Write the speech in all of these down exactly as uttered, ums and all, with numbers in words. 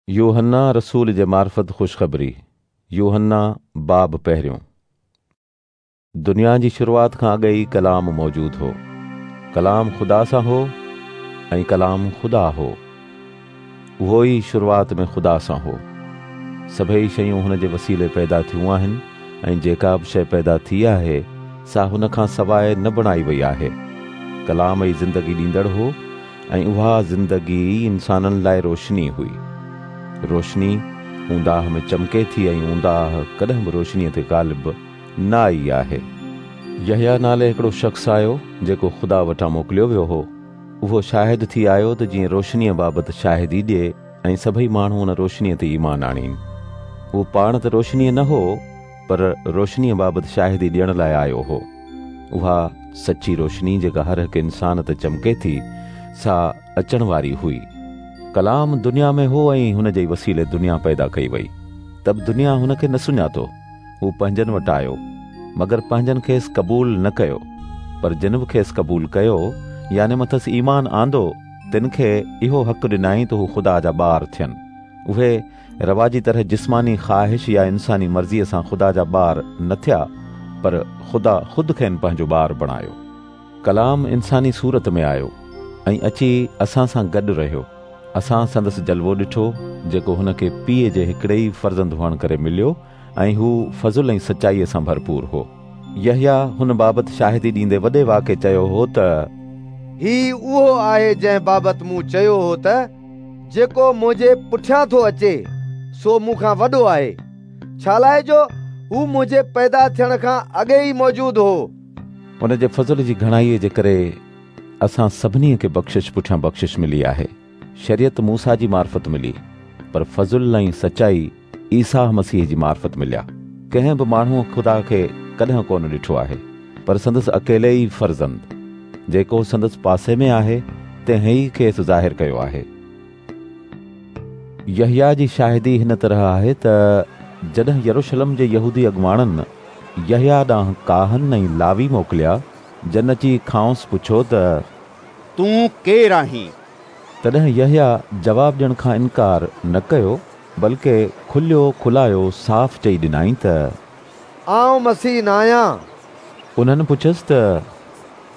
يوحنا رسول جي معرفت خوشخبري، يوحنا باب پهريون. دنيا جي شروعات کان اڳ ئي ڪلام موجود هو. ڪلام خدا سان هو ۽ ڪلام خدا هو. اهو ئي شروعات ۾ خدا سان هو. سڀئي شيون هن جي وسيلي پيدا ٿيون آهن ۽ جيڪا به شيء پيدا ٿي آهي سا هن کان سواءِ نه بڻائي وئي آهي. ڪلام ئي زندگي ڏيندڙ هو ۽ اها زندگي انسانن لاءِ روشني هئي. روشني اونداهه ۾ چمڪي ٿي ۽ اونداهه ڪڏهن به روشنيءَ تي غالب نه آئي آهي. يحيٰ نالي هڪڙو شخص آيو جيڪو خدا وٽان موڪليو ويو هو. اهو شاهد ٿي آيو ته جيئن روشنيءَ بابت شاهدي ڏئي ۽ سڀئي ماڻهو ان روشنيءَ تي ايمان آڻين. اهو پاڻ ته روشنيءَ نه هو پر روشنيءَ بابت شاهدي ڏيڻ لاءِ آيو هو. اها سچي روشني جيڪا هر هڪ انسان تي چمڪي ٿي سا اچڻ واري هئي. ڪلام دنيا ۾ هو ۽ هن جي وسيلي دنيا پيدا ڪئي وئي. ته به دنيا هن کي نه سڃاتو. هو پنهنجن وٽ آيو مگر پنهنجن کيس قبول نه ڪيو. پر جن به کيس قبول ڪيو يعني مٿس ايمان آندو تن کي اهو حق ڏنائين ته هو خدا جا ٻار ٿين. اهي رواجي طرح جسماني خواهش يا انساني مرضيءَ سان خدا جا ٻار نه ٿيا پر خدا خود کين پنهنجو ٻار بڻايو. ڪلام انساني صورت ۾ آيو ۽ اچي اسان سان گڏ رهيو. اسان سندس جلوو ڏٺو جيڪو هن کي پيءُ جي هڪڙي ئي فرزند هئڻ ڪري مليو ۽ هو فضل ۽ سچائيءَ سان ڀرپور هو. يحيٰ هن بابت شاهدي ڏيندي وڏي واڪي چيو هو ته هي اهو آهي جنهن بابت مون چيو هو ته جيڪو منهنجي پٺيان ٿو اچي سو مون کان وڏو آهي، ڇا لاءِ جو هو منهنجي پيدا ٿيڻ کان اڳي ئي موجود هو. هن جي فضل جي گهڻائيءَ جي ڪري اسان سڀني کي بخشش پٺيان بخشش ملي آهي. شريعت موسيٰ جي معرفت ملي پر فضل ۽ سچائي عيسيٰ مسيح جي معرفت مليا. ڪنهن به ماڻهوءَ خدا کي ڪڏهن ڪونه ڏٺو آهي پر سندس اڪيلي ئي فرزند جيڪو سندس پاسي ۾ آهي تنهن ئي کيس ظاهر ڪيو آهي. يحيٰ جي شاهدي هن طرح آهي ته جڏهن يروشلم جي يهودي اڳواڻن يحيٰ ڏانهن ڪاهن ۽ لاوي موڪليا جن اچي کانئس پڇيو ته تون ڪير آهين؟ تڏهن يحيٰ جواب ڏيڻ کان انڪار نه ڪيو بلڪه کليو کلايو صاف چئي ڏنائين ته آئون مسيح نه آهيان. انهن پڇيس ته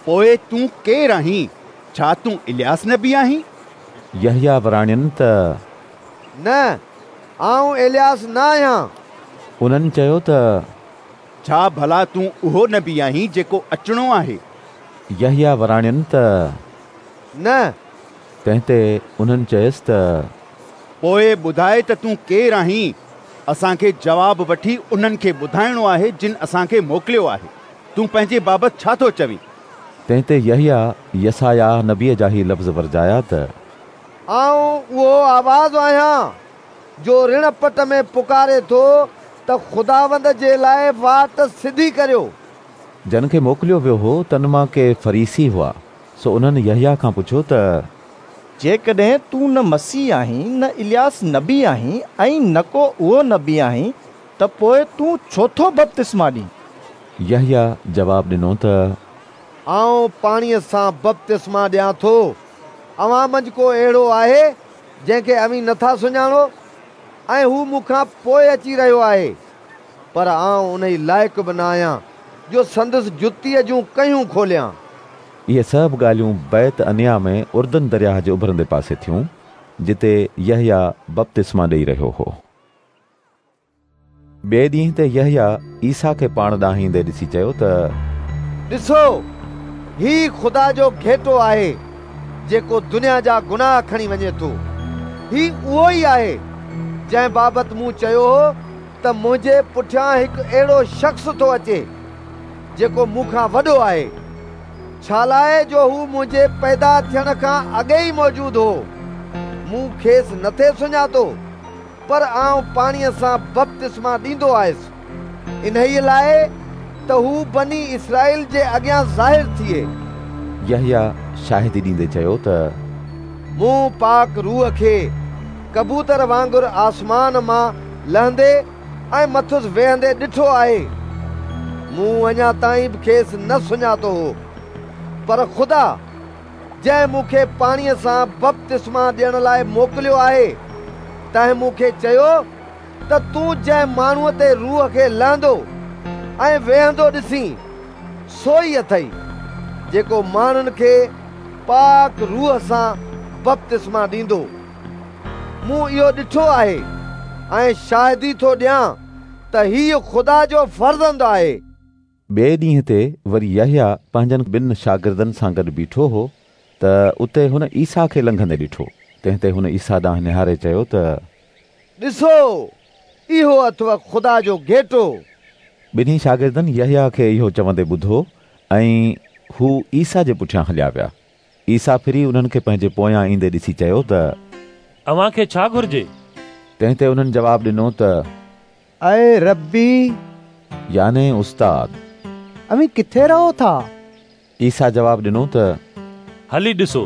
پوءِ تون ڪير آهين؟ ڇا تون الياس نبي آهين؟ يحيٰ وراڻين ته نه، آئون الياس نه آهيان. انهن چيو ته ڇا ڀلا تون اهو نبي آهين جيڪو اچڻو آهي؟ يحيٰ وراڻين ته نه. تنهن تي انهن چيس ته پوءِ ٻڌاءِ ته تون ڪير آهين؟ اسان کي جواب وٺي انهن کي ٻڌائڻو آهي جن اسان کي موڪليو آهي. تون پنهنجي بابت ڇا ٿو چوين؟ تنهن تي يحيٰ يسعياه نبيءَ جا هي لفظ ورجايا ته آئون اهو آواز آهيان جو رڻ پٽ ۾ پڪاري ٿو ته خداوند جي لاءِ واٽ سڌي ڪريو. جن کي موڪليو ويو هو تن مان ڪي فريسي هئا، سو انهن يحيٰ کان پڇيو ته جيڪڏهن تون نه مسيح آهين، نه الياس نبي آهين ۽ نه ڪو اهو نبي آهين ته پوءِ تون ڇو ٿو بپتسما ڏين؟ يحيٰ جواب ڏنو ته آئون پاڻيءَ سان بپتسما ڏيان ٿو. اوهان منجهه ڪو اهڙو آهي جنهن کي اوهين نٿا سڃاڻو ۽ هو مون کان پوءِ اچي رهيو آهي، پر آئون ان لائق به نه آهيان جو سندس جتيءَ جون ڪهيون کوليان. اهي سڀ ڳالهيون بيت انيا ۾ اردن درياهه جي اڀرندي پاسي ٿيون جتي يحيٰ بپتسما ڏيئي رهيو هو. ٻئي ڏينهن تي يحيٰ عيسيٰ کي پاڻ ڏانهن ايندي ڏسي چيو ته ڏسو، هي خدا جو گهيٽو آهي جيڪو دنيا جا گناهه کڻي وڃي ٿو. هي اهو ئي آهي جنهن بابت مون چيو هو ته منهنجي پٺيان هڪ اهڙو شخص ٿو اچي جيڪو مون کان وڏو آهي، ڇا لاءِ جو هو منهنجي پيدا ٿيڻ کان اڳي ئي موجود هو. مون کيس نٿي سڃاتو پر آئون پاڻيءَ سان بپتسما ڏيندو آيس انهيءَ لاءِ ته هو بني اسرائيل جي اڳيان ظاهر ٿئي. يحيٰ شاهدي ڏيندي چيو ته مون پاڪ روح کي ڪبوتر وانگر آسمان مان لهندي ۽ مٿس ويهندي ڏٺو آهي. مون اڃا تائين به کيس نه سڃاتو هو، پر خدا جنهن مون کي پاڻيءَ سان بپتسما ڏيڻ لاءِ موڪليو آهي تنهن مون کي چيو ته تون جنهن ماڻهوءَ تي روح کي لهندو ۽ ويهندو ڏسين سو ئي اٿئي، جيڪو ماڻهن کي پاڪ روح سان بپتسما ڏيندو. مون اهو ڏٺو آهي ۽ شاهدي ٿو ڏيان ته هيءُ خدا جو فرزند آهي. ٻئي ڏينهن تي وري يحيٰ پنهنجن ٻن شاگردن سان گڏ بيٺو هو ته اتي هن عيسيٰ کي لنگهندي ڏٺو. تنهن تي هن عيسيٰ ڏانهن نهاري چيو ته ڏسو، اهو اٿو خدا جو گهيٽو. ٻنهي شاگردن يحيٰ کي اهو چوندي ٻڌو ۽ هو عيسيٰ جي پٺيان هليا ويا. عيسيٰ ڦري انهن کي پنهنجي پويان ايندي ڏسي چيو ته اوهان کي ڇا گهرجي؟ تنهن تي انهن جواب ڏنو ته اي ربي، يعني استاد، اوهين ڪٿي رهو ٿا؟ عيسيٰ جواب ڏنو ته هلي ڏسو.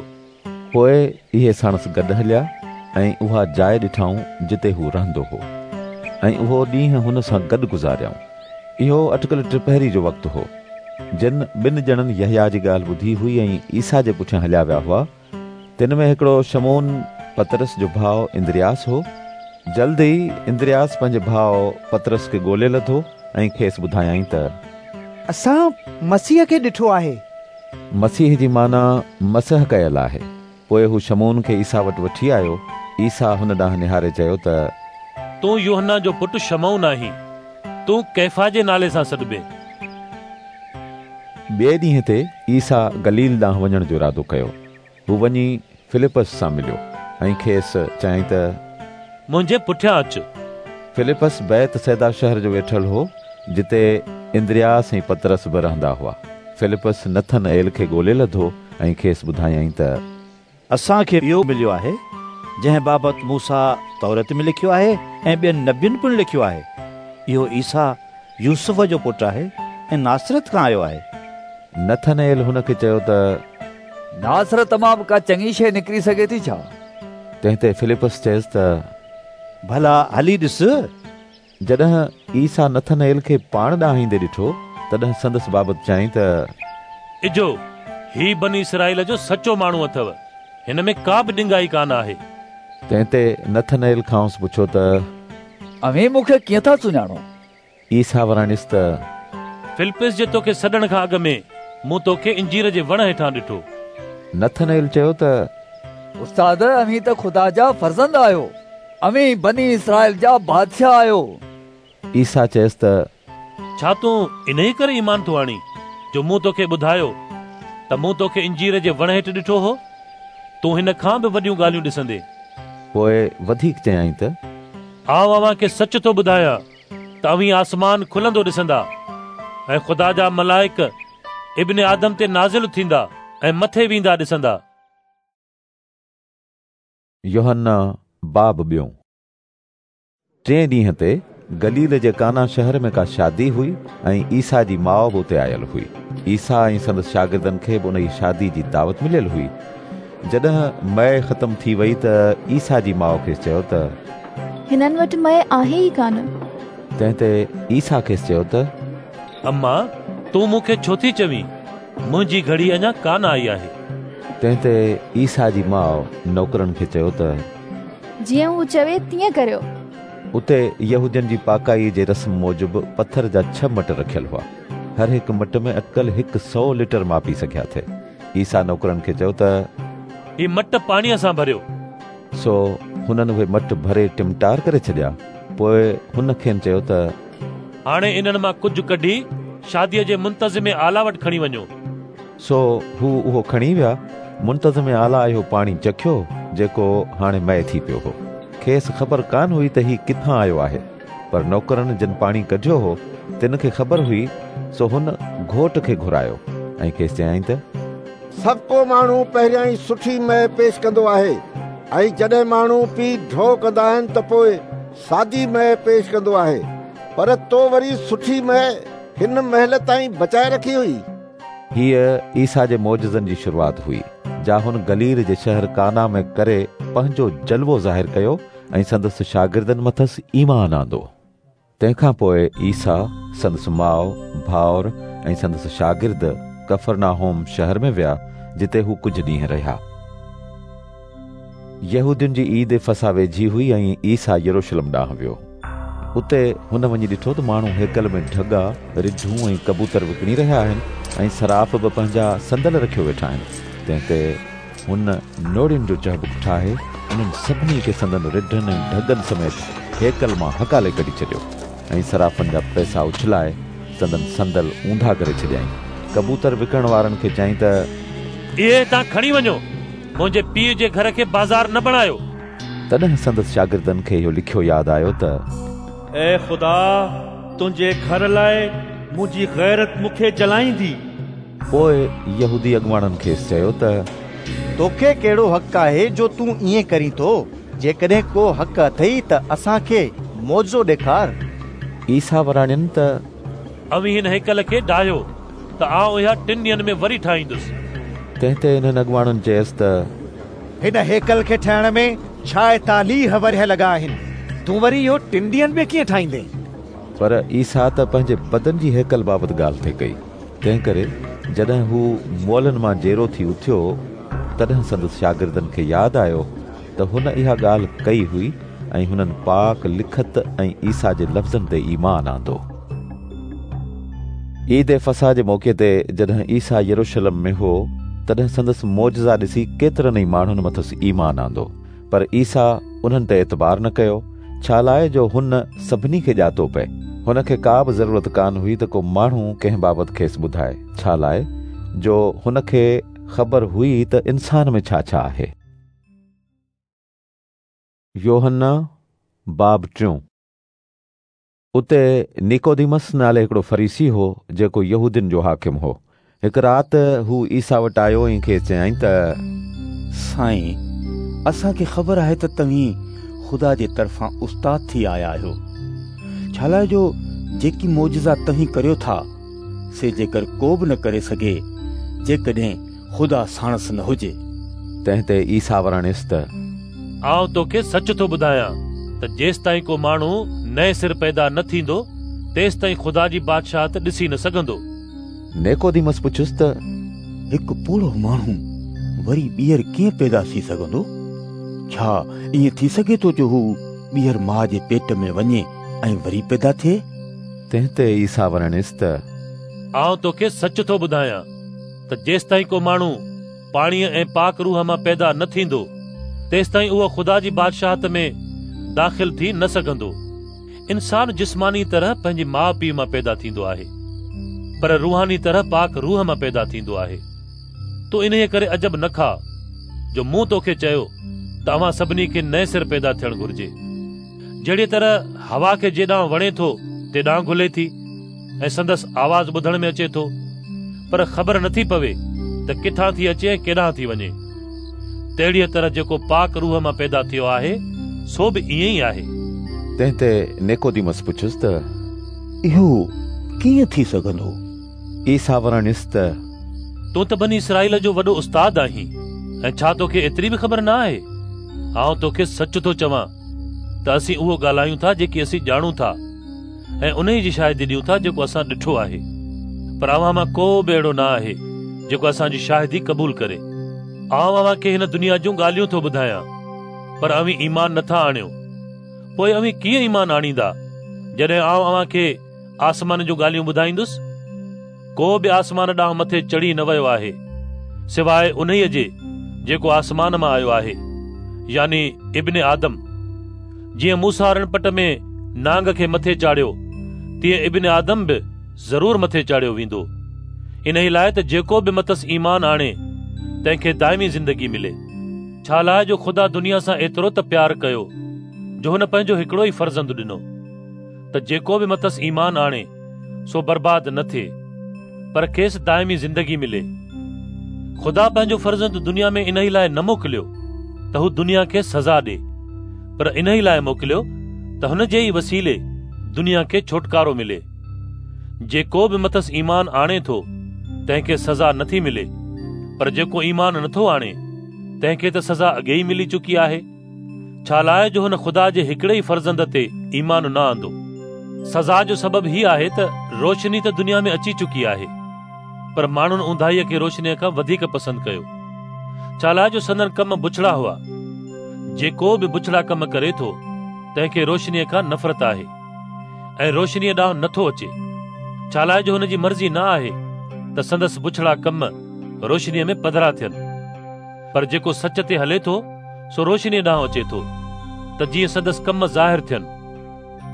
پوءِ اهي ساڻس گڏ هليا ۽ اها جاءِ ڏٺائون جتي هو رهندو هو، ۽ اهو ڏينهن هن سان گڏ گذاريائون. اهو اٽڪل ٽپهري جو وقت هو. جن ٻن ڄڻن يحيٰ جي ڳالهه ٻڌي هئي ۽ عيسيٰ جي پٺيان هليا ويا هئا، تن ۾ هڪڙو شمعون پطرس جو ڀاءُ اندرياس هو. جلد ئي اندرياس پنهنجي ڀاءُ پطرس کي ڳولي لڌو ۽ کيس ٻڌايائين ته اسان مسيح کي ڏٺو آهي. مسيح جي معنيٰ مسح ڪيل آهي. پوءِ هو شمعون کي عيسيٰ وٽ وٺي آيو. عيسيٰ هن ڏانهن نهاري چيو ته تون يوحنا جو پٽ شمعون آهين، تون ڪيفا جي نالي سان سڏبين. ٻئي ڏينهن تي عيسيٰ گليل ڏانهن وڃڻ جو ارادو ڪيو. هو وڃي فلپس سان مليو ۽ کيس چيائين ته منهنجي پٺيان اچ. فلپس بيت صيدا شهر جو ويٺل هو، جتي اندرياس ۽ پطرس به رهندا هئا. فلپس نٿن ايل کي ڳولي لڌو ۽ کيس ٻڌايائين ته اسان کي اهو مليو آهي جنهن بابت موسيٰ تورات ۾ لکيو آهي ۽ ٻين نبين پڻ لکيو آهي. اهو عيسيٰ يوسف جو پٽ آهي ۽ ناصرت کان آيو آهي. نٿن ايل هن کي چيو ته ناصرت مان به ڪا چڱي شيءِ نڪري سگهي ٿي ڇا؟ تنهن تي فلپس چيس ته ڀلا هلي ڏس. جڏهن عيسيٰ نٿن ايل کي پاڻ ڏانهن ايندي ڏٺو، تڏهن سندس بابت چيائين ته اجهو، هي بني اسرائيل جو سچو ماڻهو اٿو، هن ۾ ڪا به ڏنگائي ڪانه آهي. تنهن تي نٿن ايل کانئس پڇيو ته اوهين مون کي ڪيئن ٿا سڃاڻو؟ عيسيٰ وراڻيس ته فلپس جي توکي سڏڻ کان اڳ ۾ مون توکي انجير جي وڻ هيٺان ڏٺو. نٿن ايل چيو ته استاد، اوهين ته خدا جا فرزند آهيو، اوهين بني اسرائيل جا بادشاهه آهيو. عيسيٰ چيس ته ڇا تون انهيءَ ڪري ايمان ٿو آڻين جو مون توکي ٻڌايو ته مون توکي انجير جي وڻ هيٺ ڏٺو هو؟ تون هن کان به وڏيون ڳالهيون ڏسندين. پوءِ وڌيڪ چيائين ته آئون اوهان کي سچ ٿو ٻڌايان ته اوهين آسمان کلندو ڏسندا ۽ خدا جا ملائڪ ابن آدم تي نازل ٿيندا ۽ مٿي ويندا ڏسندا. يوحنا باب ٻيون. ٽئين ڏينهن تي گليل جي ڪانا شهر ۾ ڪا شادي هئي ۽ عيسيٰ جي ماءُ به اتي آيل هئي. عيسيٰ ۽ سندس شاگردن کي به ان شادي جي دعوت مليل هئي. جڏهن مئي ختم ٿي وئي ته عيسيٰ جي ماءُ کيس چيو ته هنن وٽ مئي آهي ئي ڪانه. تنهن تي عيسيٰ کيس چيو ته اما، تون مون کي ڇو ٿي چوين؟ منهنجي گهڙي اڃا ڪانه آئي آهي. تنهن تي عيسيٰ جي ماءُ نوڪرن کي چيو ته جيئن هو چوي تيئن ڪريو. اتي يهودين جي پاڪائيءَ جي رسم موجب پٿر جا ڇهه مٽ رکيل هئا. هر هڪ مٽ ۾ اٽڪل هڪ سؤ ليٽر ماپي سگهيا ٿي. عيسيٰ نوڪرن کي چيو ته هي مٽ پاڻيءَ سان ڀريو. سو هنن اهي مٽ ڀري ٽمٽار ڪري ڇڏيا. پوءِ هن کين چيو ته هاڻي انهن مان ڪجهه ڪڍي شاديءَ جي منتظم اعليٰ وٽ کڻي وڃو. سو هو اهو کڻي ويا. منتظم اعليٰ اهو پاڻي چکيو جيڪو هاڻي مئي ٿي پيو هو. کيس خبر ڪانه هئي ته هي ڪٿان آيو آهي، پر نوڪرن جن پاڻي ڪڍيو هو تن کي خبر هئي. سو هن گهوٽ کي گهرايو ۽ کيس چيائين ته سڀ ڪو ماڻهو پهريان ئي سٺي مئي پيش ڪندو آهي ۽ جڏهن ماڻهو پي ڍو ڪندا آهن ته پوءِ سادي مئي پيش ڪندو آهي، پر تو وري سٺي مئي هن مهل تائين بچائي رکي هئي. هيءَ عيسيٰ جي معجزن جي شروعات هئي، جا هن گليل جي شهر ڪانا ۾ ڪري پنهنجو جلوو ظاهر ڪيو ۽ سندس شاگردن مٿس ايمان آندو. تنهن کان پوءِ عيسيٰ، سندس ماءُ، ڀائر ۽ سندس شاگرد ڪفرناهوم شهر ۾ ويا، جتي هو ڪجهه ڏينهن رهيا. يهودين جي عيد فسح ويجهي هئي ۽ عيسيٰ يروشلم ڏانهن ويو. اتي هن وڃي ڏٺو ته ماڻهو هيڪل ۾ ڍڳا، رڍون ۽ ڪبوتر وڪڻي رهيا آهن ۽ صراف به پنهنجا صندل رکيو ويٺا آهن. تنهن تي هن نوڙين جو چهبڪ ٺاهي انهن سڀني کي سندن رڍن ۽ ڍڳن سميت هيڪل مان هڪالي ڪڍي ڇڏيو ۽ صرافن جا پئسا اڇلائي سندن صندل اونڌا ڪري ڇڏيائين. ڪبوتر وڪڻڻ وارن کي چيائين ته اهي هتان کڻي وڃو، منهنجي پيءُ جي گهر کي بازار نه بڻايو. تڏهن سندس شاگردن کي اهو لکيو ياد آيو ته اي خدا، تنهنجي گهر لاءِ منهنجي غيرت مون کي جلائيندي. پوءِ يهودي اڳواڻن کيس چيو ته توکي ڪهڙو حق آهي جو تون ائين ڪرين ٿو؟ جيڪڏهن ڪو حق اٿئي ته اسان کي معجزو ڏيکار. عيسيٰ وراڻين ته اوهين هن هيڪل کي ڊاهيو ته آئون اها ٽن ڏينهن ۾ وري ٺاهيندس. تنهن تي انهن اڳواڻن چيس ته هن هيڪل کي ٺاهڻ ۾ ڇائيتاليهه ورهيه لڳا آهن، تون وري اهو ٽن ڏينهن ۾ ڪيئن ٺاهيندين؟ پر عيسيٰ ته پنهنجي بدن جي هيڪل بابت ڳالهه ٿي ڪئي. تنهن ڪري جڏهن هو مئلن مان جيئرو ٿي اٿيو تڏهن سندس شاگردن کي ياد آيو ته هن اها ڳالهه ڪئي هئي ۽ هنن پاڪ لکت ۽ عيسيٰ جي لفظن تي ايمان آندو. عيد فسح جي موقعي تي جڏهن عيسيٰ يروشلم ۾ هو تڏهن سندس معجزا ڏسي ڪيترن ئي ماڻهن مٿس ايمان آندو. پر عيسيٰ انهن تي اعتبار نه ڪيو، ڇا لاءِ جو هن سڀني کي ڄاتو پئي. هن کي ڪا به ضرورت ڪانه هئي ته ڪو ماڻهو ڪنهن بابت کيس ٻڌائي، ڇا لاءِ جو هن کي خبر هئي ته انسان ۾ ڇا ڇا آهي. يوحنا باب ٽيون. اتي نيڪوديمس نالي هڪڙو فريسي هو، جيڪو يهودين جو حاڪم هو. هڪ رات هو عيسيٰ وٽ آيو ۽ کيس چيائين ته سائين، اسان کي خبر آهي ته توهين خدا جي طرفان استاد ٿي آيا آهيو، ڇا لاءِ جو جيڪي معجزا توهين ڪريو ٿا سي جيڪر ڪو به نه ڪري سگهي جيڪڏهن خدا ساڻس نه هجي. تنهن تي عيسيٰ وراڻيس ته آئون توکي سچ ٿو ٻڌايان ته جيستائين ڪو ماڻهو نئين سر پيدا نه ٿيندو تيستائين خدا جي بادشاهت ڏسي نه سگهندو. نيڪوديمس پڇيس ته هڪ پوڙهو ماڻهو وري ٻيهر ڪيئن پيدا ٿي سگهندو؟ ڇا ائين ٿي سگهي ٿو جو هو ٻيهر ماءُ جي پيٽ ۾ وڃي ۽ وري پيدا ٿئي؟ تنهن تي عيسيٰ وراڻيس ته آئون توکي سچ ٿو ٻڌايان ته جيستائين ڪو ماڻهو پاڻيءَ ۽ پاڪ روح مان پيدا نه ٿيندو تيستائين اهو خدا جي بادشاهت ۾ داخل ٿي نه سگهندو. انسان جسماني طرح پنهنجي ماءُ پيءُ مان پيدا ٿيندو آهي، پر روحاني طرح پاڪ روح مان پيدا ٿيندو آهي. تون انهيءَ ڪري عجب نه کاءُ جو مون توکي چيو ته اوهان سڀني کي نئين سر پيدا ٿيڻ گهرجي. جهڙيءَ طرح هوا کي جيڏانهن وڻي ٿو تيڏانهن گهلي ٿي ۽ سندس آواز ٻڌڻ ۾ اچي ٿو، پر خبر نٿي پوي ته ڪٿان ٿي اچي ۽ ڪيڏانهن ٿي وڃي. تهڙيءَ طرح جيڪو پاڪ روح مان پيدا ٿيو آهي سو به ائين ئي آهي. تنهن تي نيڪوديمس پڇيس ته اهو ڪيئن ٿي سگهندو؟ عيسيٰ وراڻيس ته تون ته بني اسرائيل جو وڏو استاد آهين ۽ ڇا توکي ايتري به خبر نه آهي؟ آئون توکي سچ ٿو چوان ته اسين اهو ڳالهايون ٿا جيڪي اسين ڄاڻون ٿا ۽ انهيءَ جي شاهدي ڏيون ٿا جيڪو اسان ڏٺو آهي، پر اوهان مان ڪو به اهڙو نه آهي جيڪو اسان جي شاهدي قبول ڪري. آئون اوهان کي هن دنيا جون ڳالهيون ٿو ٻڌايان، پر اوهين ايمان نٿا آڻيو. پوءِ اوهين ڪيئن ايمان آڻيندا جڏهن آئون اوهان کي آسمان جون ڳالهيون ٻڌائيندس؟ ڪو به آسمان ڏانهن مٿي چڙهي نه ويو آهي سواءِ انهيءَ جي جيڪو آسمان مان آيو آهي، يعني ابن آدم. جيئن موسيٰ رڻپٽ ۾ نانگ کي مٿي چاڙهيو، تيئن ابن آدم به ضرور مٿي چاڙهيو ويندو، انهيءَ لاءِ ته جيڪو به مٿس ايمان آڻي تنهن کي دائمي زندگي ملي. ڇا لاءِ جو خدا دنيا سان ايترو ته پيار ڪيو جو هن پنهنجو هڪڙو ئي فرزند ڏنو ته جيڪو به مٿس ايمان آڻي سو برباد نه ٿئي، پر کيس دائمي زندگي ملي. خدا پنهنجو فرزند دنيا ۾ انهيءَ لاءِ نه موڪليو ته هو دنيا کي سزا ڏئي، پر انهيءَ لاءِ موڪليو ته هن جي ئي وسيلي دنيا کي ڇوٽڪارو ملي. جيڪو به مٿس ايمان آڻي ٿو تنهن کي سزا نٿي ملي، پر جيڪو ايمان نٿو آڻي تنهن کي ته سزا اڳي ئي ملي چڪي آهي، ڇا لاءِ جو هن خدا جي هڪڙي ئي فرزند تي ايمان نه آندو. سزا جو سبب هي آهي ته روشني ته دنيا ۾ اچي چڪي آهي، پر ماڻهن اونداهيءَ کي روشنيءَ کان وڌيڪ پسند ڪيو، ڇا لاءِ جو سندن ڪم بڇڙا هئا. جيڪو به بڇڙا ڪم ڪري ٿو تنهن کي روشنيء کان نفرت آهي ۽ روشنيء ڏانهن نٿو اچي، ڇا لاءِ جو هن جي مرضي نه آهي ته سندس بڇڙا ڪم روشنيء ۾ پڌرا ٿين. پر جيڪو سچ تي هلي ٿو سو روشنيء ڏانهن اچي ٿو ته جيئن سندس ڪم ظاهر ٿين،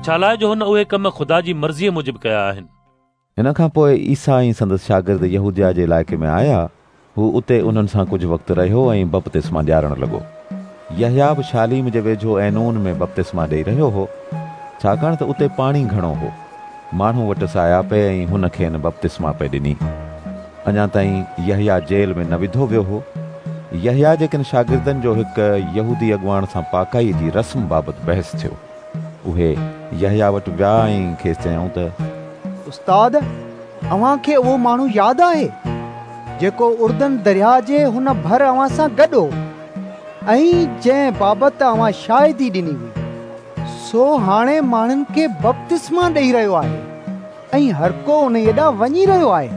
ڇا لاءِ جو هن اهي ڪم خدا جي مرضيء موجب ڪيا آهن. ان کان پوءِ عيسيٰ ۽ سندس شاگرد يهوديه جي علائقي ۾ آيا. هو اتي انهن سان ڪجهه وقت رهيو ۽ بپتسما ڏيارڻ لڳو. يحيٰ به شاليم جي ويجهو عينون ۾ بپتسما ڏيئي رهيو هو، ڇاڪاڻ ته اتي پاڻي گهڻو هو. ماڻهو وٽس آيا پئي ۽ هن کين بپتسما پئي ڏني. اڃا تائين يحيٰ جيل ۾ نه وڌو ويو هو. يحيٰ جي ڪن شاگردن جو هڪ يهودي اڳواڻ سان پاڪائيء جي رسم بابت بحث ٿيو. اهي يحيٰ وٽ ويا ۽ کيس چيائون ته استاد، اوهان کي اهو ماڻهو ياد آهي جيڪو اردن درياهه جي هن ڀر اوهان سان گڏ هو ۽ جنهن بابت اوهان شاهدي ڏني هئي، سو هاڻي ماڻهن کي بپتسما ڏيئي رهيو آهي ۽ هر ڪو انهيءَ ڏانهن وڃي رهيو آهي.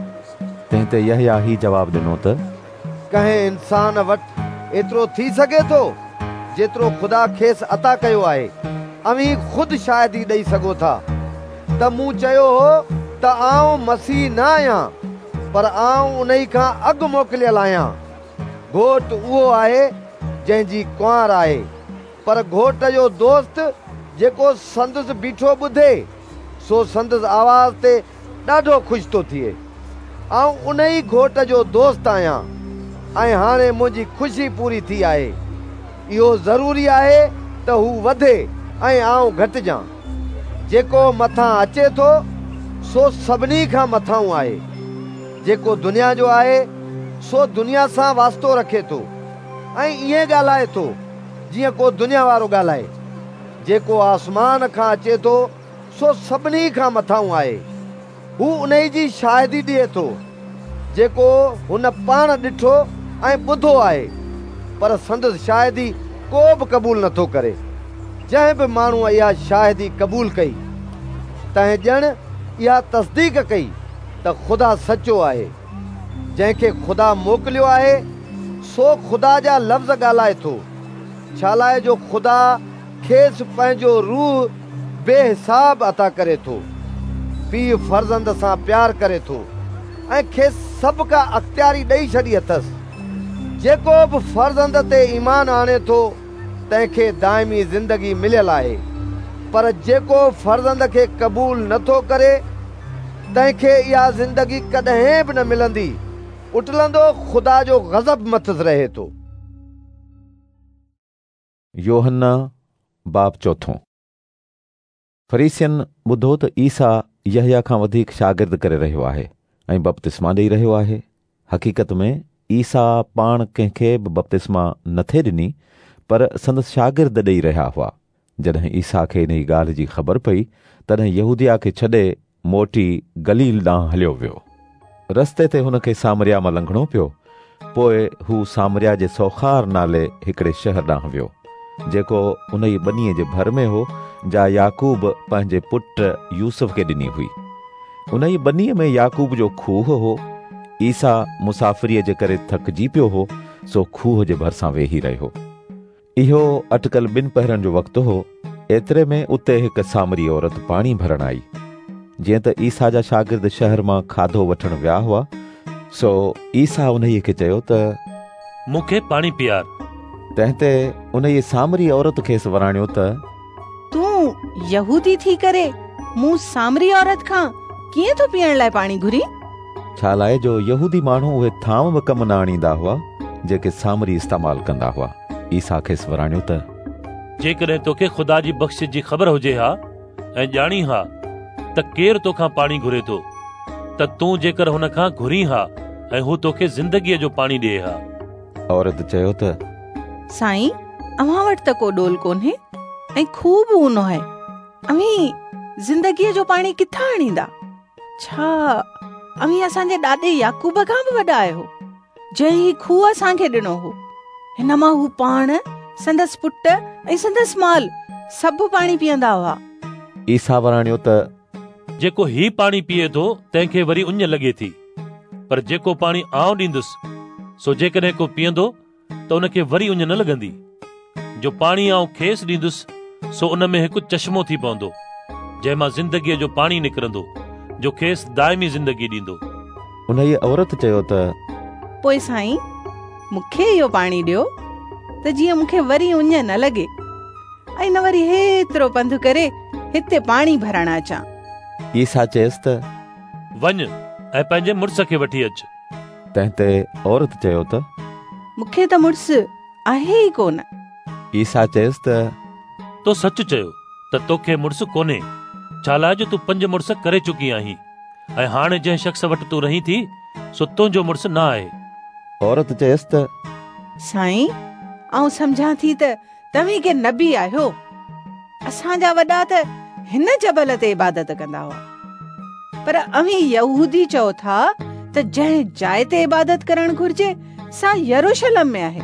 تنهن تي يحيٰ هي جواب ڏنو ته ڪنهن انسان وٽ ايترو ٿي سگهي ٿو جيترو خدا کيس عطا ڪيو آهي. اوهين خود شاهدي ڏيئي سگهو ٿا ته مون چيو هو ته آئون مسيح نه آهيان، پر آئون انهي کان اڳ موڪليل آهيان. گهوٽ اهو آهي جنهن جي ڪنوار آهي، پر گهوٽ جو دوست جيڪو سندس بيٺو ٻڌي سو سندس آواز تي ڏاڍو خوش ٿو ٿئي. آئون انهي گهوٽ جو دوست آهيان ۽ هاڻي منهنجي خوشي پوري ٿي آهي. اهو ضروري آهي ته هو وڌي ۽ آئون گهٽجان. جيڪو مٿان اچي ٿو سو سڀني کان مٿانهون آهي. جيڪو دنيا جو آهي سو دنيا سان واسطو رکي ٿو ۽ ائين ڳالهائي ٿو جيئن ڪو دنيا وارو ڳالهائي. جيڪو آسمان کان اچي ٿو سو سڀني کان مٿانهون آهي. هو انهي جي شاهدي ڏئي ٿو جيڪو هن پاڻ ڏٺو ۽ ٻڌو آهي، پر سندس شاهدي ڪو به قبول نٿو ڪري. جنهن به ماڻهوءَ اها شاهدي قبول ڪئي تنهن ڄڻ اها تصديق ڪئي ته خدا سچو آهي. جنهن کي خدا موڪليو آهي سو خدا جا لفظ ڳالهائي ٿو، ڇا لاءِ جو خدا کيس پنهنجو روح بي حساب عطا ڪري ٿو. پيءُ فرزند سان پيار ڪري ٿو ۽ کيس سڀ ڪا اختياري ڏيئي ڇڏي اٿس. جيڪو به فرزند تي ايمان آڻي ٿو تنهن کي دائمي زندگي مليل آهي، پر جيڪو فرزند کي قبول نٿو ڪري تنهن کي اها زندگي ڪڏهن به نه ملندي. اٽلندو خدا جو غضب مٿس رهي ٿو. يوحنا باب چوٿون. فريسين ٻڌو ته عيسيٰ يحيٰ کان وڌيڪ شاگرد ڪري رهيو آهي ۽ بپتسما ڏيئي رهيو آهي. حقيقت ۾ عيسيٰ پاڻ ڪنهن کي به بپتسما نٿي ڏني، پر سندس شاگرد ڏيئي رهيا هئا. جڏهن عيسيٰ کي انهي ڳالهه جي خبر پئي، تڏهن يهوديه کي ڇڏي موٽي گليل ڏانهن هليو ويو. رستي تي هن کي سامريا مان لنگهڻو پيو. پوءِ هو سامريا جي سوخار نالي هڪڙي شهر ڏانهن ويو، جيڪو انهي ٻنيءَ جي ڀر ۾ هو جا يعقوب پنهنجي پٽ يوسف کي ڏني هئي. انهي ٻنيءَ ۾ يعقوب جو کوهه هو. عيسيٰ مسافريءَ جي ڪري ٿڪجي پيو هو، سو کوهه جي ڀرسان ويهي رهيو. اهو اٽڪل ٻن پهرن جو وقت هو. ايتري ۾ اتي هڪ سامري عورت پاڻي ڀرڻ آئي. جيئن ته عيسيٰ جا شاگرد شهر مان کاڌو وٺڻ ويا هئا، سو عيسيٰ انهيءَ کي چيو ته مون کي پاڻي پيار. تنهن تي انهيءَ سامري عورت کيس وراڻيو ته تون يهودي ٿي ڪري مون سامري عورت کان ڪيئن ٿو پيئڻ لاءِ پاڻي گهرين؟ ڇا لاءِ جو يهودي ماڻهو اهي ٿانو به ڪم نه آڻيندا هئا جيڪي سامري استعمال ڪندا هئا. عيسيٰ کيس وراڻيو ته جيڪڏهن توکي خدا جي بخشش جي خبر هجي ها ۽ ڄاڻي ها ته ڪير توکان پاڻي گهري ٿو، ته تون جيڪر هن کان گهرين ها ۽ هو توکي زندگيءَ جو پاڻي ڏئي ها. عورت چيو ته سائين، اوهان وٽ ته ڪو ڏول ڪونهي ۽ کوهه به اونهو آهي. اوهين زندگيءَ جو پاڻي ڪٿان آڻيندا؟ ڇا اوهين اسان جي ڏاڏي يعقوب کان به وڏا آهيو، جنهن هي کوهه اسان کي ڏنو هو؟ هن مان هو پاڻ، سندس پٽ ۽ سندس مال سڀ پاڻي پيئندا هئا. عيسيٰ وراڻيو ته جيڪو هي پاڻي پيئي ٿو تنهن کي وري اڃ لڳي ٿي، پر جيڪو پاڻي آئون ڏيندس سو جيڪڏهن ڪو پيئندو ته ان کي وري اڃ نه لڳندي. جو پاڻي آئون کيس ڏيندس سو ان ۾ هڪ چشمو ٿي پوندو، جنهن مان زندگيء جو پاڻي نڪرندو، جو کيس دائمي زندگي ڏيندو. انهيء عورت چيو ته پوءِ سائين، مون کي اهو پاڻي ڏيو ته جيئن مون کي وري اڃ نه لڳي ۽ نه وري هيترو پنڌ ڪري هتي پاڻي ڀرڻ اچان. عيسيٰ چيس ته وڃ ۽ پنهنجي مڙس کي وٺي اچ. تنهن تي عورت چيو ته مون کي ته مڙس آهي ئي ڪونه. عيسيٰ چيس ته تو سچ چيو ته توکي مڙس ڪونهي، ڇا لاءِ جو تون پنج مڙس ڪري چڪي آهين ۽ هاڻي جنهن شخص وٽ تون رهين ٿي سو تنهنجو مڙس نه آهي. عورت چيس ته سائين، آئون سمجهان ٿي ته توهين ڪي نبي آهيو. اسان جا وڏا ته هن جبل تي عبادت ڪندا هئا، پر اوهين يهودي چئو ٿا ته جنهن جاءِ تي عبادت ڪرڻ گهرجي سا يروشلم ۾ آهي.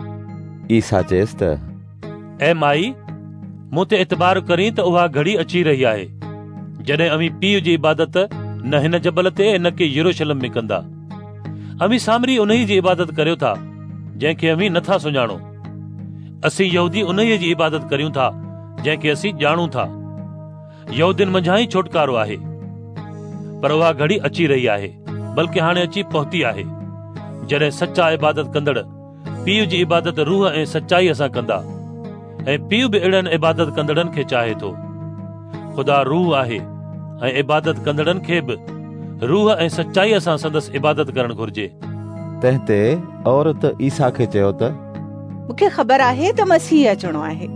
عيسيٰ چيس ته اي مائي، مون تي اعتبار ڪرين ته اها گهڙي اچي رهي آهي جڏهن اوهين پيءُ جي عبادت نه هن جبل تي نه ڪي يروشلم ۾ ڪندا. اوهين سامري انهيء جي عبادت ڪريو ٿا جنهن کي اوهين نٿا سڃاڻو. اسين يهودي انهيء جي عبادت ڪريون ٿا جنهن کي اسين ڄاڻون ٿا. يهودين منجهان ئي ڇوٽڪارو آهي، پر اها گهڙي اچي رهي آهي، بلڪه هاڻي اچي پهتي آهي، جڏهن سچا عبادت ڪندڙ پيءُ جي عبادت روح ۽ سچائيءَ سان ڪندا، ۽ پيءُ به اهڙن عبادت ڪندڙن کي چاهي ٿو. خدا روح آهي ۽ عبادت ڪندڙن کي به روح ۽ سچائيءَ سان سندس عبادت ڪرڻ گهرجي. تنهن تي عورت عيسيٰ کي چيو ته مون کي خبر آهي ته مسيح اچڻو آهي.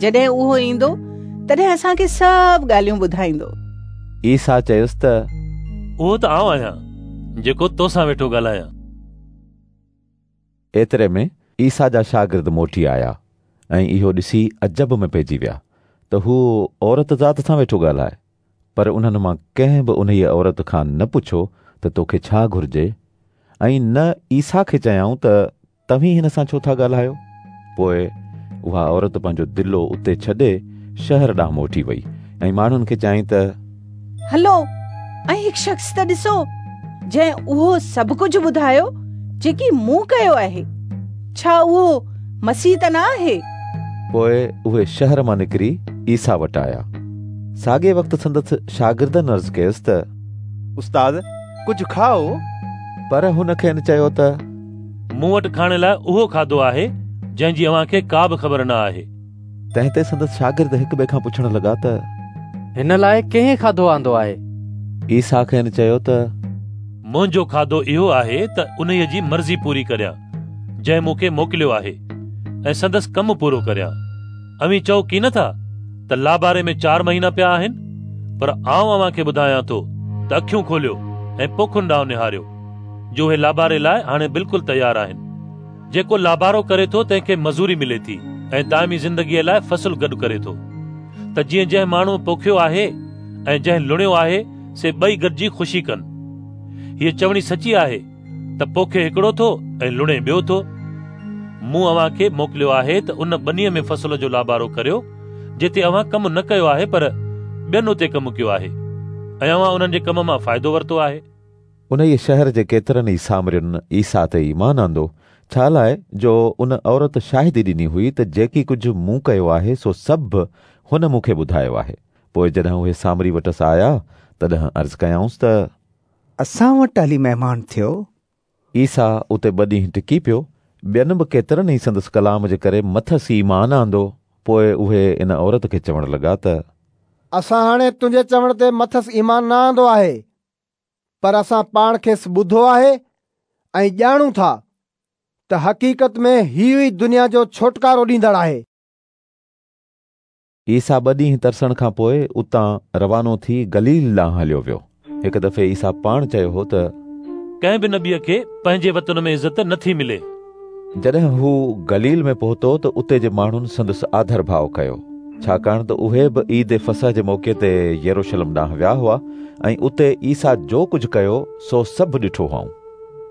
جڏهن اهو ايندو تڏهن اسان کي سڀ ڳالهيون ٻڌائيندو. عيسيٰ چيس ته اهو ته آئون آهيان جيڪو تو سان ويٺو ڳالهايان. ايتري ۾ عيسيٰ جا شاگرد موٽي آيا ۽ اهو ڏسي عجب ۾ پئجي ويا ته هو عورت ذات سان ويٺو ڳالهائي. پر انهن مان ڪنهن به انهيء عورت کان نه پڇيو ته توکي ڇا گهرجي، ۽ نه عيسيٰ کي چيائون ته توهين هن سان ڇو ٿا ڳالهايو. پوءِ اها عورت پنهنجو دلو اتي ڇڏي شهر ڏانهن موٽي وئي ۽ ماڻهن کي چيائين ته هلو ۽ هڪ شخص ته ڏسو جنهن اهو سڀ ڪجهه ٻڌايو جيڪي مون ڪيو آهي. ڇا اهو مسيح ته نه آهي؟ پوءِ اهي شهر مان نڪري عيسيٰ وٽ آيا. ساڳئي وقت سندس شاگردن عرض ڪيس ته استاد، ڪجهه کائو. پر هن کين چيو ته مون وٽ کائڻ لاءِ اهو کاڌو آهي جنهن جي اوهان کي ڪا به خبر نه آهي. تنهن تي سندس شاگرد هڪ ٻئي کان پڇڻ لڳا ته هن لاءِ ڪنهن کاڌو آندو آهي؟ عيسيٰ کين چيو ته منهنجو کاڌو اهو آهي ته انهيءَ جي مرضي پوري ڪريان جنهن مون کي موڪليو آهي ۽ سندس ڪم پورو ڪريان. اوهين چئو ڪين ٿا ته لاباري ۾ چار مهينا پيا آهن؟ پر آئون اوهان کي ٻڌايان ٿو ته اکيون کوليو ۽ پوکن ڏانهن نهاريو، جو اهي لاباري لاءِ هاڻي بلڪل تيار آهن. جيڪو لابارو ڪري ٿو تنهن کي مزوري ملي ٿي ۽ دائمي زندگيءَ لاءِ فصل گڏ ڪري ٿو، ته جيئن جنهن ماڻهوءَ پوکيو آهي ۽ جنهن لڻيو آهي سي ٻئي گڏجي خوشي ڪن. هيءَ چوڻي سچي آهي ته پوکي هڪڙو ٿو ۽ لڻي ٻيو ٿو. مون اوهان کي موڪليو آهي ته ان ٻنيءَ ۾ فصل جو لابارو ڪريو جتي اوهان ڪم نه ڪيو آهي، پر ٻين اتي ڪم ڪيو آهي ۽ اوهان انهن جي ڪم مان فائدو ورتو آهي. انهيءَ شهر جي ڪيترن ئي سامرين عيسيٰ تي ايمان آندو، ڇا لاءِ جو ان عورت شاهدي ڏني هئي ته جيڪي ڪجهه مون ڪيو آهي سو سڀ هن مون کي ٻڌايو آهي. پوءِ جڏهن اهي سامري وٽس آيا تڏهن عرض ڪيائونس ته اسان وٽ هلي مهمان ٿيو. عيسيٰ اتي ٻه ڏينهن ٽڪي پيو. ٻين به ڪيترن ئي سندس ڪلام جي ڪري مٿس ايمان آندو. پوءِ اهي ان عورت کي چوڻ لڳا ته اسان هاڻي تنهنجي چوڻ تي مٿس ايمان نه آندو آهي، پر اسان پاڻ کيس ٻڌو آهي ۽ ڄاڻون ٿا ته حقيقت ۾ هيءُ ئي دنيا جو ڇوٽڪارو ڏيندڙ آهي. عيسيٰ ٻه ڏينهن ترسڻ کان پوءِ اتان روانو ٿي گليل ڏانهن هليو ويو. هڪ دفعي عيسيٰ پاڻ چيو هو ته ڪنهن به نبيءَ کي پنهنجي وطن ۾ عزت نٿي ملي. جڏهن هو گليل ۾ پهتو ته اتي جي ماڻهن سندس آڌر ڀاءُ ڪيو، ڇاڪاڻ ته اهي به عيد فصح جي موقعي تي يروشلم ڏانهن ويا هئا ۽ اتي عيسيٰ جو ڪجهه ڪيو سو سڀ ڏٺو هئائون.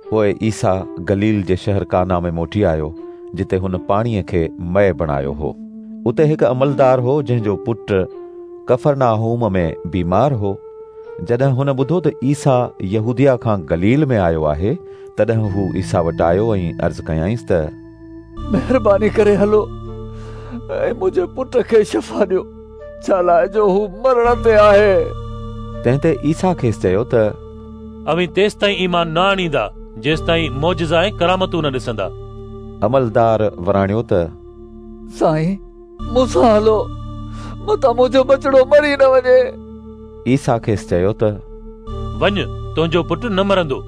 پوءِ عيسيٰ گليل جي شهر ڪانا ۾ موٽي آيو، جتي هن پاڻيءَ کي مئي بڻايو هو. اتي هڪ عملدار هو جنهن جو پٽ ڪفرناهوم ۾ بيمار هو. جڏهن هن ٻڌو ته عيسيٰ يهوديه کان گليل ۾ آيو آهي، تڏهن هو عيسيٰ وٽ آيو ۽ عرض ڪيائينس ته مهرباني ڪري هلو ۽ منهنجي پٽ کي شفا ڏيو، ڇا لاءِ جو هو مرڻ تي آهي. تنهن تي عيسيٰ کيس چيو ته اوهين تيستائين ايمان نه آڻيندا جيستائين معجزا ۽ ڪرامتون نه ڏسندا. عملدار وراڻيو ته سائين، مون سان هلو، متان منهنجو ٻچڙو مري نه وڃي. عيسيٰ کيس چيو ته وڃ، تنهنجو پٽ نه مرندو.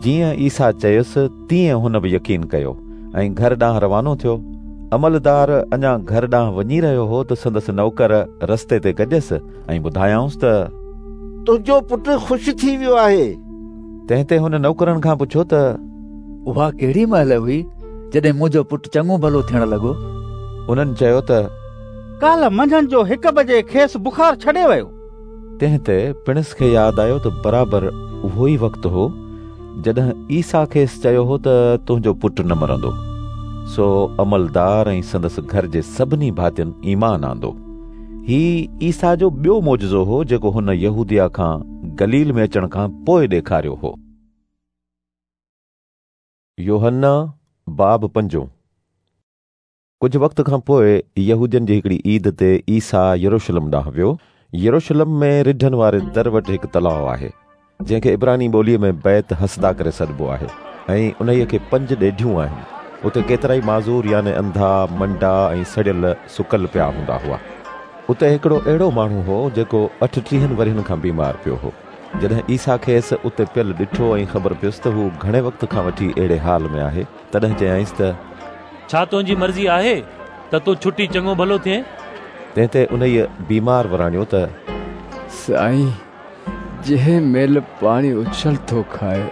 جيئن عيسيٰ چيس تيئن هن به يقين ڪيو ۽ گهر ڏانهن روانو ٿيو. عملدار اڃا گهر ڏانهن وڃي رهيو هو ته سندس نوڪر رستي تي گڏيس ۽ ٻڌايائونس ته تنهنجو پٽ خوش ٿي ويو آهي. تنهن تي هن نوڪرن کان پڇيو ته اها ڪهڙي مهل هئي جڏهن منهنجو پٽ چڱو ڀلو ٿيڻ لڳو؟ انهن چيو ته ڪالهه منجهند جو هڪ بجي کيس بخار ڇڏي ويو. تنهن تي پڻس کي ياد آيو ته برابر اهو ئي وقت هو جڏهن عيسيٰ کيس چيو هو ته تنهنجو پٽ نه مرندو. سو عملدار ۽ سندس گهر جي سڀني ڀاتين ايمان آندو. هي عيسيٰ جو ٻيو معجزو هو جيڪو هن يهوديه کان گليل ۾ اچڻ کان پوءِ ڏيکاريو هو. يوحنا باب پنجون. ڪجهه وقت کان پوءِ يهودين جي هڪڙي عيد تي عيسيٰ يروشلم ڏانهن ويو. يروشلم ۾ رڍن واري در وٽ هڪ تلاءُ آهي، جنهن کي عبراني ٻوليءَ ۾ بيت حسدا ڪري سڏبو آهي ۽ انهيءَ کي پنج ڏيڍيون آهن. اتي ڪيترائي معذور يعني انڌا، منڊا ۽ سڙيل سڪل پيا هوندا هئا. اتي هڪڙو اهڙو ماڻهو هو جيڪو اٺٽيهن ورهين کان بيمار پيو هو. جڏهن عيسيٰ کيس اتي پيل ڏٺو ۽ خبر پيس ته هو گهڻي وقت کان وٺي اهڙي حال ۾ آهي، تڏهن چيائينس ته ڇا تنهنجي مرضي آهي ته تون ڇٽي چڱو ڀلو ٿئين؟ تنهن تي انهيءَ بيمار وراڻيو ته سائين، جنهن مهل پاڻي اڇل ٿو کائي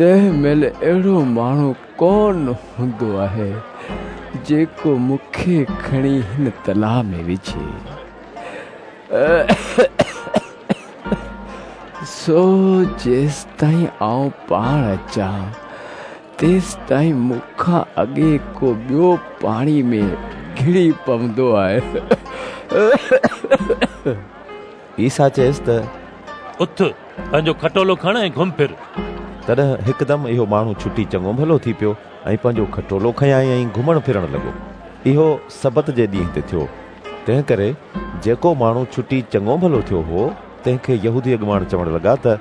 تنهن مهل اهڙو ماڻهو ڪونه هوندو آهي جيڪو مون کي کڻي هن تلاءُ ۾ وجهي. سو جيستائين آئون پاڻ اچان تيستائين مون کان اڳي ڪو ٻيو پاڻي ۾ گهڙي پوندو آهي. عيسيٰ چيس ته اٿ، پنهنجو کٽولو کڻ ۽ گهم ڦر. تڏهن هڪدم اهو ماڻهو ڇٽي چڱو ڀلو ٿي پيو ۽ پنهنجو کٽولو کنيائين ۽ گهمڻ ڦرڻ لڳو. اهو سبت جي ڏينهن تي ٿيو. تنهن ڪري جيڪو ماڻهو ڇٽي چڱو ڀلو ٿيو هو تنهن کي يهودي اڳواڻ چوڻ لڳا ته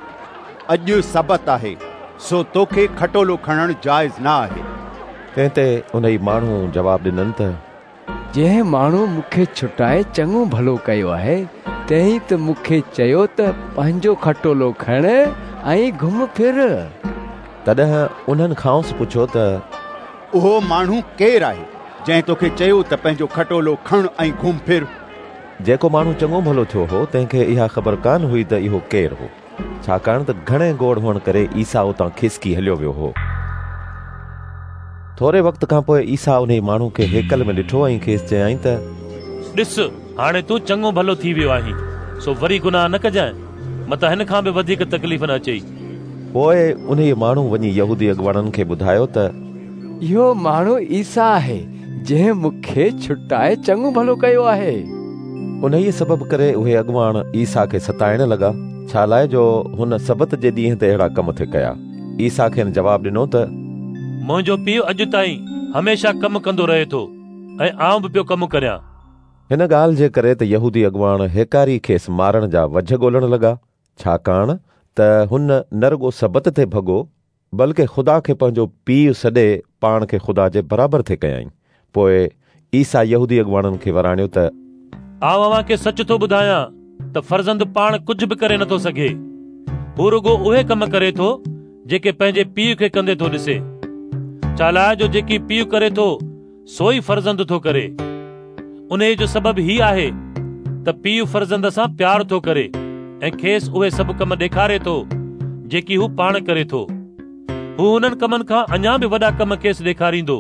اڄ سبت آهي، سو توکي کٽولو کڻڻ جائز نه آهي. تنهن تي انهي ماڻهو جواب ڏنن ته جنهن ماڻهو مون کي ڇٽائي چڱو ڀلو ڪيو آهي تنهن ئي ته مون کي چيو ته پنهنجو کٽولو کڻ ۽ گهم ڦر. تڏهن انهن کانئس پڇيو ته اهو ماڻهو ڪير آهي جنهن توکي چيو ته پنهنجو کٽولو کڻ ۽ گهم ڦر؟ جيڪو ماڻهو چڱو ڀلو ٿيو هو تنهن کي اها خبر ڪانه هئي ته اهو ڪير هو، ڇاڪاڻ ته گهڻي گوڙ هئڻ ڪري عيسيٰ اتان کسڪي هليو ويو هو. ٿوري وقت کان پوءِ عيسيٰ انهي ماڻهو کي هيڪل ۾ ڏٺو ۽ کيس چيائين ته ڏس، هاڻي تون چڱو ڀلو ٿي ويو آهين، سو وري گناهه نه ڪجانءِ، متان هن کان به وڌيڪ تڪليف نه اچئي. پوءِ انهيءَ ماڻهو وڃي يهودي اڳواڻن کي ٻڌايو ته اهو ماڻهو عيسيٰ آهي جنهن مون کي ڇٽائي چڱو ڀلو ڪيو آهي. انهيءَ سبب ڪري اهي اڳواڻ عيسيٰ کي ستائڻ لڳا، ڇا لاءِ جو هن سبت جي ڏينهن تي اهڙا ڪم ٿي ڪيا. عيسيٰ کين جواب ڏنو ته منهنجو پيءُ اڄ تائين هميشه ڪم ڪندو رهي ٿو ۽ آئون به پيو ڪم ڪريان. هن ڳالهه جي ڪري ته يهودي اڳواڻ هيڪاري کيس مارڻ جا وجهه ڳولڻ لڳا، ڇاڪاڻ ته هن نه رڳو سبت تي ڀڳو بلڪه خدا کي پنهنجو پيءُ سڏي پاڻ کي خدا جي برابر ٿي ڪيائين. پوءِ عيسيٰ يهودي اڳواڻن کي وراڻيو ته آئون اوهان کي سچ ٿو ٻڌايان ته فرزند پاڻ ڪجهه به ڪري نٿو سگهي. هو رڳو اهي ڪم ڪري ٿو جيڪي پنهنجي پيءُ کي ڪندي ٿو ڏسي، ڇا لاءِ جو جيڪي پيءُ ڪري ٿو سو ئي فرزند ٿو ڪري. انهيءَ جو سبب هي آهي ته پيءُ فرزند سان پيار ٿو ڪري ۽ کيس اهي سڀ ڪم ڏيکاري ٿو جيڪي هو پاڻ ڪري ٿو. هو انهن ڪمن کان اڃا به وڏا ڪم کيس ڏيکاريندو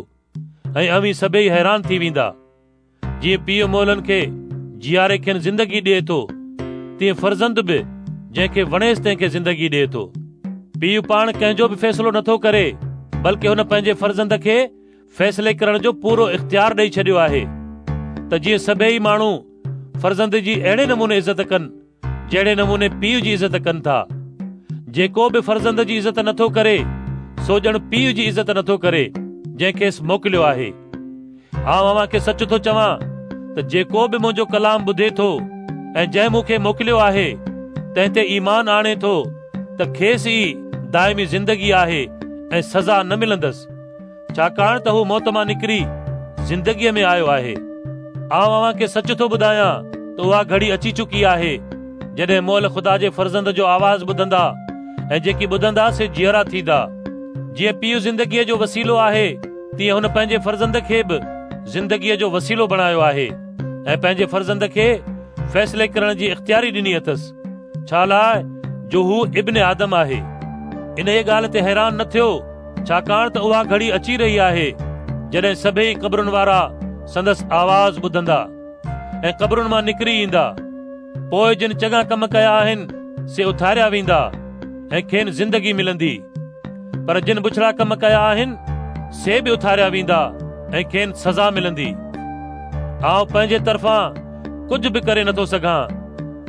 ۽ اوهين سڀئي حيران ٿي ويندا. جيئن پيءُ مئلن کي جياري کين زندگي ڏئي ٿو، تيئن فرزند به جنهن کي وڻيس تنهن کي زندگي ڏئي ٿو. پيءُ پاڻ ڪنهن جو به فيصلو نٿو ڪري، بلڪه هن پنهنجي فرزند کي فيصلي ڪرڻ جو پورو اختيار ڏيئي ڇڏيو آهي، ته جيئن سڀئي ماڻهو فرزند جي اهڙي نموني عزت ڪن جهڙي نموني پيءُ جي عزت ڪن ٿا. جيڪو به فرزند جي عزت نٿو ڪري سو ڄڻ پيءُ جي عزت نٿو ڪري جنهن کيس موڪليو آهي. آئون اوهان کي سچ ٿو چوان ته جيڪو به منهنجو ڪلام ٻڌي ٿو ۽ جنهن مون کي موڪليو آهي تنهن تي ايمان آڻي ٿو ته کيس ئي دائمي زندگي آهي ۽ سزا نه ملندس، ڇاڪاڻ ته هو موت مان نڪري زندگيء ۾ آيو آهي. آئون اوهان کي سچ ٿو ٻڌايان ته اها گهڙي اچي چڪي آهي جڏهن مئل خدا جي فرزند جو آواز ٻڌندا ۽ جيڪي ٻڌندا سي جيئرا ٿيندا. جيئن پيءُ زندگيء جو وسيلو آهي تيئن هن پنهنجي فرزند کي به زندگيء جو وسيلو بڻايو آهي ۽ پنهنجي فرزند کي فيصلي ڪرڻ جي اختياري ڏني اٿس، ڇا لاءِ جو هو ابن آدم آهي. انهيء ڳالهه تي حيران نه ٿيو، ڇاڪاڻ ته اها گهڙي اچي رهي آهي جڏهن سڀئي قبرن وارا سندس آواز ٻڌندا ۽ قبرن مان نڪري ايندا. پوءِ جن چڱا ڪم ڪيا آهن سي اٿاريا ويندا ۽ کين زندگي ملندي، پر جن بڇڙا ڪم ڪيا آهن سي به اٿاريا ويندا ۽ کين سزا ملندي. آئون پنهنجي طرفان ڪجهه به ڪري نٿو سگهان،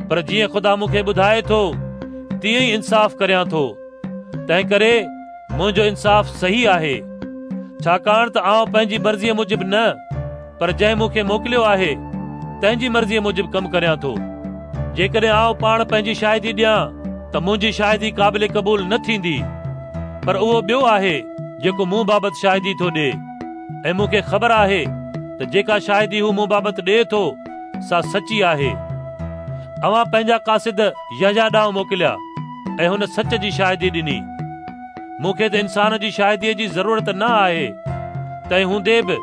پر جيئن خدا مون کي ٻڌائي ٿو تيئن ئي انصاف ڪريان ٿو. تنهن ڪري منهنجو انصاف صحيح آهي، ڇاڪاڻ ته آئون پنهنجي مرضيءَ موجب نه پر جنهن مون کي موڪليو آهي تنهن جي مرضيءَ موجب ڪم ڪريان ٿو. جيڪڏهن آئون پاڻ پنهنجي شاهدي ڏيان ته منهنجي شاهدي قابل قبول نه ٿيندي، پر اهو ٻيو آهي جيڪو مون بابت شاهدي ٿو ڏئي ۽ مون کي خبر آهي ته جيڪا شاهدي هو مون بابت ڏئي ٿو سا سچي آهي. اوهان پنهنجا قاصد يحيٰ ڏانهن موڪليا ۽ هن سچ جي شاهدي ڏني. مون کي ته انسان جي شاهديءَ جي ضرورت نه آهي، تنهن هوندي به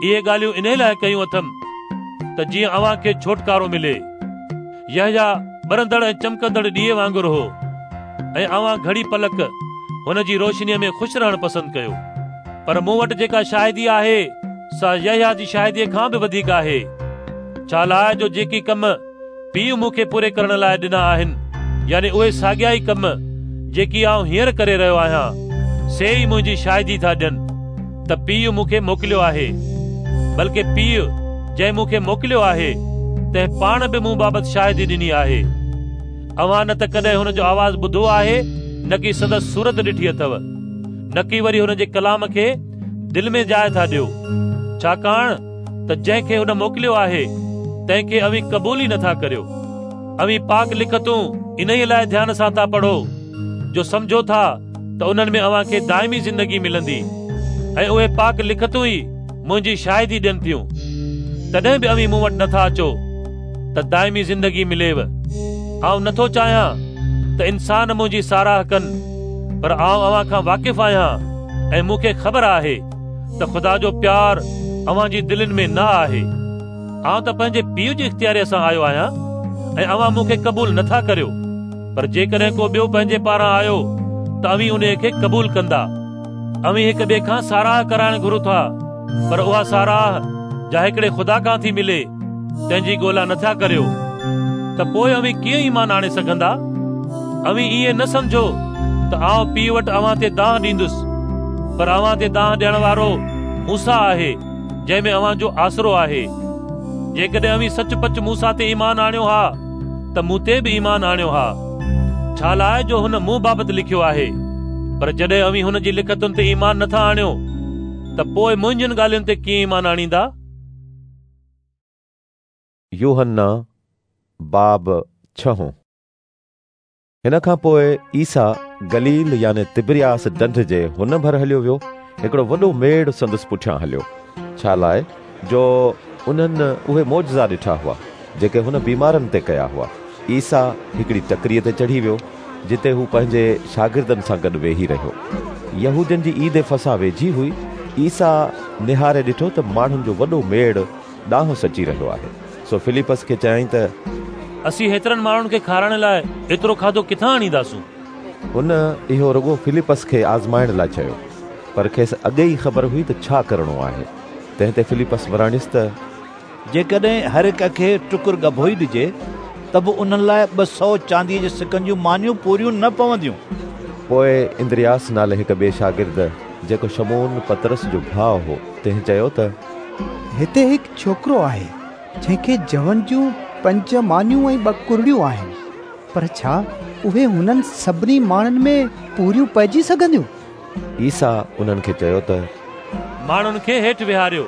اهي ڳالهيون انهيءَ لاءِ ڪيون اٿم ته جيئن اوهان کي ڇوٽڪارو ملي. يحيٰ ٻرندڙ ۽ چمڪندڙ ڏيئي وانگر هو ۽ اوهان گهڙي پلڪ هن جي روشنيءَ ۾ خوش رهڻ پسند ڪيو. پر مون وٽ جيڪا شاهدي آهي سا يحيٰ جي شاهديءَ کان به وڌيڪ آهي، ڇا لاءِ جو جيڪي ڪم پيءُ مون کي پوري ڪرڻ لاءِ ڏنا آهن، يعني اهي ساڳيا ئي ڪم جيڪي آئون هينئر ڪري رهيو آهيان، سي ئي منهنجي شاهدي ٿا ڏين ته پيءُ مون کي موڪليو آهي. بلڪه پيءُ جنهن مون کي موڪليو آهي تنهن پاڻ به مون بابت شاهدي ڏني آهي. اوهان نه ته ڪڏهن هن جو آواز ٻڌو آهي، نه ڪي سندس صورت ڏٺي اٿو، نه ڪي وري هن جي ڪلام کي دل ۾ جاءِ ٿا ڏيو، ڇاڪاڻ ته جنهن کي هن موڪليو آهي تنهن کي اوهين قبول ئي نٿا ڪريو. اوهين پاڪ لکتون انهيءَ لاءِ ڌيان سان ٿا پڙهو جو سمجهو ٿا ته انهن ۾ اوهان کي دائمي زندگي ملندي، ۽ اهي پاڪ لکتون ئي منهنجي شاهدي ڏين ٿيون. تڏهن به اوهين مون وٽ نٿا اچو ته دائمي زندگي مليو. آئون نٿو چاهيان ته انسان منهنجي ساراهه ڪن، پر آئون اوهان کان واقف آهيان ۽ مون کي خبر آهي ته خدا جو پيار اوهان جي دلين ۾ نه آهي. آئون ته پنهنجي پيءُ جي اختياريءَ سان آيو آهيان ۽ اوهان مون کي قبول نٿا ڪريو، پر جيڪڏهن ڪو ٻيو پنهنجي پاران آيو ته اوهين انهيءَ کي قبول ڪندا. اوهين هڪ ٻئي کان ساراهه ڪرائڻ گهرو ٿا، پر اها ساراهه جا هڪڙي خدا کان ٿي ملي تنهن جي ڳولا نٿا ڪريو، ته پوءِ اوهين ڪيئن ايمان آڻي سگهندا؟ اوهين ائين نه سمجهو ته آئون پيءُ وٽ اوهان تي دانهن ڏيندس، پر اوهان تي دانهن ڏيڻ وارو موسيٰ آهي جنهن ۾ اوهان جو آسرو آهي. جيڪڏهن اوهين سچ پچ موسيٰ تي ايمان آڻيو ها ته مون تي به ايمان آڻيو ها، ڇا لاءِ جو هن مون بابت لکيو آهي. پر جڏهن اوهين هن جي لکتن تي ايمان نٿا آڻيو ته پوءِ منهنجين ڳالهين تي ڪيئن ايمان آڻيندا؟ يوحنا باب ڇهون. هن کان پوءِ عيسيٰ گليل يعني تبرياس ڍنڍ جي هن ڀر هليو ويو. هڪڙو وڏو ميڙ سندس پٺيان هليو، ڇا لاءِ جو انهن اهي معجزا ڏٺا هئا جيڪي هن بيمارن تي ڪيا هئا. عيسيٰ هڪڙي ٽڪريءَ تي چڙهي ويو جتي هو پنهنجي شاگردن سان گڏ ويهي رهيو. يهودين جي عيد فسح ويجهي هئي. عيسيٰ نهاري ڏٺو ته ماڻهن جو وڏو ميڙ ڏانهس اچي رهيو آهي. سو فلپس کي چيائين ته اسين هيترن ماڻهن کي کارائڻ لاءِ ايترو کاڌو ڪٿان آڻينداسون؟ هن اهو رڳو فلپس کي آزمائڻ لاءِ چيو، پر کيس اڳي ئي خبر هئي ته ڇا ڪرڻو آهي. تنهن تي فلپس وراڻيس ته جيڪڏهن هر هڪ کي ٽڪر ڳڀو ئي ڏجي ته به انهن لاءِ ٻه سؤ چانديءَ جي سڪن جون مانيون پوريون نه پونديون. پوءِ اندرياس نالي هڪ ٻئي شاگرد، جيڪو شمعون پطرس جو ڀاءُ هو، تنهن چيو ته هتي هڪ ڇوڪرو آهي جنهن کي جون جون پنج مانيون ۽ ٻه ڪرڙيون آهن، پر ڇا اهي هنن سڀني ماڻهن ۾ پوريون پئجي سگهنديون؟ عيسيٰ انهن کي چيو ته ماڻهن کي هيٺ ويهاريو.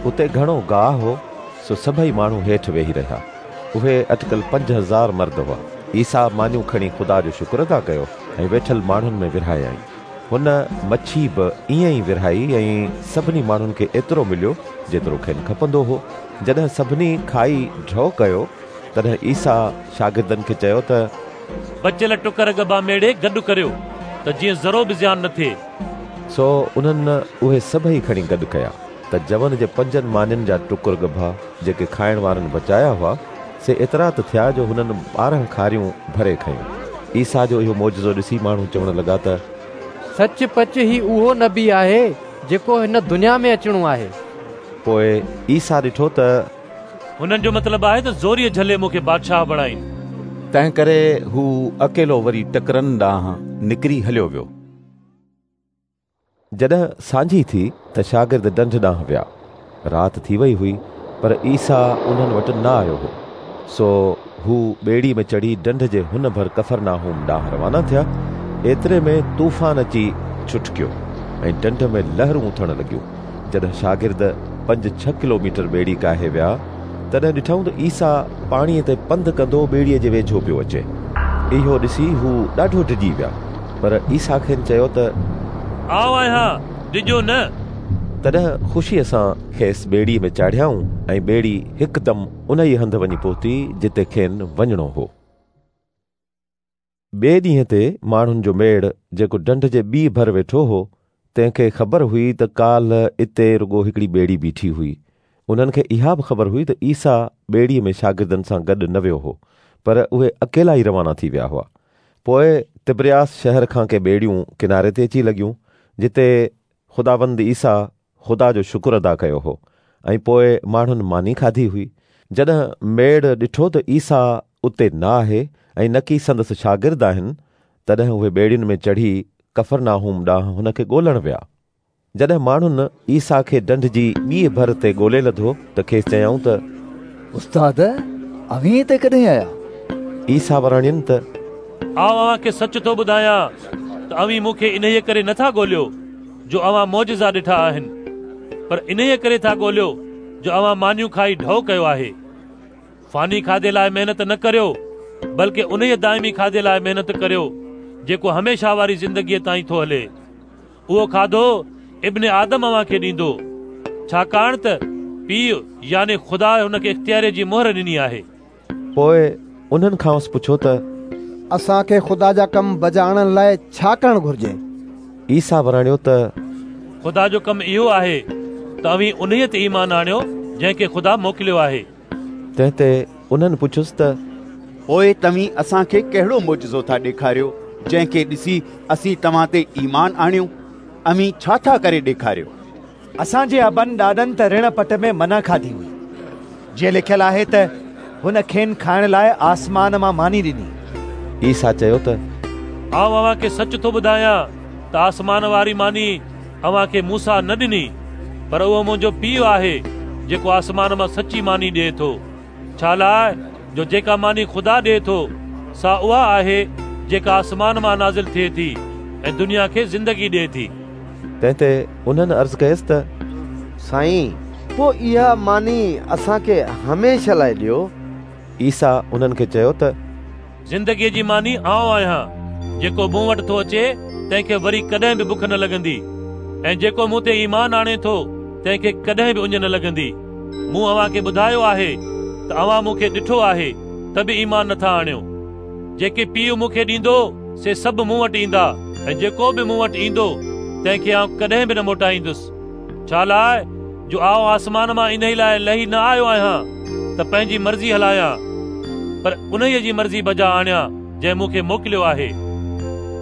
اتي گهڻو گاهه هو، سو سڀئي ماڻهو هيٺ ويهي رهيا. اهي اٽڪل پنج هزار مرد هئا. عيسيٰ مانيون کڻي خدا جو شڪر ادا ڪيو ۽ ويٺل ماڻهن ۾ ورهايائين. هن مڇي به ائين ئي ورهائي ۽ سڀني ماڻهن کي ايترو مليو جيترو کين کپندو هو. جڏهن سڀني کائي ڍؤ ڪيو، تڏهن عيسيٰ شاگردن کي چيو ته بچيل ٽڪر ڳڀا ميڙي گڏ ڪريو ته جيئن ذرو به زيان نه ٿئي. سو انهن اهي سڀئي کڻي گڏ ڪيا ته جون جي پنجن مانين جا ٽڪر ڳڀا جيڪي کائڻ وارن بچايا هئا، سي ايترا ته ٿيا جو هنن ٻارهن کاريون ڀري کنيون. عيسيٰ جو اهو معجزو ڏسي ماڻهو چوڻ لڳا ته سچ پچ هي اهو نبي آهي جيڪو هن دنيا ۾ اچڻو آهي. پوءِ عيسيٰ ڏٺو ته هنن جو مطلب آهي ته زوريءَ جهلي مون کي بادشاهه بڻائين، تنهن ڪري هو اڪيلو وري ٽڪرن ڏانهن نڪري هليو ويو. جڏهن سانجهي ٿي ته شاگرد ڍنڍ ڏانهن ويا. رات ٿي وئي هئي، پر عيسيٰ انهن وٽ نه آيو هو. سو هو ٻيڙي ۾ چڙهي ڍنڍ جي هن ڀر ڪفرناهوم ڏانهن روانا ٿيا. ايتري ۾ طوفان اچي ڇٽڪيو ۽ ڍنڍ ۾ لهرون اٿڻ لڳيون. جڏهن شاگرد پنج ڇهه ڪلوميٽر ٻيڙي ڪاهي ويا، تڏهن ڏٺائون ته عيسيٰ پاڻيءَ تي پنڌ ڪندو ٻيڙيءَ جي ويجهو پيو اچي. اهو ڏسي هو ڏاڍو ڊڄي ويا. پر عيسيٰ کين چيو ته آئون آهيان، ڊڄو نه. تڏهن خوشيءَ سان کيس ٻيڙيءَ ۾ چاڙهيائون ۽ ٻيڙي هڪدم ان ئي هنڌ وڃي پهتي جتي کين وڃڻو هو. ٻئي ڏينهن تي ماڻهن جو ميڙ جيڪو ڍنڍ جي ٻي ڀر ويٺو هو، تنهن کي خبر هئي ته ڪالهه اتي رڳو هڪڙي ٻيڙي بيٺي هئي. انهن کي اها به خبر هئي ته عيسيٰ ٻيڙيءَ ۾ شاگردن سان گڏ نه ويو هو، پر اهي اڪيلا ئي روانا ٿي ويا هئا. پوءِ تبرياس شهر کان ڪي ٻيڙيون ڪناري تي اچي لڳيون، جتي خداوند عيسيٰ خدا جو شڪر ادا ڪيو هو ۽ پوءِ ماڻهن ماني کاڌي هئي. جڏهن ميڙ ڏٺو ته عيسيٰ اتي نه آهي ۽ نه ڪي سندس شاگرد آهن، تڏهن اهي ٻيڙين ۾ چڙهي ڪفرناهوم ڏانهن هن کي ڳولڻ ويا. جڏهن ماڻهن عيسيٰ کي ڍنڍ جي ٻيءَ ڀر تي ڳولي لڌو ته کيس چيائون ته استاد، اوهين هتي ڪڏهن آيا؟ عيسيٰ وراڻين ته آئون اوهان کي سچ ٿو ٻڌايان ته اوهين مون کي انهيءَ ڪري نٿا ڳوليو جو اوهان معجزا ڏٺا آهن، پر انهيءَ ڪري ٿا ڳوليو جو اوهان مانيون کائي ڍؤ ڪيو آهي. فاني کاڌي لاءِ محنت نه ڪريو، بلڪه انهيءَ دائمي کاڌي لاءِ محنت ڪريو جيڪو هميشه واري زندگيءَ تائين ٿو هلي. اهو کاڌو ابن آدم اوهان کي ڏيندو، ڇاڪاڻ ته پيءُ يعني خدا هن کي اختياريءَ جي مهر ڏني آهي. پوءِ انهن کانئس پڇيو ته اسان کي خدا جا ڪم بجا آڻڻ لاءِ ڇا ڪرڻ گهرجي؟ عيسيٰ وراڻيو ته خدا جو ڪم اهو آهي ته اوهين انهيءَ تي ايمان آڻيو جنهن کي خدا موڪليو آهي. تنهن تي انهن پڇيس ته پوءِ توهين اسان کي ڪهڙو معجزو ٿا ڏيکاريو جنهن کي ڏسي اسين توهان تي ايمان آڻيون؟ اوهين ڇا ٿا ڪري ڏيکاريو؟ اسان جي ابن ڏاڏن ته رڻ پٽ ۾ منا کاڌي هئي، جيئن لکيل آهي ته هن کين کائڻ لاءِ آسمان مان ماني ڏني. عيسيٰ چيو ته آئون اوهان کي سچ ٿو ٻڌايان ته آسمان واري ماني اوهان کي موسيٰ نه ڏني، پر اهو منهنجو پيءُ آهي جيڪو آسمان مان سچي ماني ڏئي ٿو. ڇا لاءِ جو جيڪا ماني خدا ڏئي ٿو سا اها آهي جيڪا آسمان مان نازل ٿئي ٿي ۽ دنيا کي زندگي ڏئي ٿي. تنهن تي انهن عرض ڪيس ته سائين، پوءِ اها ماني اسان کي هميشه لاءِ ڏيو. عيسيٰ انهن کي چيو ته زندگيءَ جي ماني آئون آهيان. جيڪو مون وٽ ٿو اچي تنهن کي وري ڪڏهن به بک نه لڳندي، ۽ جيڪو مون تي ايمان آڻي ٿو تنهن کي ڪڏهن به اڃ نه لڳندي. مون اوهان کي ٻڌايو آهي ته اوهان مون کي ڏٺو آهي ته به ايمان نٿا آڻيو. جيڪي پيءُ مون کي ڏيندو سي سڀ مون وٽ ايندا، ۽ جيڪو به مون وٽ ايندو تنهن کي آئون ڪڏهن به نه موٽائيندس. ڇا لاءِ جو آئون آسمان مان انهيءَ لاءِ لهي نه آيو آهيان ته پنهنجي مرضي هلايان، پر انهيءَ جي مرضي بجا آڻيان جنهن مون کي موڪليو آهي.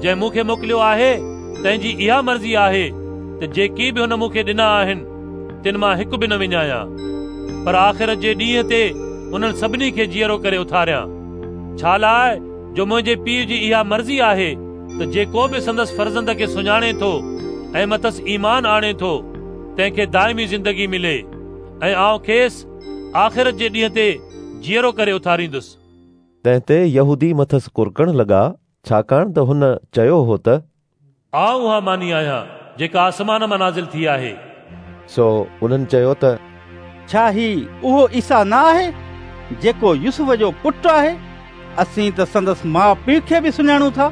جنهن مون کي موڪليو آهي تنهن جي اها مرضي آهي ته جيڪي به هن مون کي ڏنا آهن تن مان هڪ به نه وڃايان، پر آخرت جي ڏينهن تي انهن سڀني کي جيئرو ڪري اٿاريان. ڇا لاءِ جو منهنجي پيءُ جي اها مرضي آهي ته جيڪو به سندس فرزند کي سڃاڻي ٿو ۽ مٿس ايمان آڻي ٿو تنهن کي دائمي زندگي ملي، ۽ آئون کيس آخرت جي ڏينهن تي جيئرو ڪري اٿاريندس. تنهن تي يهودي مٿس ڪرڪڻ لڳا، ڇاڪاڻ ته هن چيو هو ته آئون اها ماني آهيان جيڪا آسمان مان نازل ٿي آهي. سو انهن چيو ته ڇا هي اهو عيسيٰ نه آهي جيڪو يوسف جو پٽ آهي؟ اسين ته سندس ماءُ پيءُ کي به سڃاڻون ٿا.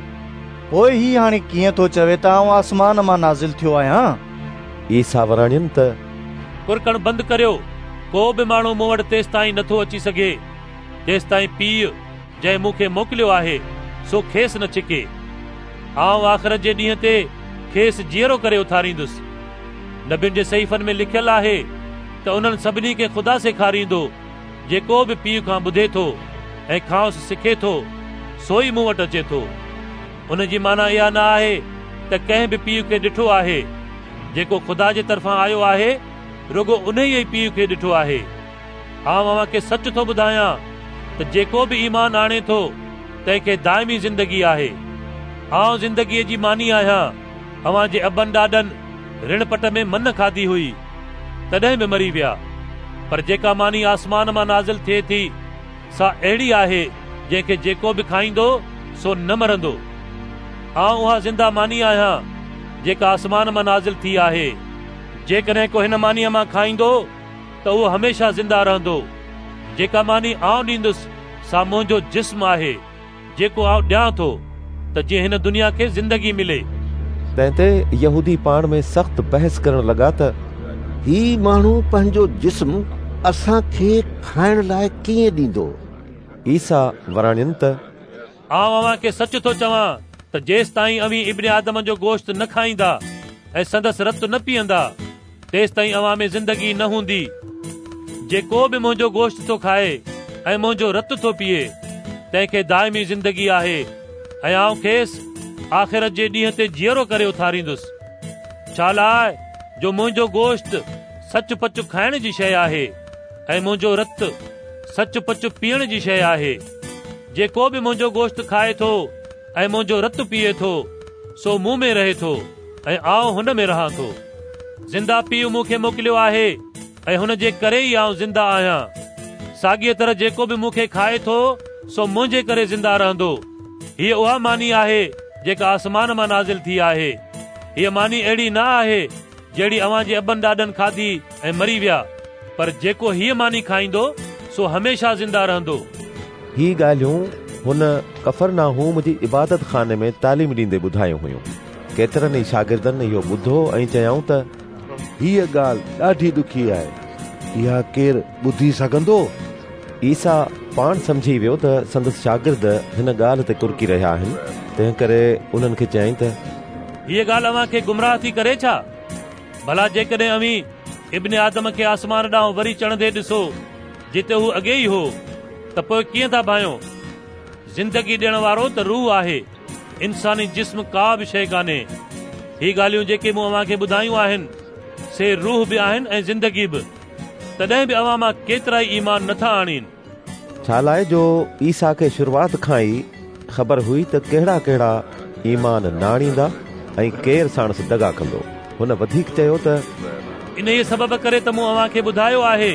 پوءِ هي هاڻي ڪيئن ٿو چوي ته آئون آسمان مان نازل ٿيو آهيان؟ عيسيٰ وراڻين ته ڪرڪڻ بند ڪريو. ڪو به ماڻهو مون وٽ تيستائين نٿو اچي سگهي جيستائين پيءُ جنهن مون کي موڪليو آهي سو کيس نه ڇڪي. آئون آخرت جي ڏينهن تي کيس جيئرو ڪري اٿاريندس. نبين جي صحيفن ۾ لکيل آهي ته انهن سڀني کي خدا سيکاريندو. جيڪو به پيءُ کان ٻڌي ٿو ۽ کانئس سکي ٿو سو ئي مون وٽ اچي ٿو. ان جي معنيٰ اها نه آهي ته ڪنهن به پيءُ کي ڏٺو آهي. جيڪو خدا جي طرفان آيو آهي رڳو انهيءَ ئي پيءُ کي ڏٺو آهي. آئون اوهان کي سچ ٿو ٻڌايان ته جيڪو به ايمان آڻي ٿو تنهن کي دائمي زندگي آهي. آئون زندگيءَ جي ماني آهيان. اوهان جي ابن ڏاڏن رڻ پٽ ۾ من کاڌي هئي، تڏهن به مري ويا. پر جيڪا ماني آسمان مان نازل ٿئي ٿي سا اهڙي آهي جنهن کي جيڪو به کائيندو سو نه مرندو. آئون اها زنده ماني آهيان جيڪا آسمان مان نازل ٿي آهي. جيڪڏهن ڪو هن مانيءَ مان کائيندو ته اهو هميشه زنده رهندو. جيڪا ماني آئون ڏيندس سا منهنجو جسم آهي جيڪو آئون ڏيان ٿو ته جيئن هن دنيا کي زندگي ملي. تنهن تي يهودي پاڻ ۾ سخت بحث ڪرڻ لڳا ته هي ماڻهو پنهنجو جسم اسان کي کائڻ لاءِ ڪيئن ڏيندو؟ عيسيٰ وراڻين ته آئون اوهان کي سچ ٿو چوان ته جيستائين اوهين ابن آدم جو گوشت نه کائيندا ۽ سندس رت نه پيئندا تيستائين اوهان ۾ زندگي نه هوندي. جيڪو به منهنجو گوشت ٿو کائي ۽ منهنجو رت ٿو پيئي تنهن کي دائمي زندگي آهي ۽ آئون کيس آخرت جي ڏينهن تي جيئرو ڪري اٿاريندس. ڇا لاءِ جو منهنجو گوشت سچ پچ کائڻ جي شيءِ آهي ۽ منهنجو رت سچ پچ پيئڻ جي شيءِ آهي. جيڪو به منهنجو گوشت کائي ٿو ۽ منهنجو رت پيئي ٿو سو مون ۾ رهي ٿو ۽ آئون هن ۾ رهان ٿو. زنده پيءُ مون کي موڪليو آهي ۽ هن جي ڪري ئي آئون زنده آهيان. ساڳيءَ طرح جيڪو به مون کي کائي ٿو سو منهنجي ڪري زنده رهندو. هيءَ اها ماني آهي جيڪا آسمان مان نازل ٿي آهي. هيءَ ماني اهڙي نه آهي جهڙي اوهان جي ابن ڏاڏن کاڌي ۽ مري ويا، پر جيڪو هيءَ ماني کائيندو سو هميشه زنده رهندو. هي ڳالهيون هن ڪفرناهوم جي عبادت خاني ۾ تعليم ڏيندي ٻڌايون هيون. ڪيترن ئي شاگردن اهو ٻڌو ۽ چيائون ته هيءَ ڳالهه ڏاڍي ڏکي آهي، اها ڪير ٻڌي سگهندو؟ عيسيٰ پاڻ سمجهي ويو ته سندس شاگرد هن ڳالهه تي ڪرڪي رهيا آهن، تنهن ڪري انهن کي چيائين ته هيءَ ڳالهه اوهان کي گمراهه ٿي ڪري ڇا؟ ڀلا جيڪڏهن اوهين ابن آدم کي آسمان ڏانهن وري چڙهندي ڏسو جتي هو اڳي ئي هو ته پوءِ ڪيئن ٿا ڀانئيو؟ زندگي ڏيڻ وارو ته روح آهي، انساني جسم ڪا به شيءِ ڪانهي. هي ڳالهيون جيڪي مون اوهان کي ٻڌايون آهن سي روح به آهن ۽ زندگي به. تڏهن به اوهان مان ڪيترا ئي ايمان نٿا آڻين. ڇا لاءِ جو عيسيٰ کي شروعات کان ئي خبر هئي ته ڪهڙا ڪهڙا ايمان نه آڻيندا ۽ ڪير ساڻس دغا ڪندو. هن وڌيڪ چيو ته انهيءَ سبب ڪري ته مون اوهان کي ٻڌايو آهي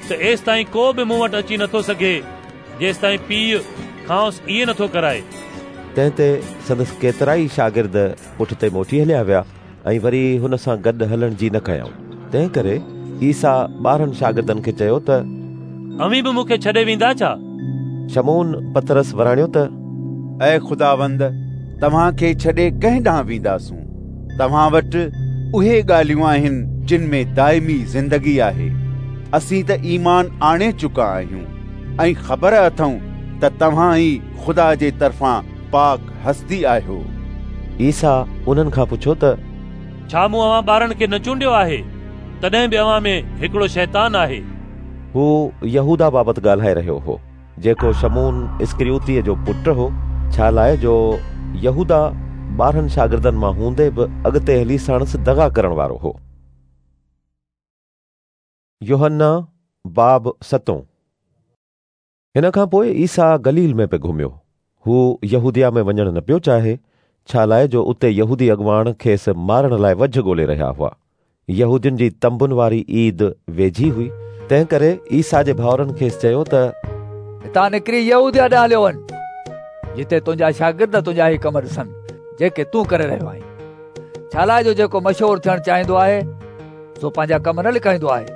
ته ايستائين ڪو به مون وٽ اچي نٿو سگهي جيستائين پيءُ کانئس ائين نٿو ڪرائي. تنهن تي سندس ڪيترا ئي شاگرد پٺتي موٽي هليا ويا ۽ وري هن سان گڏ هلڻ جي نه ڪيائون. تنهن ڪري عيسيٰ ٻارهن شاگردن کي چيو ته اوهين به مون کي ڇڏي ويندا ڇا؟ شمعون پطرس وراڻيو ته اي خداوند، توهان کي ڇڏي ڪنهن ڏانهن وينداسون؟ توهان وٽ اهي ڳالهيون آهن جن ۾ دائمي زندگي آهي. اسين ته ايمان آڻي چڪا آهيون ۽ خبر اٿئون ته توهان ئي خدا جي طرفان پاڪ هستي آهيو. عيسيٰ انهن کان پڇيو ته ڇا مون اوهان ٻارن کي نه چونڊيو آهي؟ تڏهن به اوهان ۾ هڪڙو شيطان آهي. هو يهودا بابت ڳالهائي رهيو هو جيڪو شمعون اسڪريوتيءَ جو پٽ هو، ڇا لاءِ جو يهودا ٻارهن شاگردن مان هوندي به اڳتي هلي ساڻس دغا ڪرڻ وارو هو. يوحنا باب ستون. هن کان پوءِ عيسيٰ گليل ۾ پئي گهميو. هو يهوديا ۾ وڃڻ نه پيو چاهي، ڇا لاءِ جو اتي يهودي اڳواڻ کيس مارڻ لاءِ وجهه ڳولي رهيا هئا. يهودين جي تنبن واري عيد ويجهي هئي، تنهن ڪري عيسيٰ جي ڀائرن کيس چيو ته هتان نڪري يهوديا ڏانهن هليو وڃ، جتي تنهنجا شاگرد تنهنجا هي ڪم ڏسن جيڪي تون ڪري رهيو آهين. ڇا لاءِ جو جيڪو مشهور ٿيڻ چاهيندو آهي سو پنهنجا ڪم نه لڪائيندو آهي.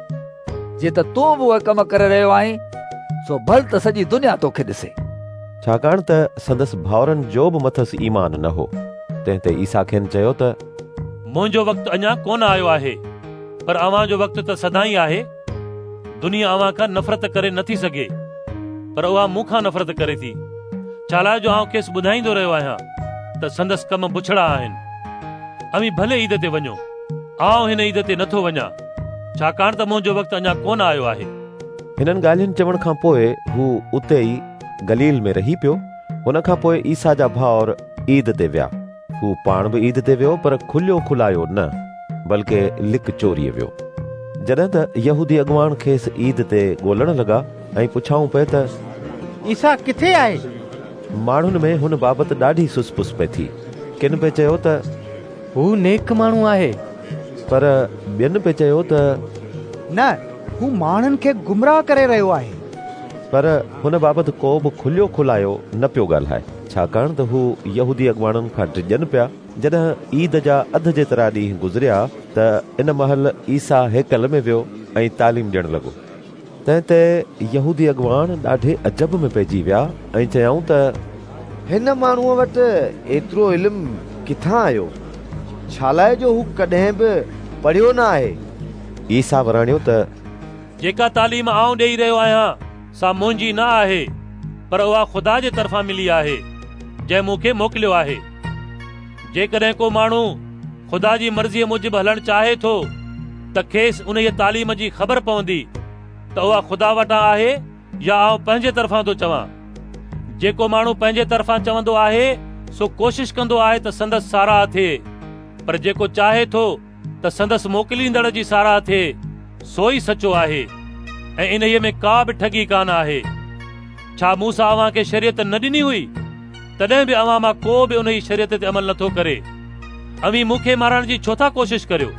جيئن ته تون به اهي ڪم ڪري رهيو آهين، سو ڀل ته سڄي دنيا توکي ڏسي. ڇاڪاڻ ته سندس ڀائرن جو به مٿس ايمان نه هو. تنهن تي عيسيٰ کين چيو ته منهنجو وقت اڃا ڪونه آيو آهي، پر اوهان جو وقت ته سدائين آهي. دنيا اوهان کان نفرت ڪري نٿي سگهي، پر اها مون کان نفرت ڪري ٿي، ڇالاءِ جو آئون کيس ٻڌائيندو رهيو آهيان ته سندس ڪم بڇڙا آهن. اوهين ڀلي عيد تي وڃو، آئون هن عيد تي نٿو وڃان، ڇاڪاڻ ته منهنجو وقت اڃا ڪونه آيو آهي. هنن ڳالهين چوڻ کان پوءِ هو اتي ئي گليل ۾ رهي پيو. هن کان پوءِ عيسيٰ جا ڀائر عيد تي ويا. هو پاڻ به عيد تي ويو، پر کليو کلايو نه، بلڪه لڪ چوريءَ ويو. جڏهن ته يهودي اڳواڻ کيس عيد تي ڳولڻ لڳا ۽ پڇائون پئي ته عيسيٰ ڪٿي آهي؟ ماڻهن ۾ هن بابت ڏاڍي سس پس پئي ٿي. ڪن پئي چيو ته هو نيڪ ماڻهو آهي، پر ٻين پئي چيو ته نه، هو ماڻهن کي گمراهه ڪري رهيو آهي. پر هن بابت ڪو به کليو کلايو نه پيو ڳالهائي، ڇاڪاڻ ته هو يهودي اڳواڻن کان ڊڄن پيا. جڏهن عيد جا اڌ جيترا ڏينهن گذريا ته ان مهل عيسيٰ هيڪل ۾ ويو ۽ تعليم ڏيڻ لڳو. تنهن تي يهودي اڳواڻ ڏاڍي عجب ۾ پئجي ويا ۽ چيائون ته هن ماڻهوءَ وٽ ايترو علم ڪٿان آيو؟ ڇا لاءِ جو هو ڪڏهن به پڙهيو نه آهي. عيسيٰ وراڻيو ته جيڪا تعليم آئون ڏيئي رهيو آهيان سا منهنجي نه آهي، پر اها خدا جي طرفان ملي آهي، جنهن مون کي موڪليو آهي. جيڪڏهن ڪو ماڻهو خدا جي مرضيءَ موجب هلڻ چاهي ٿو ته کيس انهيءَ تعليم جي خبر پوندي ته اها خدا وٽان آهي يا آئون پنهنجي طرفان ٿو چوان. جيڪو ماڻهو پنهنجي طرفان چوندو آهي سو ڪوشش ڪندو آهي ته سندس ساراهه ٿئي، پر جيڪو چاهي ٿو ته سندس موڪليندڙ جي ساراهه ٿئي سو ئي سچو آهي، ۽ انهيءَ ۾ ڪا به ٺڳي ڪانه آهي. ڇا موسيٰ اوهان کي شريعت نه ڏني هئي؟ تڏهن به اوهان مان ڪو به انهيءَ شريعت تي عمل نٿو ڪري. اوهين مون کي مارڻ جي ڇو ٿا ڪوشش ڪريو؟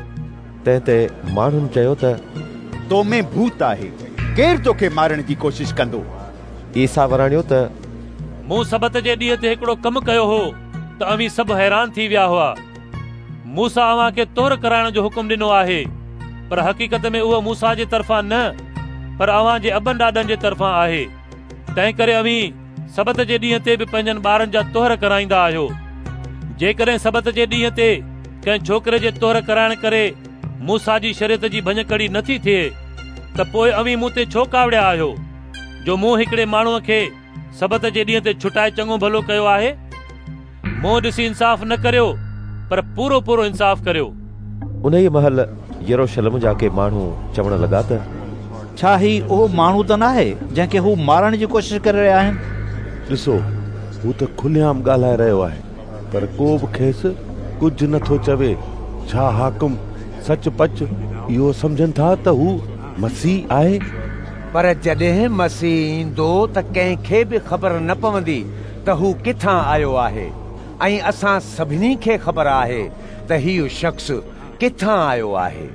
تنهن تي ماڻهن چيو ته تو ۾ ڀوت آهي، ڪير توکي مارڻ جي ڪوشش ڪندو؟ عيسيٰ وراڻيو ته مون سبت جي ڏينهن تي هڪڙو ڪم ڪيو هو ته اوهين سڀ حيران ٿي ويا هئا. موسيٰ اوهان کي طهر ڪرائڻ جو حڪم ڏنو آهي، پر حقيقت ۾ اهو موسيٰ جي طرفان نه، پر اوهان جي ابن ڏاڏن جي طرفان آهي. تنهن ڪري اوهين سبت جي ڏينهن تي به پنهنجن ٻارن جا طهر ڪرائيندا آهيو. جيڪڏهن سبت جي ڏينهن تي ڪنهن ڇوڪري جي طهر ڪرائڻ ڪري موسيٰ جي شريعت جي ڀڃڪڙي نٿي ٿئي ته پوءِ اوهين مون تي ڇو ڪاوڙيا آهيو، جو مون هڪڙي ماڻهوءَ کي سبت جي ڏينهن تي ڇٽائي چڱو ڀلو ڪيو آهي؟ منهن ڏسي انصاف نه ڪريو، پر پورو پورو انصاف ڪريو. انهيءَ مهل يروشلم جا ڪي ماڻهو چوڻ لڳا ته ڇا هي اهو ماڻهو ته ناهي جنهن کي هو مارڻ جي ڪوشش ڪري رهيا آهن؟ ڏسو، هو ته کليعام ڳالهائي رهيو آهي، پر ڪو به کيس ڪجهه نٿو چوي. ڇا حاڪم سچ پچ اهو سمجهن ٿا ته هو مسيح آهي؟ پر جڏهن مسيح ايندو ته ڪنهن کي به خبر نه پوندي ته هو ڪٿان آيو آهي، ۽ اسان سڀني کي خبر آهي ته هيءُ شخص ڪٿان آيو آهي.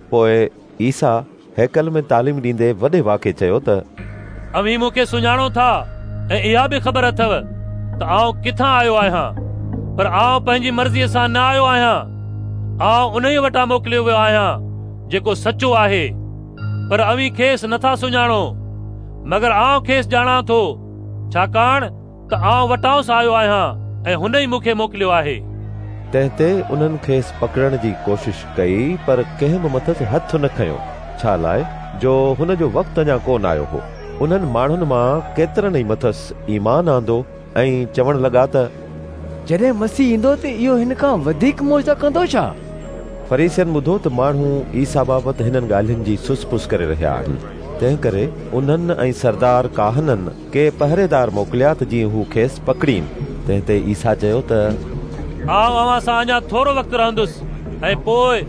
پوءِ عيسيٰ هيڪل ۾ تعليم ڏيندي وڏي واڪي چيو ته اوهين مون کي سڃاڻو ٿا ۽ اها به خبر اٿو ته آئون ڪٿان آيو آهيان، پر آئون پنهنجي مرضيءَ سان نه آيو آهيان. آئون انهيءَ وٽان موڪليو ويو آهيان جيڪو سچو آهي، پر اوهين کيس نٿا سڃاڻو، مگر آئون کيس ڄاڻان ٿو، ڇاڪاڻ ته آئون وٽانئس آيو آهيان ۽ هن ئي مون کي موڪليو آهي. تنهن تي انهن کيس پڪڙڻ جي ڪوشش ڪئي، پر ڪنهن به مٿس هٿ نه کنيو، ڇا لاءِ جو هن جو وقت اڃا ڪونه آيو هو. انهن ماڻهن مان ڪيترن ئي مٿس ايمان آندو ۽ چوڻ لڳا ته جڏهن مسيح ايندو ته اهو هن کان وڌيڪ معجزا ڪندو ڇا؟ فريسين ٻڌو ته ماڻهو عيسيٰ بابت هنن ڳالهين جي سس پس ڪري رهيا آهن. تنهن ڪري انهن ۽ سردار ڪاهنن ڪي پهريدار موڪليا ته جيئن هو کيس پڪڙين. تنهن تي عيسيٰ چيو ته آئون اوهان سان اڃا ٿورو وقت رهندس ۽ پوءِ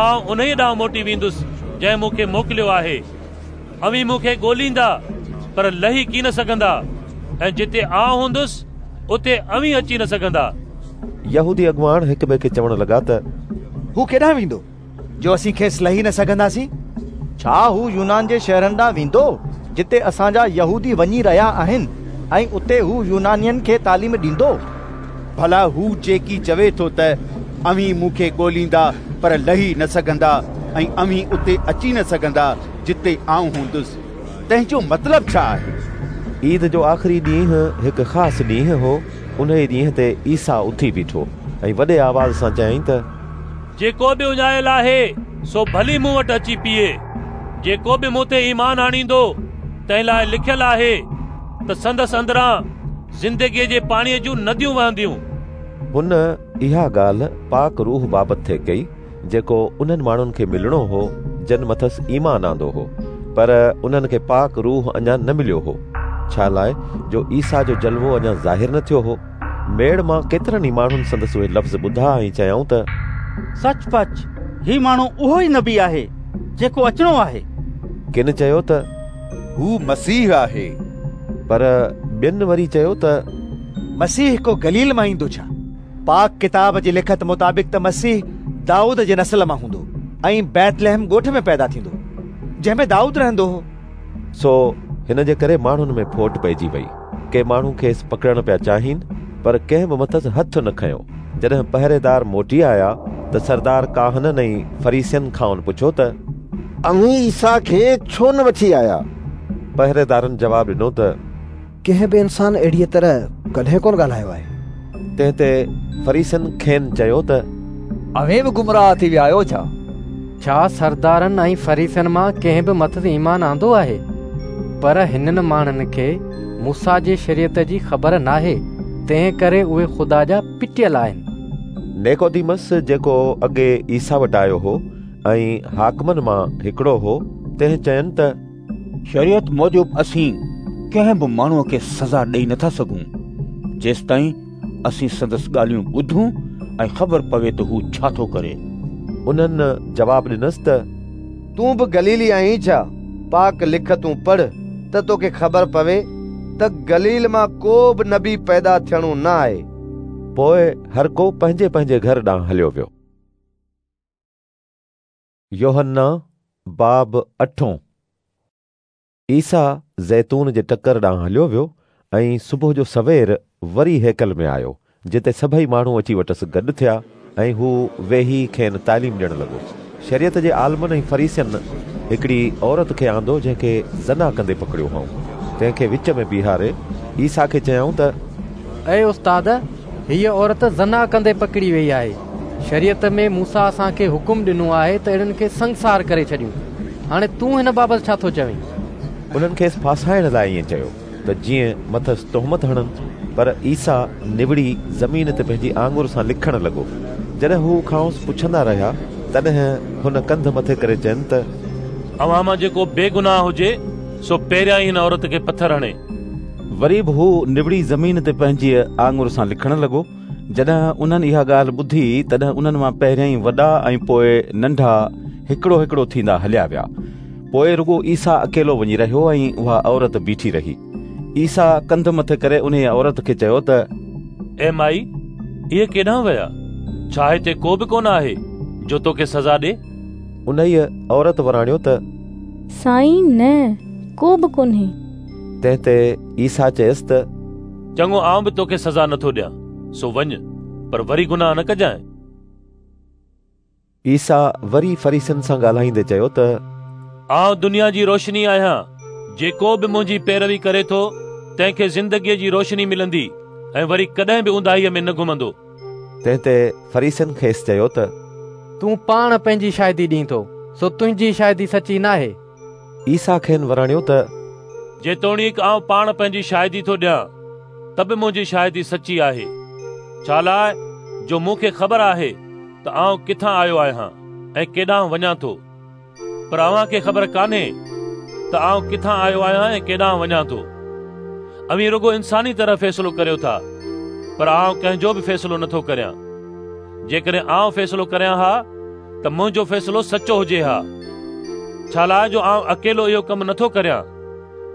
آئون انهيءَ ڏانهن موٽي ويندس جنهن مون کي موڪليو آهي. اوهين مون کي ڳوليندا پر لهي ڪين سگهندا، ۽ جتي آئون هوندس اتي اوهين اچي نه سگهندا. يهودي اڳواڻ هڪ ٻئي کي چوڻ لڳا ته هو ڪيڏانهن ويندو جو اسين کيس لهي نه سگهنداسين؟ ڇا هو يونان جي شهرن ڏانهن ويندو جتي اسان جا يهودي وڃي رهيا آهن، ۽ اتي هو يونانين کي تعليم ڏيندو؟ ڀلا هو جيڪي چوي ٿو ته اوهين مون کي ڳوليندا پر لهي نه سگهندا ۽ اوهين اتي اچي نه سگهندا جتي آئون هوندس، تنهن جو مطلب ڇا آهي؟ عيد جو آخري ڏينهن هڪ خاص ڏينهن هو. انهيء ڏينهن تي عيسيٰ اٿي بيٺو ۽ وڏي آواز سان چيائين ته جيڪو به اڃايل آهي سو ڀلي مون وٽ اچي پيئي. جيڪو به مون تي ايمان آڻيندو تنهن لاءِ لکيل آهي ته سندس اندران زندگيء جي پاڻيء جون نديون وهنديون. هن اها ڳالهه پاڪ روح بابت ٿي ڪئي، جيڪو انهن ماڻهن کي ملڻو هو جن مٿس ايمان آندو هو، پر انهن کي پاڪ روح اڃا نه مليو هو، ڇا لاءِ جو عيسيٰ جو جلوو اڃا ظاهر نه ٿيو هو. ميڙ مان ڪيترن ئي ماڻهن سندس اهي لفظ ٻڌا ۽ چيائون ته سچ پچ هي ماڻهو اهو ئي نبي آهي جيڪو اچڻو آهي. ڪن چيو ته هو مسيح آهي، پر ٻين وري چيو ته مسيح ڪو گليل مان ايندو ڇا؟ پاڪ ڪتاب جي لکت مطابق ته مسيح دائود جي نسل مان هوندو ۽ بيتلحم ڳوٺ ۾ پيدا ٿيندو، جنهن ۾ دائود رهندو هو. سو هن جي ڪري ماڻهن ۾ ڦوٽ پئجي وئي. ڪي ماڻهو کيس پڪڙڻ پيا چاهين، پر ڪنهن به مٿس هٿ نه کنيو. جڏهن پهريدار موٽي آيا ته سردار ڪاهنن ۽ فريسين کانئن پڇيو ته اوهين عيسيٰ کي ڇو نه وٺي آيا؟ پهريدارن جواب ڏنو ته ڪنهن به انسان اهڙيء طرح ڪڏهن ڪونه ڳالهايو آهي. تنهن تي فريسين کين چيو ته اوهين به گمراهه ٿي ويا آهيو ڇا؟ ڇا سردارن ۽ فريسين مان ڪنهن به مٿس ايمان آندو آهي؟ پر هنن ماڻهن کي موسيٰ جي شريعت جي خبر ناهي، تنهن ڪري اهي خدا جا پٽيل آهن. نيڪوديمس، جيڪو اڳي عيسيٰ وٽ آيو هو ۽ حاڪمن مان هڪڙو هو، تنهن چين ته شريعت موجب اسين ڪنهن به ماڻهوءَ کي سزا ڏيئي نٿا سگهون، جيستائين اسين سندس ڳالهيون ٻڌون ۽ خبر پوي ته هو ڇا ٿو ڪري. انهن جواب ڏنس ته تون به گليلي آهين ڇا؟ پاڪ لکتون پڙهه ته توکي خبر پوي ته گليل مان ڪو به نبي پيدا ٿيڻو نه آهي. پوءِ هر ڪو پنهنجي پنهنجي گهر ڏانهن هليو ويو. يوحنا باب اٺون. عيسيٰ زيتون جي ٽڪر ڏانهن هليو ويو ۽ صبح جو سوير وري هيڪل ۾ آيو، جتي سڀئي ماڻهو اچي وٽس گڏ ٿيا ۽ هو ويهي کين تعليم ڏيڻ لڳو. شريعت جي عالمن ۽ فريسين هڪڙي عورت کي آندو، جنهن کي زنا ڪندي پڪڙيو هئائون. تنهن کي وچ ۾ بيهاري عيسيٰ کي چيائون ته اي استاد، هيءَ عورت زنا ڪندي پڪڙي وئي آهي. شريعت ۾ موسيٰ اسان کي حڪم ڏنو آهي ته اهڙن کي سنگسار ڪري ڇڏيون. هاڻي تون هن بابت ڇا ٿو چوين؟ انهن کيس ڦاسائڻ لاءِ ائين چيو ته جيئن مٿس تهمت هڻن. پر عيسيٰ نوڙي زمين تي پنهنجي آڱر سان لکڻ لڳو. جڏهن هو کانئس پڇندا رهيا، تڏهن هن ڪنڌ مٿي ڪري چين ته اوهان مان جيڪو بيگناهه هجي سو پهريان ئي هن عورت کي پٿر هڻي. وري به هو نوڙي زمين تي پنهنجي آڱر سان لکڻ لڳو. جڏهن انهن اها ڳالهه ٻڌي، تڏهن انهن مان پهريائين وڏا ۽ پوءِ ننڍا هڪڙو هڪڙو ٿيندا هليا ويا. پوءِ رڳو عيسيٰ اڪيلو وڃي رهيو ۽ اها عورت بيٺي رهي. عيسيٰ ڪنڌ مٿي ڪري انهيءَ عورت کي چيو ته اي مائي، اهي ڪيڏانهن ويا؟ ڇا هتي ڪو به ڪونه آهي جو توکي سزا ڏئي؟ انهيءَ عورت وراڻيو ته سائين، نه، ڪو به ڪونهي. تنهن تي عيسيٰ چيس ته چڱو، آئون به توکي سزا نٿو ڏيان، سو وڃ، پر وري گناهه نه ڪجانءِ. عيسيٰ وري فريسين سان ڳالهائيندي چيو ته آئون دنيا جي روشني آهيان. جيڪو به منهنجي پيروي ڪري ٿو تنهن کي زندگيءَ جي روشني ملندي ۽ وري ڪڏهن به اونداهيءَ ۾ نه گهمندو. تنهن تي فريسين کيس چيو ته تون پاڻ پنهنجي شاهدي ڏين ٿو، سو تنهنجي شاهدي سچي ناهي. عيسيٰ کين وراڻيو ته جيتوڻيڪ آئون پاڻ پنهنجي شاهدي ٿو ڏيان، ته به منهنجي شاهدي سچي آهي، ڇا لاءِ جو مون کي خبر آهي ته آئون ڪٿان آيو آهيان ۽ ڪيڏانهن وڃان ٿو. پر اوهان کي خبر ڪانهي ته آئون ڪٿان آيو آهيان ۽ ڪيڏانهن وڃان ٿو. اوهين رڳو انساني طرح فيصلو ڪريو ٿا، پر آئون ڪنهن جو به فيصلو نٿو ڪريان. جيڪڏهن آئون فيصلو ڪريان ها ته منهنجو فيصلو سچو هجي ها، ڇا لاءِ جو آئون اڪيلو اهو ڪم نٿو ڪريان،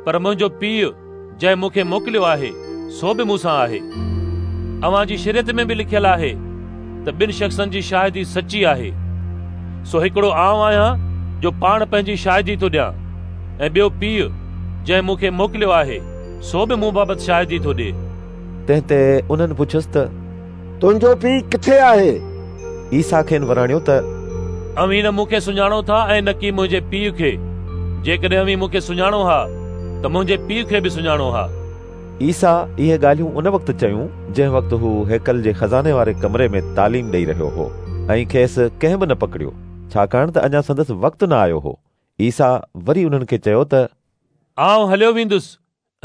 پر منهنجو پيءُ جنهن مون کي موڪليو آهي سو به مون سان آهي. اوهان جي شريعت ۾ به لکيل آهي ته ٻن شخصن جي شاهدي سچي آهي. سو هڪڙو آئون آهيان جو پاڻ پنهنجي شاهدي ٿو ڏيان، ۽ ٻيو پيءُ جنهن مون کي موڪليو آهي سو به مون بابت شاهدي ٿو ڏئي. تنهن تي انهن پڇيس ته تنهنجو پيءُ ڪٿي آهي؟ عيسيٰ کين وراڻيو ته اوهين نه مون کي سڃاڻو ٿا ۽ نه ڪي منهنجي پيءُ کي. جيڪڏهن اوهين مون کي سڃاڻو ها ته منهنجي پيءُ کي به سڃاڻو ها. عيسيٰ اهي ڳالهيون ان وقت چيون جنهن وقت هو هيڪل جي خزاني واري ڪمري ۾ تعليم ڏيئي رهيو هو ۽ کيس ڪنهن به نه پڪڙيو، ڇاڪاڻ ته اڃا سندس وقت نه آيو هو. عيسيٰ وري انهن کي چيو ته آئون هليو ويندس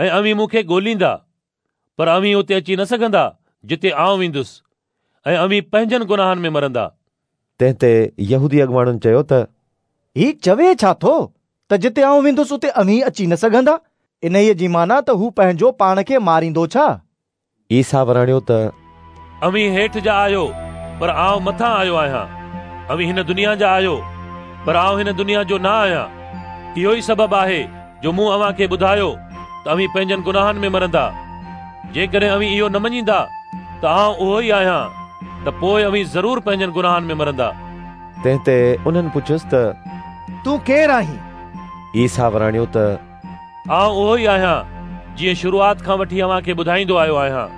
۽ اوهين مون کي ڳوليندا، پر اوهين اتي اچي نه سگهندا جتي آئون ويندس، ۽ اوهين پنهنجن گناهن ۾ مرندا. تنهن تي يهودي اڳواڻن چيو ته هي چوي ڇا ٿو ته جتي آئون ويندس اتي اوهين اچي نه سگهندا؟ انهيءَ جي معنيٰ ته هو پنهنجو پاڻ کي ماريندو ڇا؟ عيسيٰ وراڻيو ته اوهين هيٺ جا آهيو، پر آئون مٿان آيو آهيان. اوهين هن دنيا جا آهيو، پر آئون هن دنيا جو نه آهيان. اهو ئي سبب آهي جو مون اوهان کي ٻڌايو ته اوهين پنهنجن گناهن ۾ مرندا. جيڪڏهن اوهين اهو نه مڃيندا ته آئون اهو ئي آهيان، ته پوءِ اوهين ضرور پنهنجن گناهن ۾ مرندا. تنهن تي انهن پڇيس ته تون ڪير آهين؟ عيسيٰ وراڻيو ته آئون اهو ئي آهيان جيئن شروعات کان وٺي اوهان کي ٻڌائيندو آيو آهيان.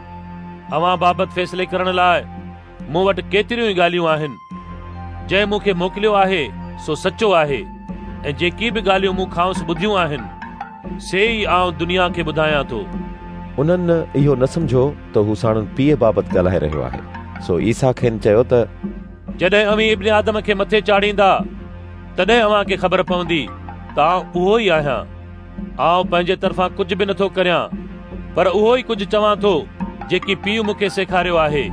اوهان بابت فيصلي ڪرڻ لاءِ مون وٽ ڪيتريون ئي ڳالهيون آهن. جنهن مون کي موڪليو آهي سو سچو آهي، ۽ جيڪي به ڳالهيون مون کانئس ٻڌيون آهن سي ئي آئون دنيا کي ٻڌايان ٿو. انهن اهو نه سمجهيو ته هو ساڻن پيءُ بابت ڳالهائي رهيو آهي. سو عيسيٰ کين چيو ته جڏهن اوهين ابن آدم کي مٿي چاڙهيندا، تڏهن اوهان کي خبر پوندي ته آئون اهو ئي آهيان. آئون پنهنجي طرفان ڪجهه به نٿو ڪريان، پر اهو ئي ڪجهه چوان ٿو جيڪي پيءُ مون کي سيکاريو آهي.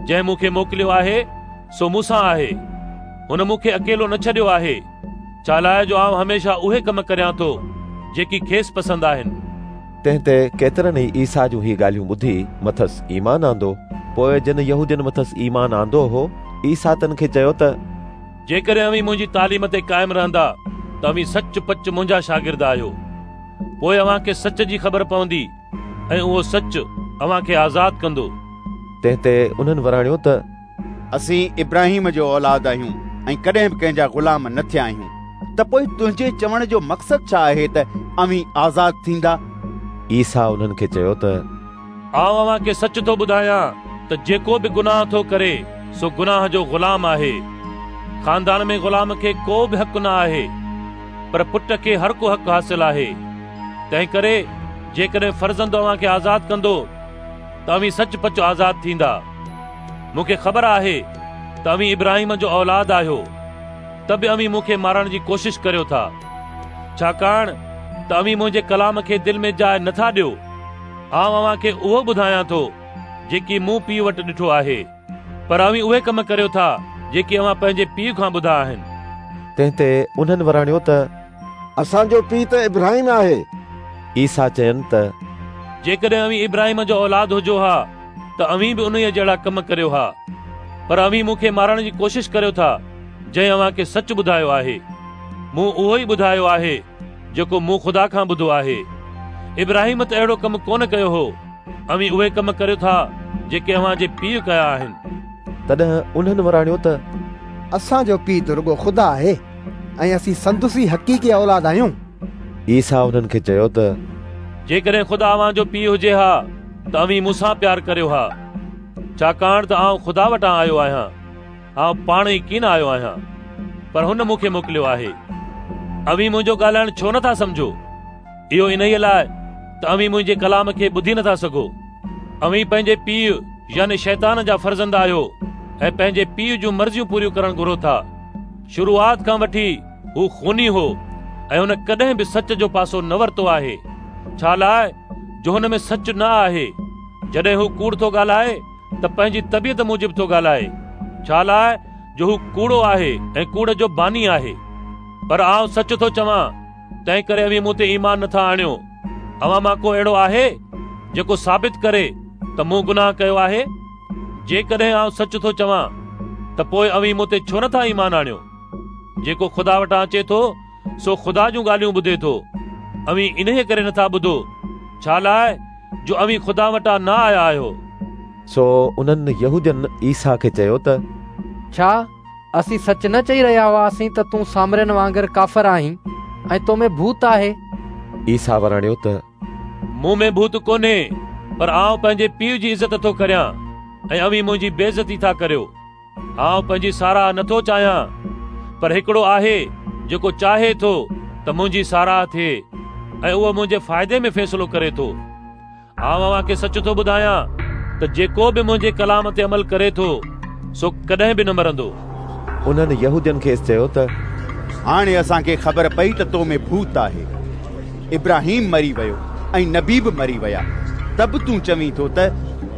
جنهن مون کي موڪليو آهي سو مون سان آهي. هن مون کي اڪيلو نه ڇڏيو آهي، ڇا لاءِ جو آئون هميشه اهي ڪم ڪريان ٿو جيڪي کيس پسند آهن. تنهن تي ڪيترن ئي عيسيٰ جون هي ڳالهيون ٻڌي مٿس ايمان آندو. پوءِ جن يهودين مٿس ايمان آندو هو، عيسيٰ تن کي چيو ته جيڪڏهن اوهين منهنجي تعليم تي قائم رهندا ته اوهين سچ پچ منهنجا شاگرد آهيو. پوءِ اوهان کي سچ جي خبر پوندي ۽ اهو سچ اوهان کي آزاد ڪندو. تنهن تي انهن وراڻيو ته اسين ابراهيم جو اولاد آهيون ۽ ڪڏهن به ڪنهن جا غلام نه ٿيا آهيون، ته پوءِ تنهنجي چوڻ جو مقصد ڇا آهي ته اوهين آزاد ٿيندا؟ عيسيٰ انهن کي چيو ته آئون اوهان کي سچ ٿو ٻڌايان ته جيڪو به گناهه ٿو ڪري سو گناهه جو غلام آهي. خاندان ۾ غلام کي ڪو به حق نه آهي، پر پٽ کي هر ڪو حق حاصل آهي. تنهن ڪري جيڪڏهن فرزند اوهان کي آزاد ڪندو ته اوهين سچ پچ آزاد ٿيندا. مون کي خبر آهي ته اوهين ابراهيم جو اولاد آهيو، ته به اوهين مون کي مارڻ جي ڪوشش ڪريو ٿا، ڇاڪاڻ ته اوهين منهنجي ڪلام کي دل ۾ جاءِ نٿا ڏيو. آئون اوهان کي اهو ٻڌايان ٿو جيڪي مون پيءُ وٽ ڏٺو آهي، پر اوهين اهي ڪم ڪريو ٿا جيڪي اوهان پنهنجي پيءُ کان ٻڌا آهن. تنهن تي انهن وراڻيو ته اسان جو پيءُ ته ابراهيم آهي. عيسيٰ چين ته جيڪڏهن اوهين ابراهيم جو اولاد هجو ها ته اوهين به انهيءَ جهڙا ڪم ڪريو ها، پر اوهين مون کي مارڻ جي ڪوشش ڪريو ٿا جنهن اوهان کي سچ ٻڌايو آهي. مون اهو ئي ٻڌايو آهي جيڪو مون خدا کان ٻڌو آهي. ابراهيم ته اهڙو ڪم ڪونه ڪيو هو. اوهين اهي ڪم ڪريو ٿا جيڪي اوهان جي پيءُ ڪيا آهن. تڏهن انهن وراڻيو ته اسان جو پيءُ ته رڳو خدا آهي ۽ اسين سندس ئي حقيقي اولاد آهيون. عيسيٰ انهن کي چيو ته جيڪڏهن خدا اوهان جو پيءُ هجي ها ته اوهين مون سان پيار ڪريو ها، ڇاڪاڻ ته آئون خدا وٽان آيو آهيان. آئون پاڻ ئي ڪين آيو آهيان، پر هن مون کي موڪليو آهي. اوهين منهنجو ڳالهائڻ ڇو نٿا سمجهو؟ اهو انهيءَ لاءِ ته اوهين منهنجي ڪلام کي ٻڌي نٿا سگهو. اوهين پنهنجي پيءُ يعني شيطان جا فرزند آهيو ۽ پنهنجي پيءُ جون مرضيون پوريون ڪرڻ گهرو ٿا. شروعات کان وٺي هو خوني هو ۽ هن ڪڏهن به سچ جو پاسو نه ورتو آهي، ڇا لاءِ جو هن ۾ سچ نه آهي. جڏهن هو ڪوڙ ٿو ڳالهائي ته پنهنجي طبيعت موجب ٿو ڳالهائي، ڇا لاءِ جو هو ڪوڙو آهي ۽ ڪوڙ جو باني آهي. پر آئون سچ ٿو چوان، تنهن ڪري اوهين مون تي ايمان نٿا آڻيو. اوهان مان ڪو اهڙو آهي جيڪو ثابت ڪري ته مون گناهه ڪيو آهي؟ جيڪڏهن آئون سچ ٿو چوان ته پوءِ اوهين مون تي ڇو نٿا ايمان آڻيو؟ جيڪو خدا وٽان اچي ٿو سو خدا جون ڳالهيون ٻڌي ٿو. اوهين انهيءَ ڪري نٿا ٻڌو، ڇا لاءِ جو اوهين خدا وٽان نه آيا آهيو. سو انهن يهودين عيسيٰ کي چيو ته ڇا اسين سچ نه چئي رهيا هئاسين ته تون سامرين وانگر ڪافر آهين ۽ تو ۾ ڀوت آهي؟ عيسيٰ وراڻيو ته مون ۾ ڀوت ڪونهي، پر آئون پنهنجي پيءُ جي عزت ٿو ڪريان ۽ اوهين منهنجي بيعزتي ٿا ڪريو. آئون پنهنجي ساراهه نٿو چاهيان، پر هڪڙو آهي جيڪو چاهي ٿو ته منهنجي ساراهه ٿئي ۽ اهو منهنجي فائدي ۾ فيصلو ڪري ٿو. آئون اوهان کي سچ ٿو ٻڌايان ته جيڪو به منهنجي ڪلام تي عمل ڪري ٿو سو ڪڏهن به نه مرندو. انهن يهودين کيس چيو ته هاڻي اسان کي خبر پئي ته تو ۾ ڀوت آهي. ابراهيم مري ويو ۽ نبي به مري ويا، ته به تون چوين ٿو ته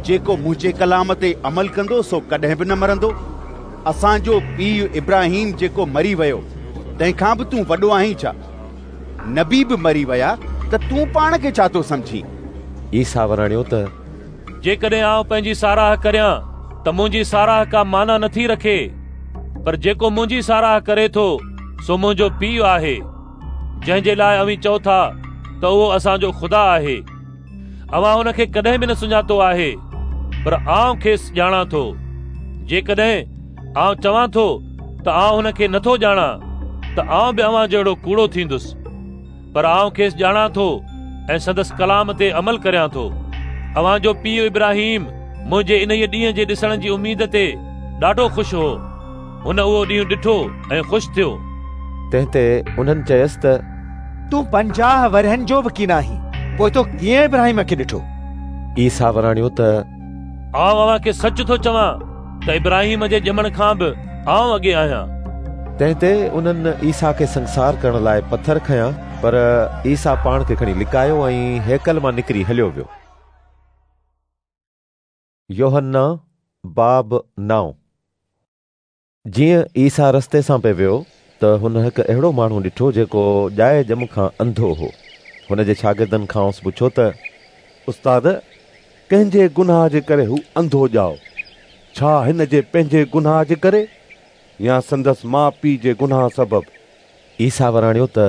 جيڪو منهنجي ڪلام تي عمل ڪندو سو ڪڏهن به نه مرندو. اسان جو پيءُ ابراهيم جيڪو مري ويو تنهن کان به تون وڏو آهين ڇا؟ نبي به مري ويا ته تون پاڻ کي ڇا ٿو سمجهين؟ عيسيٰ وراڻيو ته جيڪڏهن آئون پنهنجي ساراهه ڪريان ته منهنجي ساراهه ڪا معنيٰ نٿي رکي، پر جيڪو منهنجي ساراهه ڪري ٿو سو منهنجو پيءُ آهي، جنهن جي لاءِ اوهين چئو ٿا ته اهو اسان جو خدا آهي. اوهان هن کي ڪڏهن به نه سڃاتو آهي، پر آئون کيس ڄاڻان ٿو. جيڪڏهن آئون چوان ٿو ته آئون هن کي نٿو ڄاڻان ته آئون به اوهان جهڙو ڪوڙو ٿيندس، پر آئون کيس ڄاڻان ٿو ۽ سندس ڪلام تي عمل ڪريان ٿو. اوهان جو پيءُ ابراهيم منهنجي انهيءَ ڏينهن جي ڏسڻ جي اميد تي ڏاڍو خوش هو. هن اهو ڏينهن ڏٺو ۽ خوش ٿيو. تنهن تي انهن چيس ته تون پنجاهه ورهين جو به ڪين آهين، پوءِ تو ڪيئن ابراهيم کي ڏٺو؟ عيسيٰ وراڻيو ته آئون اوهان کي سچ ٿو چوان ته ابراهيم جي ڄمڻ کان به آئون اڳي آهيان. تنهن تي انهن عيسيٰ کي سنگسار ڪرڻ لاءِ پٿر کنيا، پر عيسيٰ پاڻ کي کڻي لڪايو ۽ هيڪل مان نڪري هليو ويو. يوحنا باب نو. جيئن عيسيٰ رستي سان پئي ويو ته هن هڪ اهڙو ماڻهو ڏٺو جيڪو ڄائي ڄم کان انڌو هو. هن جي شاگردن کانئس پڇيو ته استاد، ڪنهن جي گناهه جي ڪري هو انڌو ڄائو؟ ڇا هن جي پنهنجي گناهه جي ڪري يا سندس ماءُ پيءُ جي گناهه سبب؟ عيسيٰ وراڻيو ته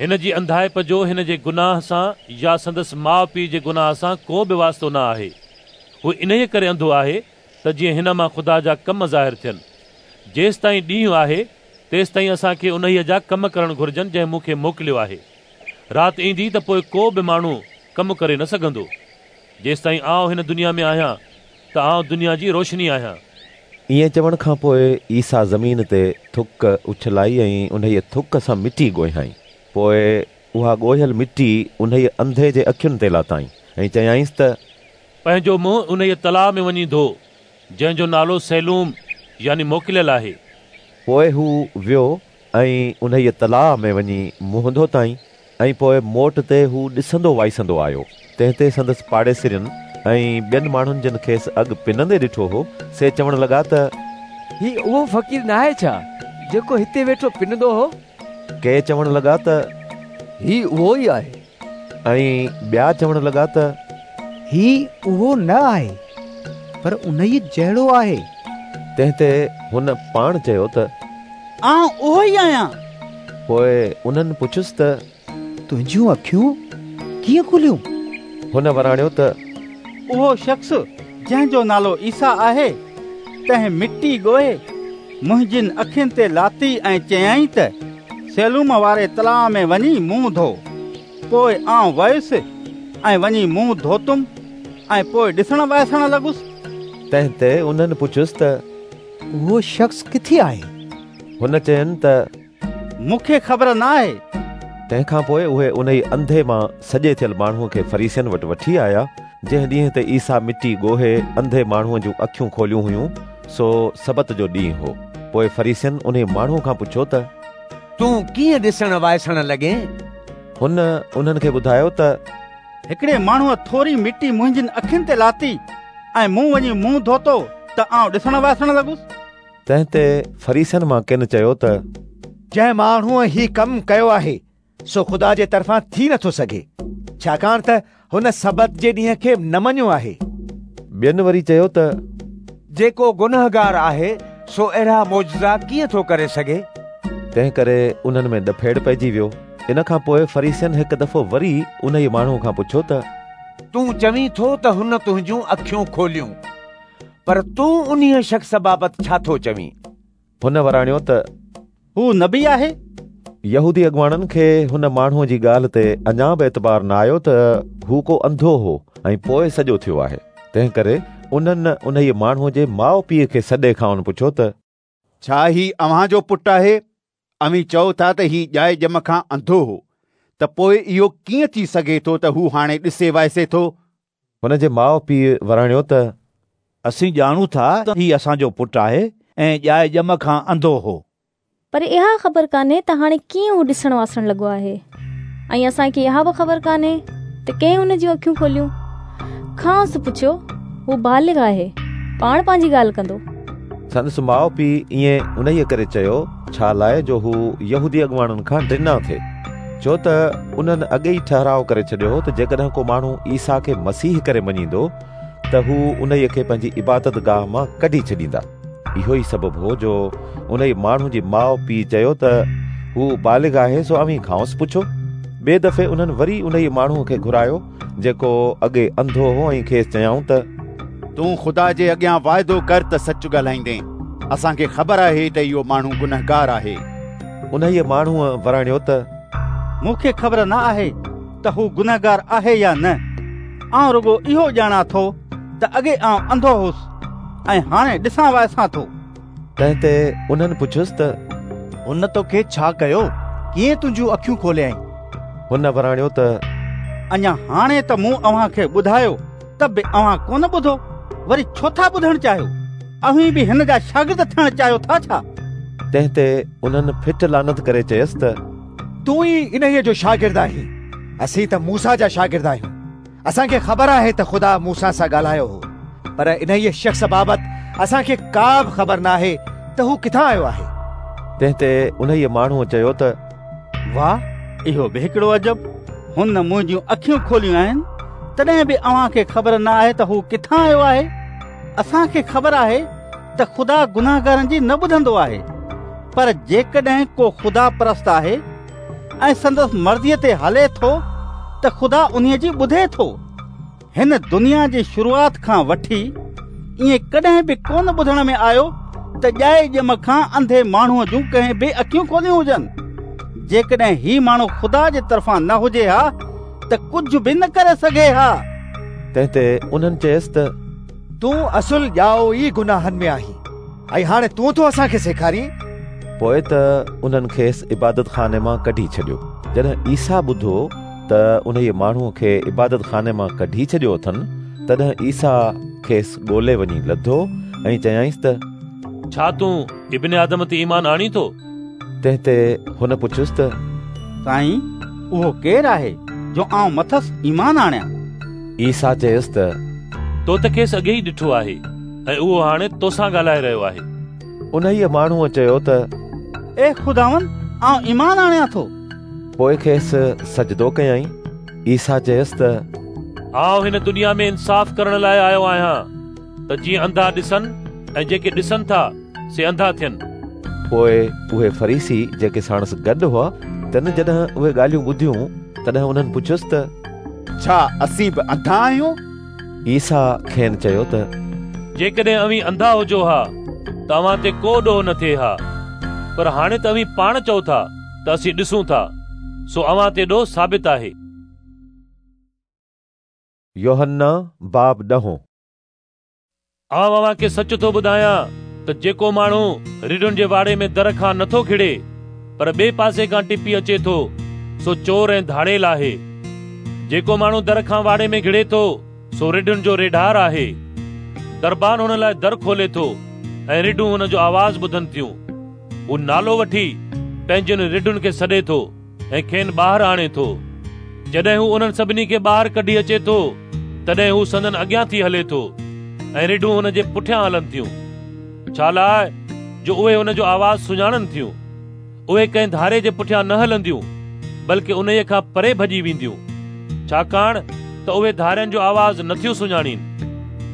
هن جي انڌائپ جو هن جي گناهه سان يا سندس ماءُ پيءُ جي گناهه سان ڪو به واسطو نه آهي. هو انهيءَ ڪري انڌو آهي ته جيئن هن مان خدا جا ڪم ظاهر ٿين. جيستائين ڏينهن آهي تيستائين اسان کي انهيءَ جا ڪم ڪرڻ گهرجن جنهن مون کي موڪليو آهي. رات ايندي ته پوءِ ڪو به ماڻهو ڪم ڪري نه سگهندو. جيستائين آئون هن دنيا ۾ آهيان ته آئون دنيا جي روشني آهيان. ائين چوڻ کان پوءِ عيسيٰ زمين تي ٿڪ اڇلائي ۽ انهيءَ ٿڪ سان مٽي ڳوهيائين. پوءِ اها ڳوهيل مٽي انهيءَ انڌي جي اکين تي لاتائين ۽ چيائينس ته پنهنجو منهن انهيءَ تلاءُ ۾ وڃي ڌو، جنهن جو نالو سيلوم يعني موڪليل آهي. پوءِ هو ويو ۽ انهيءَ تلاءُ ۾ وڃي منهن ڌوتائين ۽ پوءِ موٽ تي هو ڏسندو وائسندو آيو. تنهن تي سندس پاڙيسرين ۽ ٻين ماڻهن جن کيس اڳ پنندي ڏٺو هو سي چوڻ لڳا ته هي اهو فقير ناهي ڇا جيڪو هتي ويٺو پنندو هو؟ ڪي چوڻ لڳا ته هي اهو ئي آهي، ۽ ٻيا چوڻ لڳا ته هي اهو نه آهي، پر انهيءَ جهڙو آهي. تنهن تي هن پاڻ چيو ته آئون اهو ئي آهيان. پوءِ انهن پڇيس ته تنهنجون اکيون ڪيئن کليون؟ هن وراڻيو ته اهو شخص جنهن جو نالو عيسيٰ آهي تنهن مٽي ڳوهي منهنجين اکين تي لاتي ۽ چيائين ته سيلوم واري تلاءُ ۾ وڃي منهن ڌو. پوءِ آئون ويس ۽ وڃي منهن ڌوتم ۽ پوءِ ڏسڻ وائسڻ لڳس. تنهن تي انهن پڇيس ته اهو شخص ڪٿي آهي؟ هن چين ته مون کي خبر نه آهي. تنهن کان پوءِ اهي انهي انڌي مان سڄي ٿيل ماڻهوءَ کي فريسين وٽ وٺي آيا. جنهن ڏينهن تي عيسيٰ مٽي ڳوهي انڌي ماڻهوءَ جون اکيون کوليون هيون سو سبت جو ڏينهن هو. پوءِ فريسين انهي ماڻهوءَ کان پڇيو ته تون ڪيئن ڏسڻ وائسڻ لڳين؟ هن انهن کي ٻڌايو ته هڪڙي ماڻهوءَ ٿوري مٽي منهنجين اکين تي لاتي ۽ مون وڃي منهن ڌوتو ته آئون ڏسڻ وائسڻ لڳس. تنهن تي فريسين مان ڪن چيو ته جنهن ماڻهوءَ هي ڪم ڪيو آهي سو خدا جي طرفان ٿي نٿو سگهي، ڇاڪاڻ ته هن سبت جي ڏينهن کي نه مڃيو آهي. ٻين وري چيو ته جيڪو گنهگار آهي سو اهڙا معجزا ڪيئن ٿو ڪري سگهي؟ تنهن ڪري انهن ۾ ڏڦيڙ پئجي ويو. ان کان پوءِ فريسين هڪ دفعو وري انهيءَ ماڻهوءَ کان پڇيو ته تون چوين ٿو ته هن تنهنجون اکيون کوليون، پر تون انهيءَ شخص بابت ڇا ٿو چوين؟ هن وراڻيو ته هو نبي آهي. يهودي اڳواڻن کي هن ماڻهوءَ جي ڳالهه تي اڃا به اعتبار نه آيو ته هو ڪو انڌو هو ۽ پوءِ سڄو ٿيو آهي. تنهن ڪري انهن انهيءَ ماڻهوءَ جي ماءُ پيءُ کي سڏي کانئن پڇيو ته ڇا هي اوهان جو پٽ آهي؟ اوهين چئو ٿا ته هي ڄائي ڄم کان انڌو هو، ته پوءِ اهو ڪيئن ٿي سگهي ٿو ته هو هاڻي ڏسي وائسي ٿو؟ هن جي ماءُ پيءُ وراڻيو ته اسين ڄاڻون ٿا ته هي اسان جو پٽ آهي ۽ ڄائي ڄم کان انڌو هو، پر اها خبر ڪانهي ته هاڻي ڪيئن هو ڏسڻ وائسڻ لڳو آهي، ۽ اسان کي اها به خبر ڪانهي ته ڪنهن هن جون اکيون کوليون. کانئس پڇيو، هو بالغ آهي، پاڻ پنهنجي ڳالهه ڪندو. سندس ماءُ پيءُ ائين انهيءَ ڪري چيو ڇا لاءِ جو هو يهودي اڳواڻن کان ڊنا ٿي، ڇو ته انهن اڳي ئي ٺهراءُ ڪري ڇڏيو هو ته جيڪڏهن ڪو ماڻهو عيسيٰ کي مسيح ڪري مڃيندو ته هو انهيءَ کي پنهنجي عبادت گاهه مان ڪڍي ڇڏيندا. اهو ئي سبب هو جو انهيءَ ماڻهو جي ماءُ پيءُ چيو ته هو بالغ آهي، سو اوهين کانئس پڇو. ٻئي دفعي انهن وري انهيءَ ماڻهوءَ کي گهرايو جيڪو اڳي انڌو هو ۽ کيس چيائون ته تون خدا جي اڳيان واعدو ڪر ته سچ ڳالهائيندين، اسان کي خبر آهي ته اهو ماڻهو گنهگار آهي. انهيءَ ماڻهوءَ وراڻيو ته مون کي خبر نه آهي ته هو گنهگار آهي يا نه، آئون رڳو اهو ڄاڻان ٿو ته اڳي آئون انڌو هوس ۽ هاڻي ڏسان وائسان ٿو. تنهن تي انهن پڇيس ته هن توکي ڇا ڪيو، ڪيئن تنهنجون اکيون کوليائين؟ هن وراڻيو ته اڃا هاڻي ته مون اوهان کي ٻڌايو ته به اوهان ڪونه ٻڌو، وري ڇو ٿا ٻڌڻ چاهيو؟ اوهين به هن جا شاگرد ٿيڻ چاهيو ٿا ڇا؟ تنهن تي انهن ڦٽ لعنت ڪري چيس ته تون ئي انهيءَ جو شاگرد آهين، اسين ته موسيٰ جا شاگرد آهيون. اسان کي خبر آهي ته خدا موسيٰ سان ڳالهايو هو، پر انهيءَ شخص بابت اسان کي ڪا به خبر نه آهي ته هو ڪٿان آيو آهي. تنهن تي انهيءَ ماڻهوءَ چيو ته واهه، اهو به هڪڙو عجب، هن منهنجون اکيون کوليون آهن تڏهن به اوهان کي خبر نه آهي ته هو ڪٿان آيو آهي. اسان کي خبر آهي ته خدا گناهگارن جي نه ٻڌندو آهي، پر جيڪڏهن ڪو خدا پرست آهي ۽ سندس مرضيءَ تي هلي ٿو ته خدا انهيءَ جي ٻڌي ٿو. هن دنيا جي شروعات کان وٺي ائين ڪڏهن به ڪونه ٻڌڻ ۾ آيو ته ڄائي ڄم کان انڌي ماڻهوءَ جون ڪنهن به اکيون کوليون هجن. جيڪڏهن هي ماڻهو خدا جي طرفان نه هجي ها ته ڪجهه به نه ڪري سگهي ها. تنهن تي انهن چيس ته تون اصل ڄائو ئي گناهن ۾ آهين ۽ هاڻي تون ٿو اسان کي سيکارين. پوءِ ته انهن کيس عبادت خاني مان ڪڍي ڇڏيو. جڏهن عيسيٰ ٻڌو ته انهيءَ ماڻهوءَ کي عبادت خاني مان ڪڍي ڇڏيو اٿن، تڏهن عيسيٰ کيس ڳولي وڃي لڌو ۽ چيائينس ته ڇا تون ابن آدم تي ايمان آڻين ٿو؟ تنهن تي هن پڇيس ته سائين، اهو ڪير آهي جو آئون مٿس ايمان آڻيان؟ عيسيٰ چيس ته تو ته کيس اڳي ئي ڏٺو آهي ۽ اهو هاڻي توسان ڳالهائي رهيو آهي. انهيءَ ماڻهوءَ چيو ته اي خداوند، آئون ايمان آڻيان ٿو. پوءِ کيس سجدو ڪيائين. عيسيٰ چيس ته آئون هن دنيا ۾ انصاف ڪرڻ لاءِ آيو آهيان ته جيئن انڌا ڏسن ۽ جيڪي ڏسن ٿا سي انڌا ٿين. پوءِ اهي فريسي جيڪي ساڻس گڏ هئا تن جڏهن اهي ڳالهيون ٻڌيون تڏهن انهن پڇيس ته ڇا اسين به انڌا آهيون؟ عيسيٰ کين چيو ته جيڪڏهن اوهين انڌا هجو ها ته اوهان تي ڪو ڏوهه نه ٿئي ها، پر هاڻي ته اوهين پاڻ چئو ٿا ته اسين ڏسون ٿا، سو اوهان تي ڏوهه ثابت آهي. يوحنا باب ڏهون. آئون اوهان کي سچ ٿو ٻڌايان ته جيڪو ماڻهو رڍن جي واڙي ۾ در کان نٿو کڙي پر ٻئي پاسي کان ٽپي اچي ٿو، سو چور ۽ ڌاڙيل آهي. جيڪو ماڻهو در کان واڙي ۾ گهڙي ٿو سو رڍن جو ريڍار آهي. دربان هن لاءِ در کولي ٿو ۽ رڍون هن جو آواز ٻڌن ٿيون. هو نالو وٺي پنهنجن رڍن کي سڏي ٿو ۽ کين ٻاهر آڻي ٿو. جڏهن هو انهن سڀني کي ٻاهر ڪڍي اچي ٿو تڏهن هو سندن اڳيان ٿي هلي ٿو ۽ رڍون هن جي پٺيان هلن ٿيون، ڇا لاءِ جو اهي هن جو آواز سڃاڻن ٿيون. اهي ڪنهن ڌاري جي پٺيان نه هلنديون، بلڪه انهيءَ کان پري ڀڄي وينديون، ڇاڪاڻ ته اهي ڌارين جو آواز نٿيون سڃاڻين.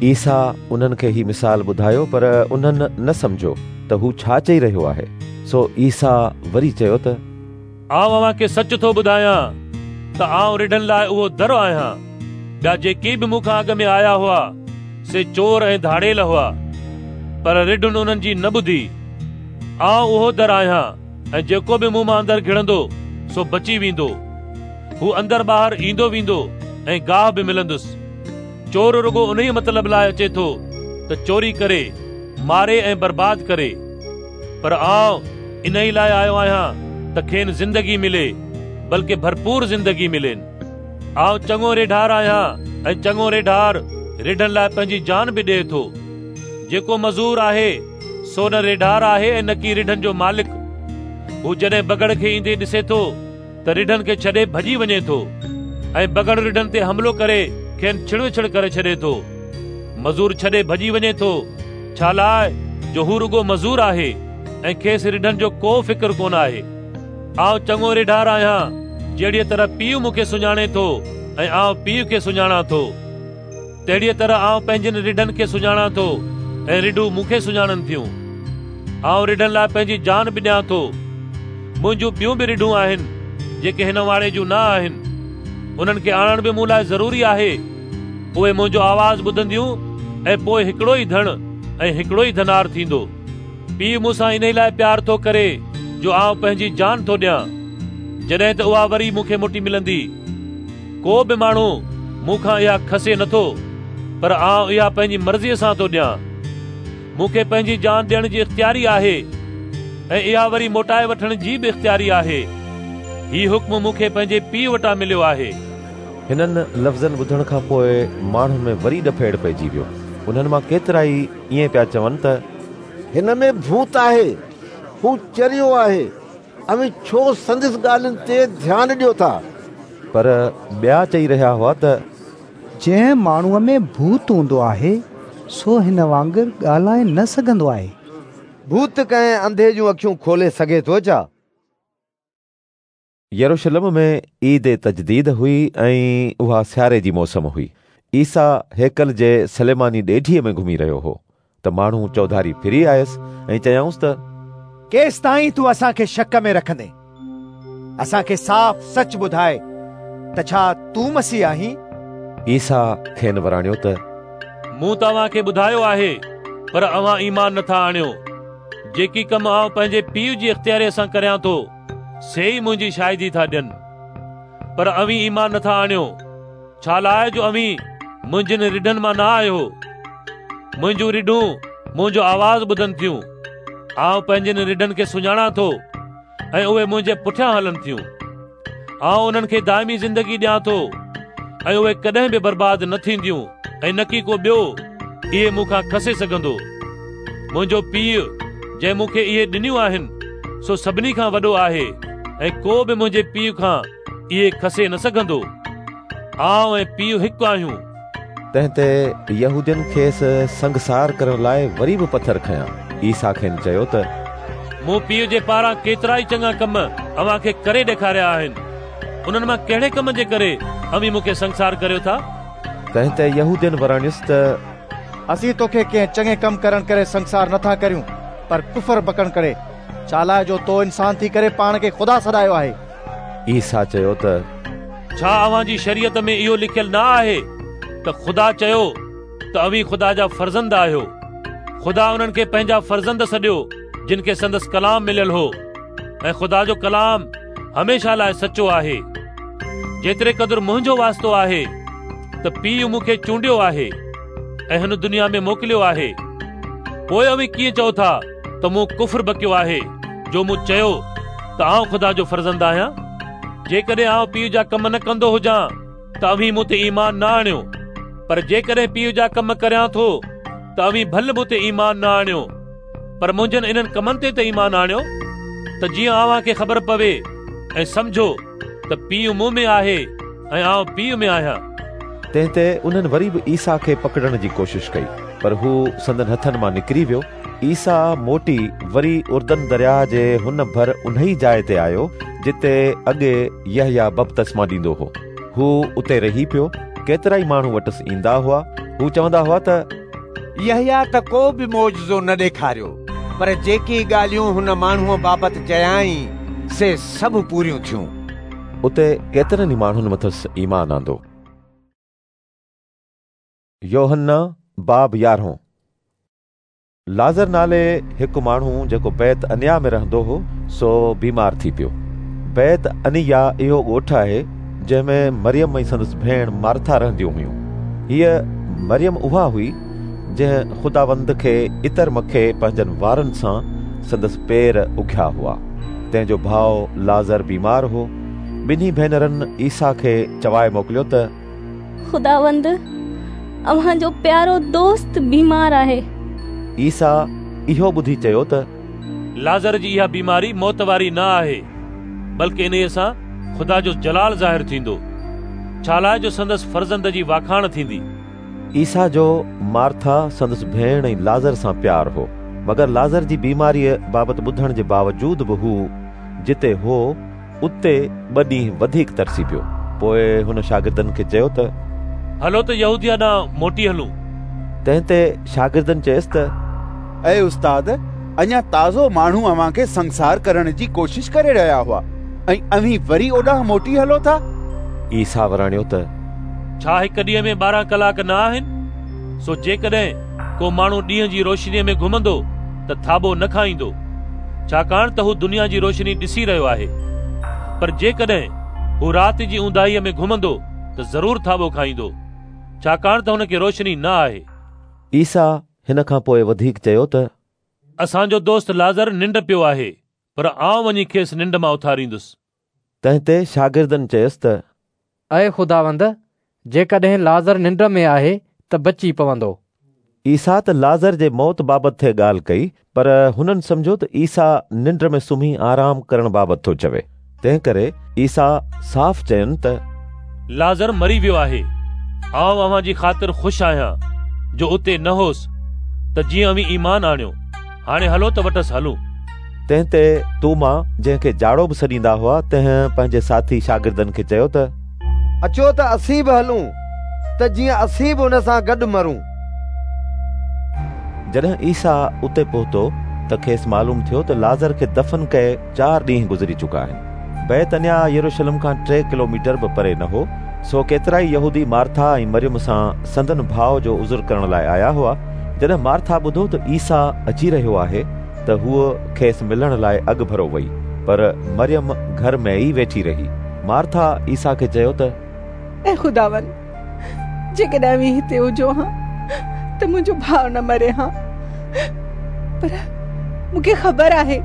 عيسيٰ انهن کي هي مثال ٻڌايو، پر انهن نه سمجهيو ته هو ڇا چئي رهيو آهي. سو عيسيٰ وري چيو ته آئون اوهان کي سچ ٿو ٻڌايان ته آئون رڍن لاءِ اهو در آهيان. ٻيا جيڪي به مون کان اڳ ۾ آيا هئا سي چور ۽ ڌاڙيل هئا، پر رڍن انهن جي نه ٻڌي. آئون اهو در آهيان ۽ جيڪو به مون مان اندر گهڙندو سو بچي ويندو. هو اندر ٻاهر ايندو ويندو ۽ گاهه به ملندس. چور رڳو انهيءَ مطلب لاءِ اچي ٿو ته چوري ڪري، ماري ۽ برباد ڪري، پر آئون انهيءَ لاءِ آيو آهيان ته کين زندگي ملي، بلڪه ڀرپور زندگي ملين. آئون چڱو ريڍار آهيان ۽ چڱو ريڍار رڍن لاءِ پنهنجي جان به ڏئي ٿو. جيڪو مزور آهي سو نه ريڍار آهي ۽ نه ڪي رڍن جو مالڪ. هو جڏهن بگهڙ کي ايندي ڏسي ٿو ته رڍن کي ڇڏي ڀڄي وڃي ٿو ۽ بگهڙ رڍن تي حملو ڪري کين ڇڙوڇڙ ڪري ڇڏي ٿو. مزور ڇڏي ڀڄي وڃي ٿو، ڇا لاءِ جو هو رڳو مزور آهي ۽ کيس رڍن جو ڪو فڪر ڪونه آهي. آئون چڱو ريڍار آهيان، جهڙيءَ طرح پيءُ مون کي سڃاڻي ٿو ۽ آئون پيءُ کي سڃاڻان ٿو، تهڙيءَ طرح آئون پنهنجن رڍن کي سڃاڻان ٿو ۽ رڍون مون کي سڃاڻن ٿيون. آئون رڍن لاءِ پنهنجي جان به ڏيان ٿو. منهنجون ٻيون به رڍون آهن جيڪي هن واڙي جون نه آهن، انهن کي آڻڻ به مون لاءِ ضروري آهي. اهي منهنجو آواز ٻڌنديون ۽ پوءِ هڪڙو ئي ڌڻ ۽ هڪڙو ئي ڌنار ٿيندو. پيءُ مون سان ان لاءِ پيار ٿو ڪري جو آئون پنهنجي جان ٿو ڏيان، جڏهن ته اها وري مون کي موٽي ملندي. ڪو به ماڻهو مون کان اها کسي نٿو، پر آئون اها پنهنجي مرضيءَ سان ٿو ڏيان. مون کي پنهنجي جان ڏيڻ جي اختياري آهي ۽ اها وري موٽائي وٺڻ جي به اختياري آهي. هي حڪم مون کي پنهنجي پيءُ وٽان مليو آهي. هنن لفظن ٻڌڻ کان پوءِ ماڻهن ۾ وري ڏڦيڙ پئجي ويو. انهن مان ڪيترا ئي ائين پيا چون ته هن ۾ ڀوت آهي، هو چريو آهي، اوهين ڇو سندس ڳالهين تي ڌيان ڏيو ٿا؟ پر ٻيا چئي رهيا هئا ته جنهن ماڻهوءَ ۾ ڀوت هوندو آهي سو هن وانگر ڳالهائي نه سگهندو آهي. ڀوت ڪنهن انڌي جون اکيون کولي سگهي ٿو ڇا؟ يروشلم ۾ عيد تجديد هئي ۽ اها سياري جي موسم هئي. عيسيٰ هيڪل جي سليماني ڏيڍيءَ ۾ گهمي رهيو هو ته ماڻهو چوڌاري ڦري آيس ۽ چيائونس ته ڪيستائين تون اسان کي شڪ ۾ رکندين؟ اسان کي صاف سچ ٻڌائي ته ڇا تون مسيح آهين؟ عيسيٰ کين وراڻيو ته مون توهان کي ٻڌايو آهي، پر اوهان ايمان نٿا آڻيو. جيڪي ڪم آئون پنهنجي پيءُ جي اختياريءَ سان ڪريان ٿو سي ئي منهنجي شاهدي ٿا ڏين، پر اوهين ايمان نٿا آڻيو، ڇا لاءِ جو اوهين منهنجن رڍن مان نه آهيو. منهنجون رڍون منهنجو آواز ٻڌن ٿيون. آئون پنهنجن رڍن کي سڃاڻان ٿو ۽ اهي منهنجي پٺيان هلن ٿيون. آئون انهن کي دائمي زندگي ڏيان ٿو ۽ اهي ڪڏهن به برباد نه ٿينديون ۽ نه ڪي ڪو ٻيو اهي مون کان کسي سگهندو. منهنجو پيءُ جنهن مون کي اهي ڏنيون آهن سو سڀني کان وڏو آهي ۽ ڪو به منهنجي پيءُ کان اهي کسي نه سگهندو. آئون ۽ پيءُ هڪ آهيون. تنهن تي يهودين کيس سنگسار ڪرڻ لاءِ وري به پٿر کنيا. عيسيٰ کين چيو ته مون پيءُ جي پاران ڪيترا ئي چڱا ڪم اوهان کي ڪري ڏيکاريا آهن، انهن مان ڪهڙي ڪم جي ڪري اوهين مون کي سنگسار ڪريو ٿا؟ تنهن تي يهودين وراڻيس ته اسين توکي ڪنهن چڱي ڪم ڪرڻ ڪري سنگسار نٿا ڪريون، پر ڪفر بڪڻ ڪري، ڇا لاءِ جو تو انسان ٿي ڪري پاڻ کي خدا سڏايو آهي. عيسيٰ چيو ته ڇا اوهان جي شريعت ۾ اهو لکيل نه آهي ته خدا چيو ته اوهين خدا جا فرزند آهيو؟ خدا انهن کي پنهنجا فرزند سڏيو جن کي سندس ڪلام مليل هو، ۽ خدا جو ڪلام هميشه لاءِ سچو آهي. جيتري قدر منهنجو واسطو آهي ته پيءُ مون کي چونڊيو آهي ۽ هن دنيا ۾ موڪليو آهي، پوءِ اوهين ڪيئن چئو ٿا ته مون ڪفر بڪيو آهي جو مون چيو ته آئون خدا جو فرزند آهيان؟ جيڪڏهن آئون پيءُ جا ڪم نه ڪندو هجان ته اوهين مون تي ايمان نه آڻيو، پر جيڪڏهن پيءُ جا ڪم ڪريان ٿو ته اوهين ڀل مون تي ايمان نه آڻيو، پر منهنجن انهن ڪمن تي ته ايمان آڻيو، ته جيئن اوهان کي خبر پوي ۽ سمجهو ته پيءُ مون ۾ آهي ۽ آئون پيءُ ۾ آهيان. تنهن تي انهن وري به عيسيٰ کي پڪڙڻ جي ڪوشش ڪئي، پر هو سندن هٿن مان نڪري ويو. عيسيٰ موٽي وري اردن درياهه جي هن ڀر انهي جاءِ تي آيو جتي اڳي يحيٰ بپتسما ڏيندو هو. هو اتي رهي پيو. ڪيترا ئي ماڻهو وٽس ايندا هئا. هو چوندا هئا ته يحيٰ ته ڪو به معجزو نه ڏيکاريو، پر جيڪي ڳالهيون هن ماڻهوءَ بابت چيائين سي سڀ پوريون ٿيون. اتي ڪيترن ئي ماڻهن مٿس ايمان آندو. يوحنا باب يارهون. لازر نالي هڪ ماڻهو جيڪو بيت انيا ۾ رهندو هو سو بيمار ٿي پيو. بيت انيا اهو ڳوٺ آهي جنهن ۾ مريم ۽ سندس ڀيڻ مارٿا رهنديون هيون. هيءَ مريم اها هئي جنهن خداوند کي عطر مکي پنهنجن وارن سان سندس پير اگهيا هئا. تنهن جو ڀاءُ لازر بيمار هو. ٻنهي ڀينرن عيسيٰ کي چوائي موڪليو ته خداوند، اوهان جو پيارو دوست بيمار آهي. عيسيٰ اهو ٻڌي چيو ته لازر جي اها بيماري موت واري نه آهي، بلڪه انهيءَ سان خدا جو جلال ظاهر ٿيندو، ڇا لاءِ جو سندس فرزند جي واکاڻ ٿيندي. عيسيٰ جو مارٿا، سندس ڀيڻ ۽ لازر سان پيار هو، مگر لازر جي بيماريءَ بابت ٻڌڻ جي باوجود به هو جتي هو اتي ٻه ڏينهن وڌيڪ ترسي پيو. پوءِ هن شاگردن کي چيو ته هلو ته يهوديه ڏانهن موٽي هلون. تنهن تي شاگردن چيس ته اي استاد، اڃا تازو ماڻهو اوهان کي سنگسار ڪرڻ جي ڪوشش ڪري رهيا هئا ۽ اوهين وري اوڏانهن موٽي هلو ٿا؟ عيسيٰ وراڻيو ته ڇا هڪ ڏينهن ۾ ٻارهن ڪلاڪ نه آهن؟ سو جيڪڏهن ڪو ماڻهو ڏينهن جي روشنيءَ ۾ گهمندو ته ٿاٻو نه کائيندو، ڇاڪاڻ ته هو دنيا جي روشني ڏسي رهيو آهي. پر جيڪڏهن هو رات جي اونداهيءَ ۾ گهمندو ته ضرور ٿاٻو کائيندو، ڇاڪاڻ ته هن کي روشني نه آهي. عيسيٰ هن کان پوءِ وڌيڪ چيو ته اسان جو دوست لازر ننڊ پيو آهي، پر آئون وڃي کيس ننڊ مان اٿاريندس. تنهن تي شاگردن چيس ته اي خداوند، جيڪڏهن لازر ننڊ ۾ آهي ته بچي پوندو. عيسيٰ ته لازر جي موت بابت ٿي ڳالهه ڪئي، پر هنن سمجهيو ته عيسيٰ ننڊ ۾ سمهي آرام ڪرڻ بابت ٿو چوي. تنهن ڪري عيسيٰ صاف چين ته لازر مري ويو آهي. آئون اوهان جي خاطر خوش آهيان جو اتي نه هوس، ته جيئن اوهين ايمان آڻيو. هاڻي هلو ته وٽس هلون. تنهن تي توما، جنهن کي جاڙو به سڏيندا هئا، تنهن پنهنجي ساٿي شاگردن کي چيو ته اچو ته اسين به هلون، ته جيئن اسين به هن سان گڏ مرون. جڏهن عيسيٰ اتي پهتو ته کيس معلوم ٿيو ته لازر کي دفن ڪئي چار ڏينهن گذري چڪا آهن. بيتعنيا يروشلم کان ٽي ڪلوميٽر به پري نه هو، سو ڪيترائي يهودي مارٿا ۽ مريم سان سندن ڀاءُ جو عذر ڪرڻ لاءِ آيا هئا. جڏهن مارٿا ٻڌو ته عيسيٰ اچي رهيو آهي ته هوءَ کيس ملڻ لاءِ اڳ ڀرو وئي، پر مريم گهر ۾ ئي ويٺي رهي. مارٿا عيسيٰ کي چيو ته اي خداوند، جيڪڏهن اوهين هتي هجو ها ته منهنجو ڀاءُ نه مري ها. پر مون کي خبر آهي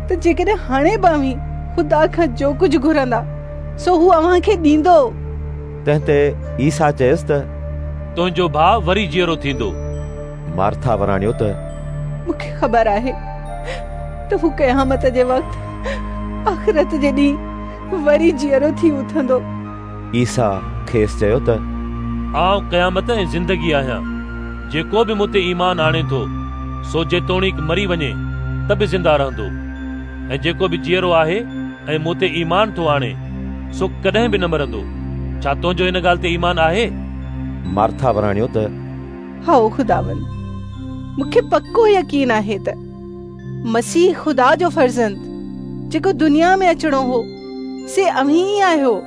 ته جيڪڏهن هاڻي به اوهين خدا کان جو ڪجهه گهرندا سو هو اوهان کي ڏيندو. تنهن تي عيسيٰ چيس ته تنهنجو ڀاءُ وري جيئرو ٿيندو. مارٿا وراڻيو ته مون کي خبر آهي ته هو قيامت جي وقت آخرت جي ڏينهن وري جيئرو ٿي اٿندو. عيسيٰ کيس چيو ته آئون قيامت ۽ زندگي آهيان. جيڪو به مون تي ايمان آڻي ٿو سو جيتوڻيڪ مري وڃي ته به زنده رهندو، ۽ جيڪو به جيئرو آهي ۽ مون تي ايمان ٿو آڻي سو ڪڏهن به نه مرندو. ڇا تنهنجو هن ڳالهه تي ايمان آهي؟ مارٿا وراڻيو ته هائو خداوند، مون کي پڪو يقين آهي ته مسيح خدا جو فرزند جيڪو دنيا ۾ اچڻو هو سي اوهين ئي آهيو.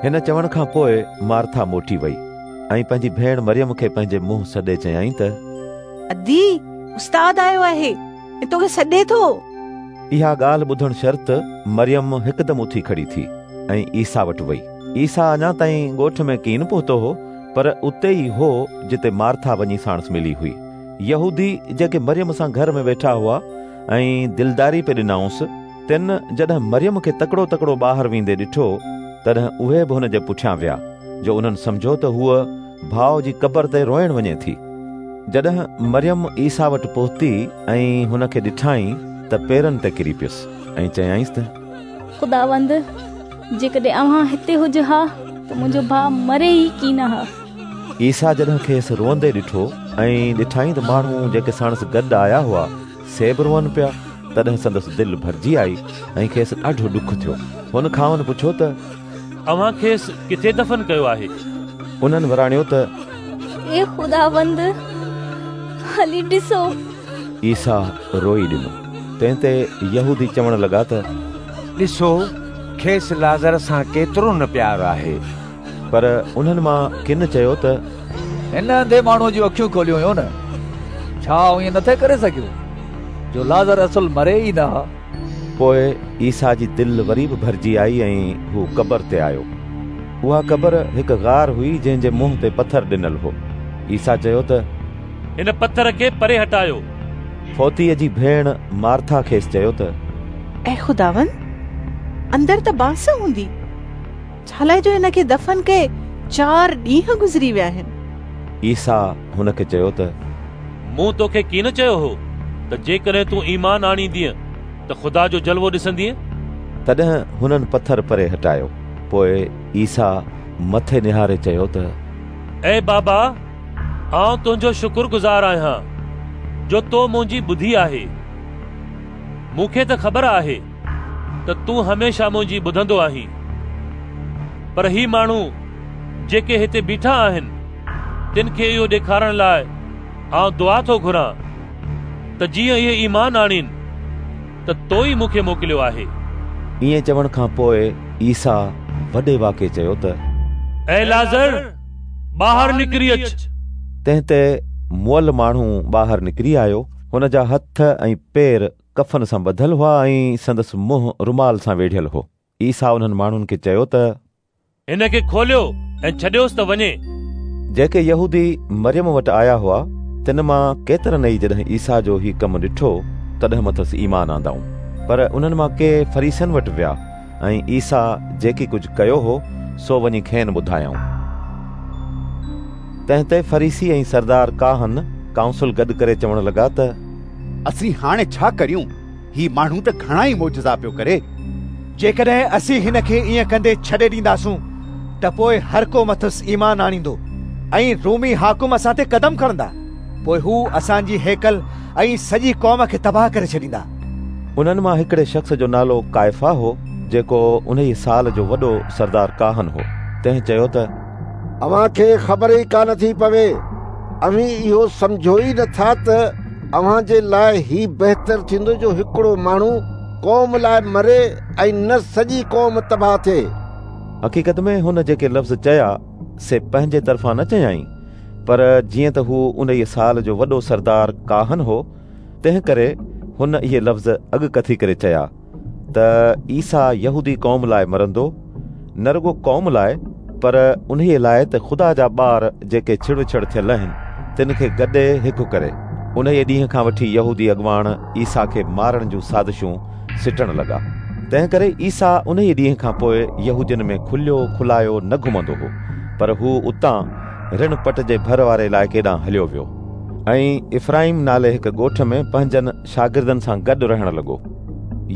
هن چوڻ کان پوءِ مارٿا موٽي وئي ۽ پنهنجي ڀيڻ مريم کي پنهنجي منهن سڏي چيائين ته ادي، استاد آيو آهي ۽ توکي سڏي ٿو. اها ڳالهه ٻڌڻ شرط مريم هڪدم اٿي کڙي ٿي ۽ عيسيٰ وٽ وئي. عيسيٰ اڃا تائين ڳوٺ ۾ ڪين پهتو هو، پر اتي ئي هو جتي مارٿا وڃي ساڻس ملي هئي. يهودي جيڪي مريم سان گهر ۾ ويٺا هئا ۽ دلداري پئي ڏنائونس، تن جڏهن مريم کي تڪڙو تڪڙو ٻاهر ويندي ڏٺو، تڏهن اهي به هن جي پٺيان ويا، جو انهن سمجهيو ته هوءَ ڀاءُ جي قبر تي روئڻ وڃي ٿي. جڏهن مريم عيسيٰ وٽ پهتي ۽ هن کي ڏٺائين ته پيرن تي ڪري پيس ۽ چيائينس ته خداوند، جيڪڏهن اوهان هتي هجو ها ته منهنجو ڀاءُ مري ئي ڪين ها. عيسيٰ جڏهن کيس روئندي ڏٺو ۽ ڏٺائين ته ماڻهو جيڪي ساڻس گڏ آيا هئا سي به روئن پيا، تڏهن سندس دل ڀرجي آئي ۽ کيس ڏاڍو ڏک ٿيو. هن کانئن پڇيو ته اوهان کيس ڪٿي دفن ڪيو آهي؟ انهن وراڻيو ته اي خداوند، هلي ڏسو. عيسيٰ روئي ڏنو. تنهن تي يهودي چوڻ لڳا ته ڏسو، کيس لازر سان ڪيترو نه پيار آهي. پر انهن مان ڪن چيو ته هن انڌي ماڻهوءَ جون اکيون کوليون هيون نه، ڇا ائين نٿي ڪري سگهيو جو لازر اصل مري ئي نه ها؟ پوءِ عيسيٰ جي دل وري به ڀرجي آئي ۽ هو قبر تي آيو. اها قبر هڪ غار هئي جنهن جي منهن تي پٿر ڏنل هو. عيسيٰ چيو ته هن پٿر کي پري هٽايو. فوتيءَ جي ڀيڻ مارٿا کيس چيو ته اي خداوند، اندر ته بانس هوندي، ڇا لاءِ جو هن کي دفن ڪئي چار ڏينهن گذري ويا آهن. عيسيٰ هن کي چيو ته مون توکي ڪين چيو هو ته جيڪڏهن تون ايمان آڻيندينء ته خدا جو جلوو ڏسندينء؟ تڏهن هنن پٿر پري هٽايو. پوءِ عيسيٰ مٿي نهاري چيو ته اي بابا، آئون تنهنجو شڪرگذار آهيان جو تو منهنجي ٻڌي آهي. مون کي ته خبر آهي ته تون هميشه منهنجي ٻڌندو آهين، پر هي ماڻهو جيڪي هتي بيٺا آهن تن کي اهو ڏيکارڻ لاءِ آئون دعا ٿو گهران ته جيئن اهي ايمان آڻين ته تو ئي مون کي موڪليو آهي. ائين چوڻ کان پوءِ عيسيٰ وڏي واڪي چيو ته اي لازر، ٻاهر نڪري اچ. تنهن تي مئل ماڻهو ٻاهر نڪري آيو. هن جا هٿ ۽ پير ڪفن سان ٻڌل هئا ۽ سندس منهن رومال سان ويڙهيل هو. عيسيٰ انهن ماڻهن کي چيو ته هن کي کوليو ۽ ڇڏيوس ته وڃي. جيڪي يهودي مريم وٽ آيا هئا تن مان ڪيترن ئي جڏهن عيسيٰ جو هي ڪم ڏٺو تڏهن مٿس ايمان آندائون. پر انهن مان ڪي فريسين وٽ ويا ۽ عيسيٰ جيڪي ڪجهه ڪيو هو سو وڃي کين ٻڌايائون. تنهن تي فريسي ۽ سردار ڪاهن ڪائونسل گڏ ڪري چوڻ لڳا ته اسين هاڻي ڇا ڪريون؟ هي ماڻهو ته گهڻا ئي معجزا پيو ڪري. جيڪڏهن اسين هن کي ائين ڪندي ڇڏي ڏينداسون ته پوءِ هر ڪو مٿس ايمان آڻيندو ۽ رومي حاڪم اسان تي قدم کڻندا. پوءِ هو اسان جي هيڪل ۽ سڄي قوم کي تباهه ڪري ڇڏيندا. انهن مان هڪڙي شخص جو نالو ڪائفا هو، جيڪو انهيءَ سال جو وڏو سردار ڪاهن هو. تنهن چيو ته اوهان کي خبر ئي ڪانه ٿي پوي. اوهين اهو سمجهو ئي نٿا ته اوهان جي لاءِ هي بهتر ٿيندو جو هڪڙو ماڻهو قوم لاءِ مري ۽ نه سڄي قوم تباهه ٿئي. حقيقت ۾ هن جيڪي لفظ چيا سي پنهنجي طرفان نه چيائين، پر جيئن ته هو انهيءَ سال جو وڏو سردار ڪاهن هو تنهن ڪري هن اهي لفظ اڳڪٿي ڪري چيا ته عيسيٰ يهودي قوم لاءِ مرندو، نه رڳو قوم لاءِ پر انهيءَ لاءِ ته خدا جا ٻار جيڪي ڇڙوڇڙ ٿيل آهن تن کي گڏي هڪ ڪري. انهيءَ ڏينهن کان وٺي يهودي اڳواڻ عيسيٰ کي مارڻ جون سازشون سٽڻ لڳا. تنهن ڪري عيسيٰ انهيءَ ڏينهن کان پوءِ يهودين ۾ کليو کلايو نه گهمندو هو، پر هو اتان رڻ پٽ جي ڀر واري علائقي ڏانهن هليو ويو ۽ افرائيم نالي هڪ ڳوٺ ۾ پنهنجن شاگردن سان گڏ رهڻ لڳو.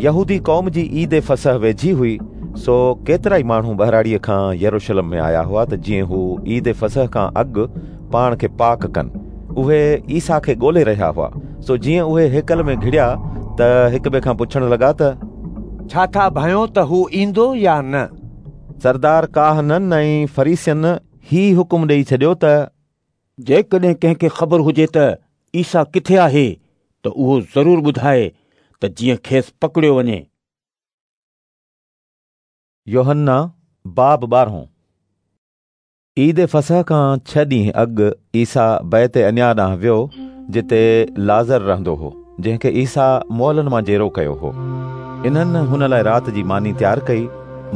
يهودي قوم جي عيد فصح ويجهي هئي، سو ڪيترا ئي ماڻهو ٻهراڙيءَ کان يروشلم ۾ آيا هئا ته جيئن هو عيد فصح کان اڳ پاڻ کي پاڪ ڪن. اهي عيسيٰ کي ڳولي رهيا هئا، سو جيئن اهي هيڪل ۾ گهڙيا ته هڪ ٻئي کان پڇڻ لڳا ته ڇا ٿا ڀانيو ته هو ايندو يا نه؟ سردار ڪاهنن ۽ فريسين هي حڪم ڏيئي ڇڏيو ته جيڪڏهن ڪنهن کي خبر هجي ته عيسيٰ ڪٿي آهي ته اهو ضرور ٻڌائي ته جيئن کيس پڪڙيو وڃي. يوحنا باب ٻارهون. عيد فصح کان ڇهه ڏينهن اڳ عيسيٰ بيت عنيا ڏانهن ويو، جتي لازر رهندو هو، جنهن کي عيسيٰ مئلن مان جيئرو ڪيو هو. انهن هن لاءِ رات جي ماني تيار ڪئي.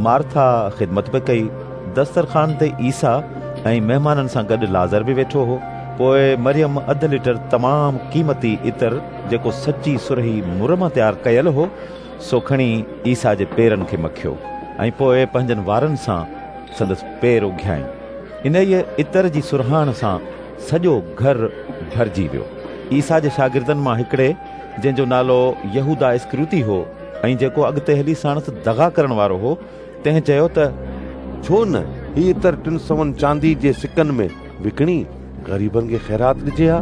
مارٿا خدمت به ڪئي. دسترخوان تي عيسيٰ ۽ مهمانن سان گڏ لازر به ويٺو هو. پوءِ مريم اڌ ليٽر تمام قيمتي عطر، جيڪو سچي سرهي مر مان تيار ڪيل هو، سو کڻي عيسيٰ جي پيرن کي مکيو ۽ پوءِ پنهنجن وارن سان سندس پير اگهيائين. انهيءَ عطر جي سرهاڻ سان سڄو گهر ڀرجي ويو. عيسيٰ جي شاگردن مان هڪڙي، جنهن جو نالو يهودا اسڪريوتي هو ۽ جيڪو اڳتي هلي ساڻس دغا ڪرڻ وارو هو، تنهن چيو ته ڇو نه هي عطر ٽن سون چاندي جي سڪن ۾ وڪڻي غريبن کي خيرات ڏجي ها.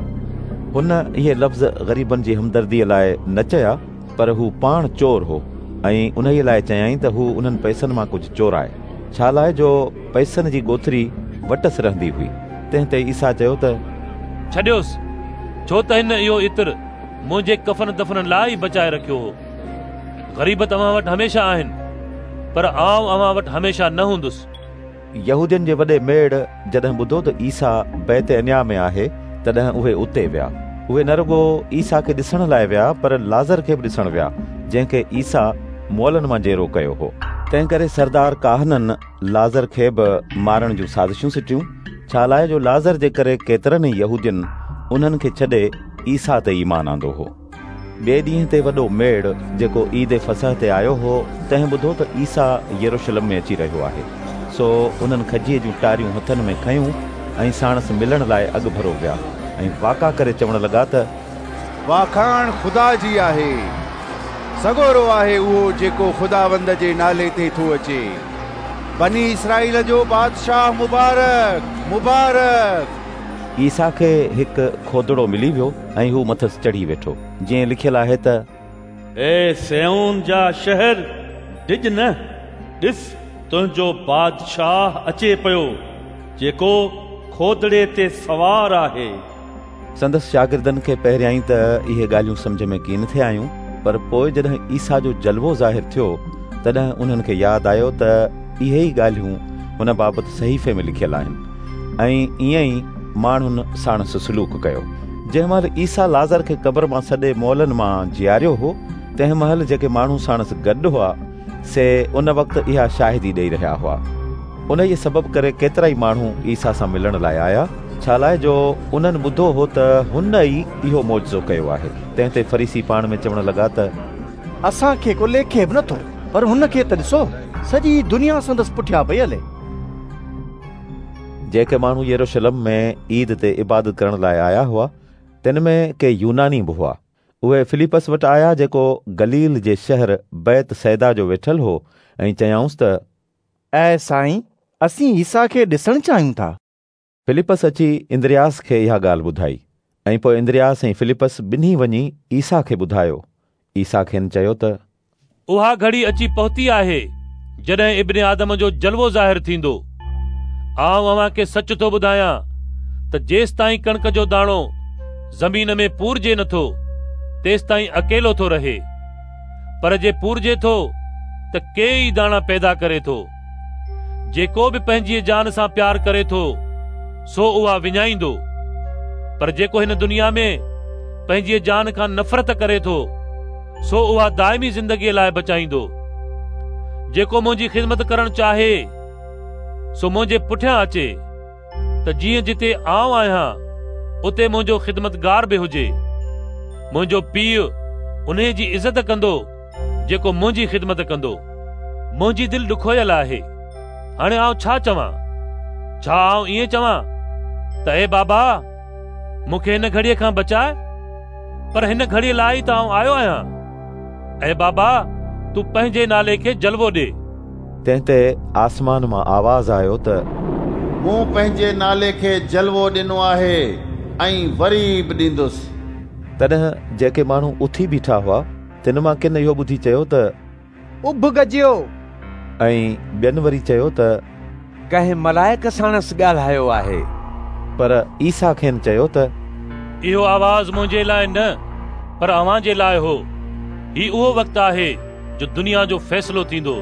هن اهي لفظ غريبن جي همدرديءَ لاءِ نه چيا، پر هو پاڻ چور هو ۽ انهيءَ لاءِ چيائين ته هو انهن پئسن مان ڪجهه چورائي، ڇا لاءِ جو پئسن جي ڳوٿري وٽس رهندي هئي. تنهن تي عيسيٰ چيو ته ڇڏيوس، ڇو ته هن اهو عطر منهنجي ڪفن دفن لاءِ ئي بچائي رکيو هو. غريب توهان وٽ هميشه آهن، پر آئون اوهان وٽ هميشه نه هوندس. يهودين جي وڏي ميڙ جڏهن ٻڌو ته عيسيٰ بيت عنيا ۾ آهي، تڏهن اهي اتي ويا. اهي نه رڳو عيسيٰ کي ڏسڻ لاءِ ويا، پر لازر کي به ڏسڻ ويا، جنهن کي عيسيٰ مئلن مان جيئرو ڪيو هو. تنهن ڪري سردار ڪاهنن لازر کي به مارڻ جون سازشون سٽيون، ڇا لاءِ جو لازر جي ڪري ڪيترن ئي يهودين انهن کي ڇڏي عيسيٰ تي ايمان آندو هو. ٻئي ڏينهن تي وڏو ميڙ جيڪو عيد فصح تي آيو هو، تنهن ٻڌو ته عيسيٰ يروشلم ۾ اچي رهيو آهي. سو انهن کجيءَ جون ٽاريون هٿن ۾ کنيون ۽ ساڻس ملڻ لاءِ اڳڀرو ويا ۽ واڪا ڪري چوڻ لڳا ته واکاڻ خدا جي آهي، سڳورو آهي اهو جيڪو خداوند جي نالي تي ٿو اچي، بني اسرائيل جو بادشاهه مبارڪ مبارڪ. عيسيٰ کي هڪ کودڙو ملي ويو ۽ هو مٿس چڙهي ويٺو، جيئن لکيل آهي ته اي صيون جا شهر، ڊڄ نه، ڏس تنهنجو بادشاهه اچي پيو، جيڪو کودڙي تي سوار آهي. سندس شاگردن کي پهريائين ته اهي ڳالهيون سمجهه ۾ ڪين ٿي آيون، پر پوءِ جڏهن عيسيٰ جو جلوو ظاهر ٿيو تڏهن انهن کي ياد آيو ته اهي ئي ڳالهيون هن بابت صحيفي ۾ لکيل آهن ۽ ائين ئي ماڻهن ساڻس سلوڪ ڪيو. جنهن مهل عيسيٰ لازر کي قبر مان سڏي مئلن مان جياريو هو، تنهن مهل جيڪي ماڻهو ساڻس گڏ هئا سي ان وقت اها شاهدي ڏيئي رهيا هئا. انهيءَ سبب ڪري ڪيترائي ماڻهو عيسيٰ سان ملڻ لاءِ آيا، ڇا لاءِ جو انهن ٻڌو هو ته هن ئي اهو معجزو ڪيو آهي. تنهن تي فريسي پاڻ ۾ چوڻ لڳا ته اسان کي ڪو ليکي به نٿو، پر هن کي ته ڏسو، سڄي دنيا سندس پٺيان پئي هلي. جيڪي ماڻهو يروشلم ۾ عيد تي عبادت ڪرڻ لاءِ آيا هئا، تن ۾ ڪي يوناني به هئا. اهي فلپس وٽ آيا، جيڪو گليل جي شهر بيت صيدا جو ويٺل هو، ۽ چيائونس ته اي سائين، اسين عيسيٰ کي ڏسڻ چاهيون ٿا. فلپس اچي اندرياس کي اها ڳالهه ٻڌائي، ۽ پوءِ اندرياس ۽ فلپس ٻنهي وڃي عيسيٰ کي ٻڌايو. عيسيٰ کين چيو ته اها گهڙي اچي پهتي آهي جڏهن ابن آدم جو جلوو ظاهر ٿيندو. آئون اوهان کي سچ ٿو ٻڌايان ته جيستائين ڪڻڪ جو داڻو زمين ۾ پورجي نٿو، تيستائين اڪيلو ٿو رهي، پر جي پورجي ٿو ته ڪيئي داڻا پيدا ڪري ٿو. جيڪو به پنهنجي جان سان پيار ڪري ٿو سو اها وڃائيندو، پر جيڪو هن دنيا ۾ پنهنجي جان کان نفرت ڪري ٿو سو اها دائمي زندگيءَ لاءِ بچائيندو. جيڪو منهنجي خدمت ڪرڻ چاهي سو منهنجي پٺيان اچي، ته جيئن جتي آئون آهيان اتي منهنجو خدمتگار به هجي. منهنجو پيءُ انهيءَ جي عزت ڪندو جيڪو منهنجي خدمت ڪندو. منهنجي دل ڏکويل آهي، هاڻي آئون ڇا چوان؟ ڇا آئون ائين چوان ته اي بابا، مون کي هن گهڙيءَ کان بچائي؟ پر هن گهڙيءَ لاءِ ئي ته آئون آيو آهيان. اي بابا، تون پنهنجي نالي کي جلوو ڏي. تنهن تي آسمان مان آواز آيو ته مون پنهنجي نالي کي جلوو ڏنو آهي ۽ وري به ڏيندس. تڏهن جيڪي ماڻهو اٿي بيٺا هئا تن مان ڪن اهو ٻڌي چيو ته اڀ گجيو، ۽ ٻين وري چيو ته ڪنهن ملائڪ ساڻس ڳالهايو آهي. پر عيسيٰ کين چيو ته اهو آواز منهنجي لاءِ نه پر اوهان جي لاءِ هو. هي اهو وقت آهي جو دنيا جو فيصلو ٿيندو.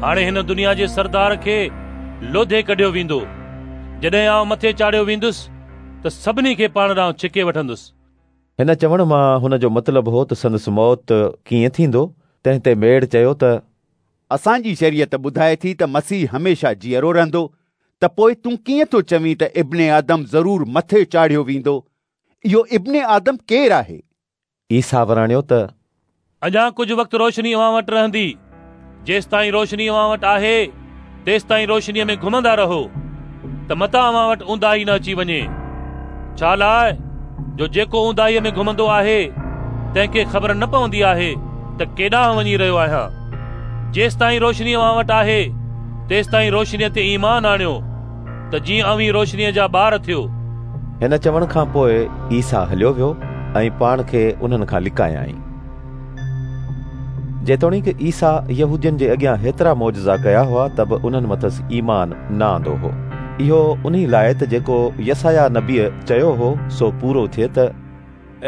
هاڻي هن دنيا جي سردار کي لوڌي ڪڍيو ويندو. جڏهن آئون مٿي چاڙهيو ويندس ته سڀني کي پاڻ ڏانهن ڇڪي وٺندس. هن چوڻ مان هن جو مطلب هو ته سندس موت ڪيئن ٿيندو. تنهن تي ميڙ چيو ته اسان جي شريعت ٻڌائي ٿي ته مسيح هميشه جيئرو رهندو، ته پوءِ تون ڪيئن ٿو چوين ته ابن آدم ضرور مٿي چاڙهيو ويندو؟ اهو ابن آدم ڪير آهي؟ عيسيٰ وراڻيو ته اڃا ڪجهه وقت روشني اوهان وٽ رهندي. جيستائين روشني اوهان وٽ آهي تيستائين روشنيءَ ۾ گهمندا رهو، ته متان اوهان وٽ اونداهي نه اچي وڃي. ڇا لاءِ جو جيڪو اونداهيءَ ۾ گهمندو آهي تنهن کي خبر نه پوندي آهي ته ڪيڏانهن وڃي رهيو آهيان. جيستائين روشني اوهان وٽ آهي تيستائين روشنيءَ تي ايمان آڻيو، ته جيئن اوهين روشنيءَ جا ٻار ٿيو. هن چوڻ کان پوءِ عيسيٰ هليو ويو ۽ پاڻ کي انهن کان لڪايائين. جيتوڻيڪ عيسيٰ يهودين جي اڳيان هيترا معجزا ڪيا هئا ته به انهن مٿس ايمان نه آندو هو. اهو انهي لاءِ ته جيڪو يسعياه نبيءَ چيو هو سو پورو ٿئي ته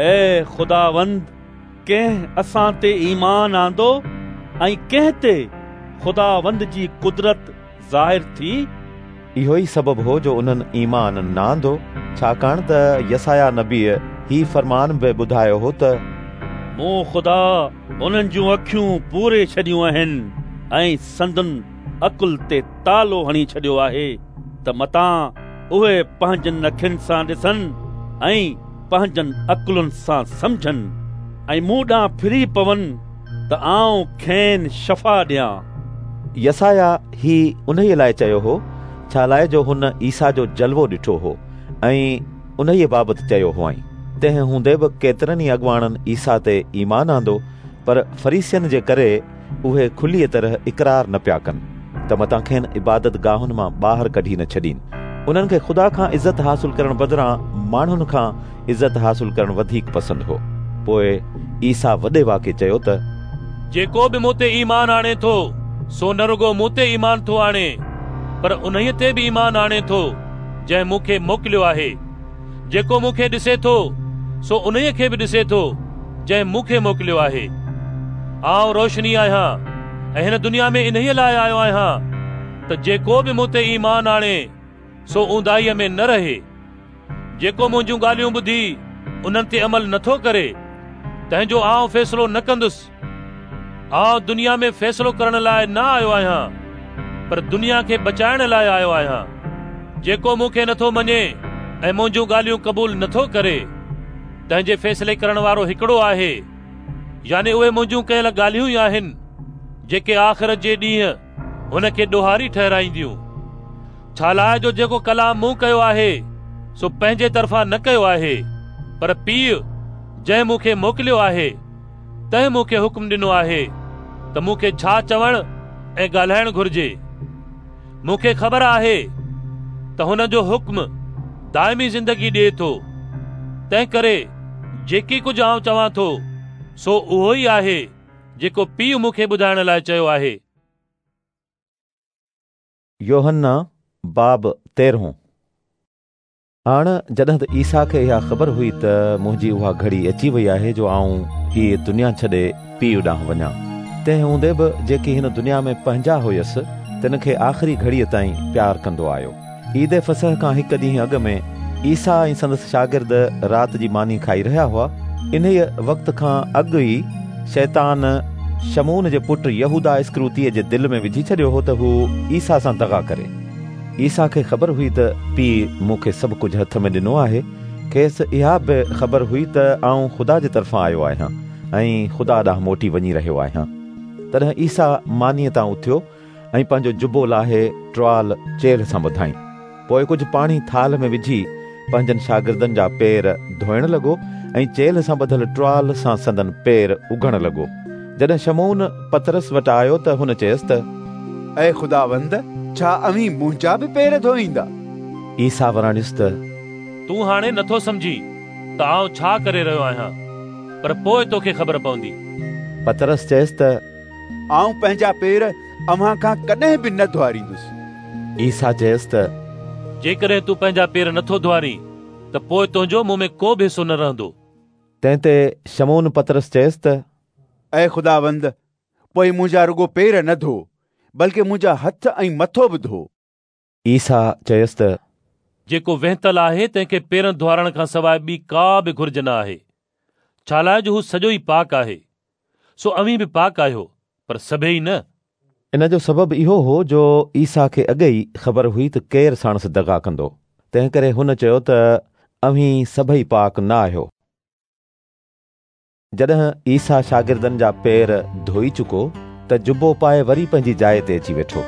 اي خداوند، ڪنهن اسان تي ايمان آندو ۽ ڪنهن تي خداوند جي قدرت ظاهر ٿي؟ اهو ئي سبب هو جو انهن ايمان نه آندو، ڇاڪاڻ ته يسعياه نبيءَ هي فرمان به ٻڌايو هو ته مون خدا انهن جون اکيون پوري ڇڏيون آهن ۽ سندن عقل تي تالو هڻي ڇڏيو آهي، ته متان اهي پنهنجن اکين سان ڏسن ۽ پنهنجن عقلن سان سمجهن ۽ مون ڏانهن ڦري پون ته آئون کين شفا ڏيان. يسعياه هي انهيءَ لاءِ چيو هو، ڇا لاءِ جو هن عيسيٰ جو جلوو ڏٺو هو ۽ انهيءَ بابت چيو هئائين. تنهن هوندي به ڪيترن ئي اڳواڻن عيسيٰ تي ايمان آندو، پر فريسين جي ڪري اهي کليءَ طرح اقرار نه پيا ڪن ته متان کين عبادت گاهن مان ٻاهر ڪڍي نه ڇڏين. انهن کي خدا کان عزت حاصل ڪرڻ بدران ماڻهن کان عزت حاصل ڪرڻ وڌيڪ پسند هو. پوءِ عيسيٰ وڏي واڪي چيو ته جيڪو به مون تي ايمان آڻي ٿو سو نه رڳو مون تي ايمان ٿو آڻي، پر انهيءَ تي به ايمان آڻي ٿو جنهن مون کي موڪليو آهي. جيڪو مون کي ڏسي ٿو سو انهيءَ کي به ڏسي ٿو جنهن مون کي موڪليو آهي. آئون روشني آهيان ۽ هن دنيا ۾ انهيءَ لاءِ آيو آهيان ته جيڪو به مون تي ايمان آڻي سو اونداهيءَ ۾ نه رهي. جيڪو منهنجون ڳالهيون ٻڌي انهن تي عمل نٿو ڪري تنهن جو آئون فيصلو نه ڪندس. آئون دنيا ۾ فيصلو ڪرڻ لاءِ نه آيو آهيان، پر دنيا کي بچائڻ لاءِ آيو آهيان. جيڪو مون کي نٿو مڃي ۽ منهنجون ڳالهيون قبول نٿو ڪري تنهن جي فيصلي ڪرڻ وارو هڪڙو آهي، يعني اهي منهنجون ڪيل ڳالهيون ئي آهن جيڪي آخرت جي ڏينهن هن کي ڏوهاري ٺهرائينديون. ڇا لاءِ جو جيڪو ڪلام مون ڪيو آهي سو پنهنجي طرفان نه ڪيو آهي، پر پيءُ جنهن مون کي موڪليو آهي تنهن مون کي حڪم ڏنو آهي ته مون کي ڇا چوڻ ۽ ڳالهائڻ گهرجي. مون کي خبر آهي ته هن جو حڪم دائمي زندگي ڏئي ٿو، تنهن ڪري جيڪي ڪجهه آئون چوان ٿو سو اهو ئي آهي جيڪو پيءُ مون کي ٻڌائڻ لاءِ چيو آهي. يوحنا باب تيرهون. هاڻ جڏهن ته عيسيٰ کي اها خبر هئي ته منهنجي اها گهڙي اچي وئي آهي جو آئون هيءَ دنيا ڇڏي پيءُ ڏانهن وڃان، تنهن هوندي به جيڪي هن دنيا ۾ پنهنجا هيس تن کي آخري گهڙيءَ تائين پيار ڪندو آيو. عيد فصح کان هڪ ڏينهن اڳ ۾ عيسيٰ ۽ سندس شاگرد رات جي ماني کائي رهيا هئا. انهيءَ وقت کان اڳ ئي شيطان شمعون جي پٽ يهوداه اسڪريوتيءَ جي دل ۾ وجهي ڇڏيو هو ته هو عيسيٰ سان دغا ڪري. عيسيٰ کي خبر هئي ته پيءُ مون کي سڀ ڪجهه هٿ ۾ ڏنو آهي. کيس اها به خبر هئي ته آئون خدا جي طرفان آيو آهيان ۽ خدا ڏانهن موٽي وڃي رهيو آهيان. تڏهن عيسيٰ مانيءَ تان اٿيو ۽ پنهنجو جبو لاهي ٽوال چيلهه سان ٻڌائين. پوءِ ڪجهه پاڻي ٿالهه ۾ وجهي پنهنجن شاگردن جا پير ڌوئڻ لڳو ۽ چيلهه سان ٻڌل ٽوال سان سندن پير اگهڻ لڳو. جڏهن شمعون پطرس وٽ آيو ته هن چيس ته اي خداوند، ڇا اوهين منهنجا به پير ڌوئيندا؟ عيسيٰ وراڻيس ته تون هاڻي نٿو سمجهين ته آئون ڇا ڪري رهيو آهيان، پر پوءِ توکي خبر پوندي. پطرس چيس ته آئون پنهنجا پير اوهان کان ڪڏهن به نه ڌوئاريندس. عيسيٰ چيس ته جيڪڏهن تون پنهنجا پير نٿو ڌوئارين ته پوءِ تنهنجو مون ۾ ڪو به حصو نه رهندو. تنهن تي شمعون پطرس چيس ته اي خداوند، پوءِ منهنجا رڳو پير نه ڌو، بلڪه منهنجا هٿ ۽ مٿو به ڌو. عيسيٰ چيس ته جيڪو وهنتل آهي تنهن کي پيرن ڌوئارڻ کان سواءِ ٻي ڪا به گهرج نه آهي، ڇا لاءِ جو هو سڄو ئي پاڪ آهي. سو اوهين به پاڪ آهيو، پر سڀئي نه. ان جو سبب اهو هو جو عيسيٰ کي اڳي ئي خبر هئي ته ڪير ساڻس دغا ڪندو، تنهن ڪري هن چيو ته اوهين سڀئي پاڪ نه آهيو. جڏهن عيسيٰ شاگردن جا پير ڌوئي چڪو ته جبو پائي وري پنهنجي جاءِ تي اچي ويٺو.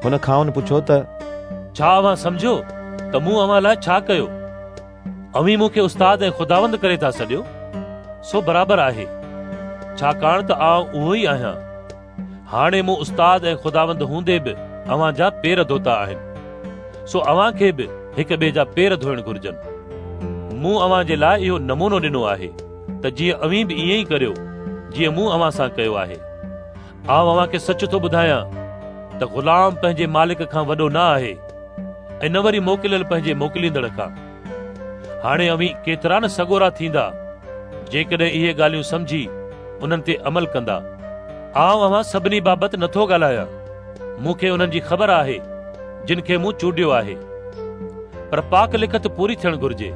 هن کانئن پڇيو ته ڇا اوهان سمجهيو ته مون اوهان لاءِ ڇا ڪيو؟ اوهين مون کي استاد ۽ خداوند ڪري ٿا سڏيو، سو برابر آهي، ڇاڪاڻ ته آئون اهو ئي آهيان. هاڻي مون استاد ۽ خداوند هوندي به اوهان جا پير ڌوتا آهن، سو اوهان کي به هڪ ٻئي جا پير ڌوئڻ گهرجن. مون اوهان جي لاءِ اهو نمونو ڏنو آهي ته جيئن اوهين به ائين ئي ڪريو جيئن مون اوهان سان ڪيو آهي. آئون اوهان کي سچ ٿو ٻڌايان ته غلام پنهنجي مالڪ کان وڏو نه آهي ۽ نه وري موڪليل پنهنجي موڪليندڙ کان. هاڻي اوهين ڪيترا نه سڳورا ٿيندا جيڪڏهن اهي ڳالهيون سمجهي انهن تي عمل ڪندا. آئون اوهان سڀني بابت نٿو ڳالهايان، مون کي انهن جي خبر آهي جن کي مون چونڊيو آهي، پر پاڪ لکت پوري ٿيڻ گهرجي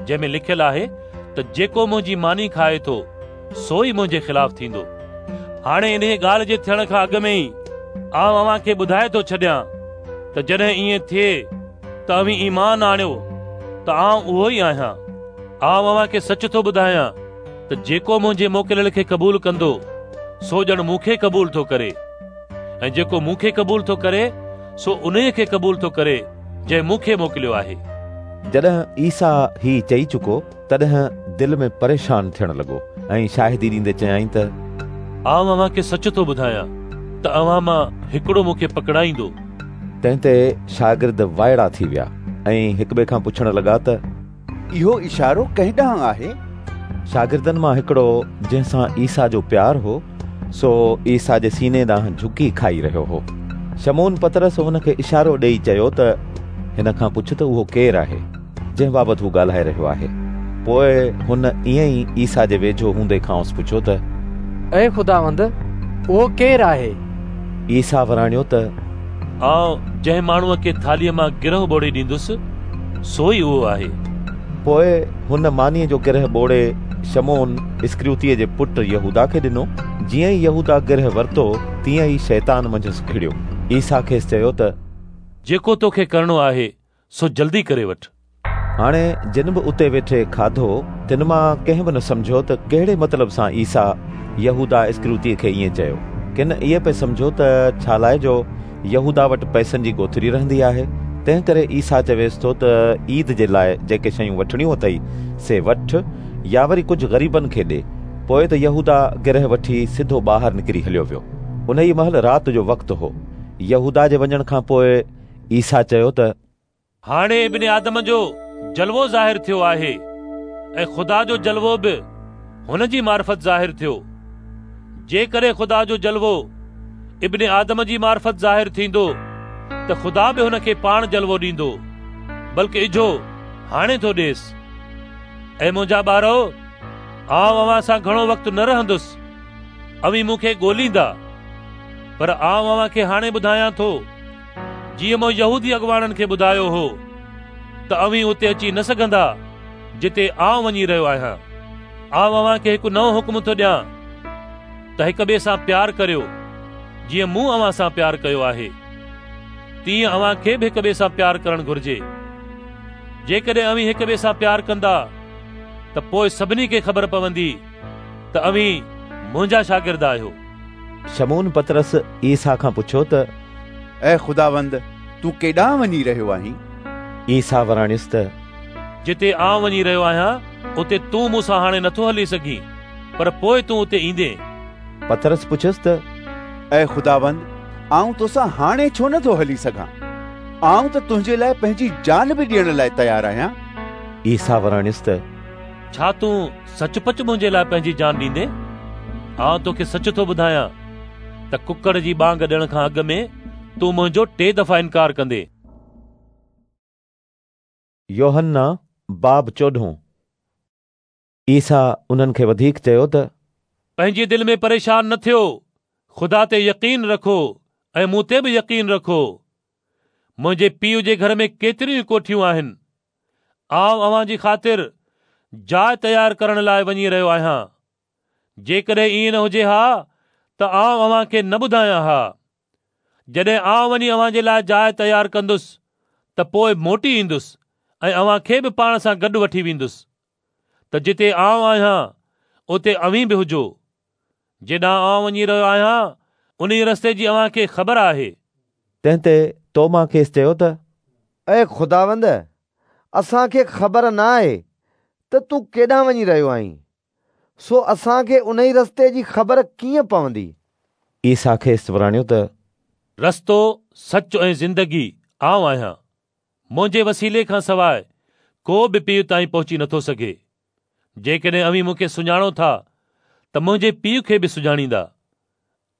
جنهن ۾ لکيل آهي ته جيڪو منهنجي ماني کائي ٿو سو ئي منهنجي خلاف ٿيندو. هاڻي انهيءَ ڳالهه جي ٿيڻ کان اڳ ۾ ئي آئون اوهان کي ٻڌائي ٿو ڇڏيان ته جڏهن ائين ٿئي ته اوهين ايمان آڻيو ته آئون اهو ئي آهيان. آئون اوهان کي سچ ٿو ٻڌايان ته جيڪو منهنجي موڪليل کي قبول ڪندو سو ڄڻ مون کي قبول ٿو ڪري، ۽ جيڪو مون کي قبول ٿو ڪري سو انهيء کي قبول ٿو ڪري جنهن مون کي موڪليو آهي. جڏهن عيسيٰ هي چئي چڪو تڏهن دل ۾ پريشان ٿيڻ لڳو ۽ شاهدي ڏيندي چيائين ته آئون اوهان کي سچ ٿو ٻڌايان ته اوهان مان هڪڙو مون کي پڪڙائيندو. تنهن تي شاگرد وائڙا ٿي ويا ۽ هڪٻئي کان پڇڻ لڳا ته اهو اشارو ڪنهن ڏانهن آهي؟ شاگردن مان هڪڙو جنهن سان عيسيٰ جو پيار هو سو عيسيٰ جي سيني ڏانهن جهڪي کائي رهيو هو. شمعون پطرس هن کي اشارو ڏيئي چيو ته هن کان پڇ ته اهو ڪير آهي جنهن بابت هو ڳالهائي رهيو آهي. پوءِ هن ائين ئي عيسيٰ جي ويجهو هوندي کانئس پڇيو ته اي خداوند، اهو ڪير آهي؟ عيسيٰ وراڻيو ته آئون جنهن ماڻهوءَ کي ٿالهيءَ مان گرهه ٻوڙي ڏيندس سو ئي اهو آهي. پوءِ هن مانيءَ جو گرهه ٻوڙي شمعون اسڪريوتيءَ جي پٽ يهودا کي ڏنو. جيئن ئي يهودا گرهه ورتو تيئن ئي شيطان منجهس کڙيو. عيسيٰ کيس چيو ته جيڪو توکي ڪرڻو آهي سو جلدي ڪري وٺ. هاڻي جن به اتي ويٺي کاڌو تن مان ڪنهن به نه سمجهيو ته ڪهڙي مطلب سان عيسيٰ يهودا اسڪريوتيءَ کي ائين چيو. ڪن ائين پئي سمجهيو ته ڇا لاءِ جو يهودا وٽ پئسن جي ڳوٿري رهندي آهي، تنهن ڪري عيسيٰ چويس ٿو ته عيد جي لاءِ جيڪي شيون وٺڻيون اٿئي سي وٺ يا وري ڪجهه غريبن کي ڏي. پوءِ ته يهودا گرهه وٺي سڌو ٻاهر نڪري هليو ويو. ان ئي مهل رات جو وقت هو. يهودا جي وڃڻ کان پوءِ عيسيٰ چيو ته هاڻي ابن آدم جو جلوو ظاهر ٿيو آهي ۽ خدا جو جلوو به هن جي معرفت ظاهر ٿيو. جيڪڏهن خدا جو جلوو ابن آدم جي معرفت ظاهر ٿيندو ته خدا به هن کي پاڻ جلوو ڏيندو، بلڪه اجهو هاڻي ٿو ڏيس. اي منهنجا ٻارو، آئون اوهان سان گهڻو وقت نه رهندس. اوهين مون کي ڳوليندا، پر آئون اوهان کي هاڻي ٻڌايان ٿو جيئن مون يهودي اڳواڻن کي ٻڌايو هو ته اوهين اتي اچي نه سگهندا جتي آئون وڃي رهيو آهيان. آئون اوهان کي هڪ نئون حڪم ٿو ڏيان ته هڪ ٻئي سان پيار ڪريو. جيئن مون اوهان سان پيار ڪيو آهي تيئن اوهان کي به هڪ ٻئي سان پيار ڪرڻ گهرجي. جيڪڏهن اوهين هڪ ٻئي سان پيار ڪندا ته پوءِ سڀني کي خبر پوندي ته اوهين منهنجا شاگرد آهيو. شمعون پطرس عيسيٰ کان پڇيو ته اي خداوند، تون ڪيڏانهن وڃي رهيو آهين؟ عيسيٰ وراڻيس ته جتي آئون وڃي رهيو آهيان اتي تون مون سان هاڻي نٿو هلي سگهين، پر پوءِ تون اتي ايندين. پطرس پڇيس ته اي خداوند، آئون توسان هاڻي ڇو نٿو هلي سگهان؟ آئون ته تنهنجي لاءِ پنهنجي جان به ڏيڻ لاءِ تيار آهيان. عيسيٰ وراڻيس ته ڇا تون سچ پچ منهنجي لاءِ پنهنجي جان ڏيندين؟ آئون توکي سچ ٿو ٻڌايان ته ڪڪڙ جي ٻانگ ڏيڻ کان اڳ ۾ تون منهنجو ٽي دفعا انڪار ڪندين. يوحنا باب چوڏهون. عيسيٰ انهن کي وڌيڪ چيو ته پنهنجي دل ۾ پريشان نه ٿيو. خدا تي يقين رکو ۽ مون تي به يقين رکو. منهنجي پيءُ جي گهر ۾ ڪيتريون ڪوٺيون آهن. آئون اوهان جي خاطر جاءِ تيار ڪرڻ لاءِ وڃي رهيو آهيان. جيڪڏهن ائين نه هجي ها ته آئون اوهان کي نه ٻڌايان ها. جڏهن آئون وڃي اوهان جي لاءِ جاءِ تيار ڪندس ته پوءِ موٽي ايندس ۽ اوهان کي به پاڻ سان گڏ وٺي ويندس، ته جتي آئون آهيان اتي اوهين به هجو. جيڏانهن آئون وڃي رهيو آهيان ان رستي جي اوهان کي خبر آهي. تنهن تي توما کيس چيو ته اي خداوند، اسان کي خبر نه آهي ته تون ڪيڏانهن وڃي رهيو آهين، سو اسان کي ان رستي جي خبر ڪيئن پوندي؟ عيسيٰ کيس وراڻيو ته رستو، سچ ۽ زندگي آئون آهيان. منهنجي وسيلي کان سواءِ ڪو به پيءُ تائين پهچي نٿو سگهي. جيڪڏهن اوهين مون کي سڃاڻو ٿا ته منهنجي پيءُ کي به سڃاڻيندا.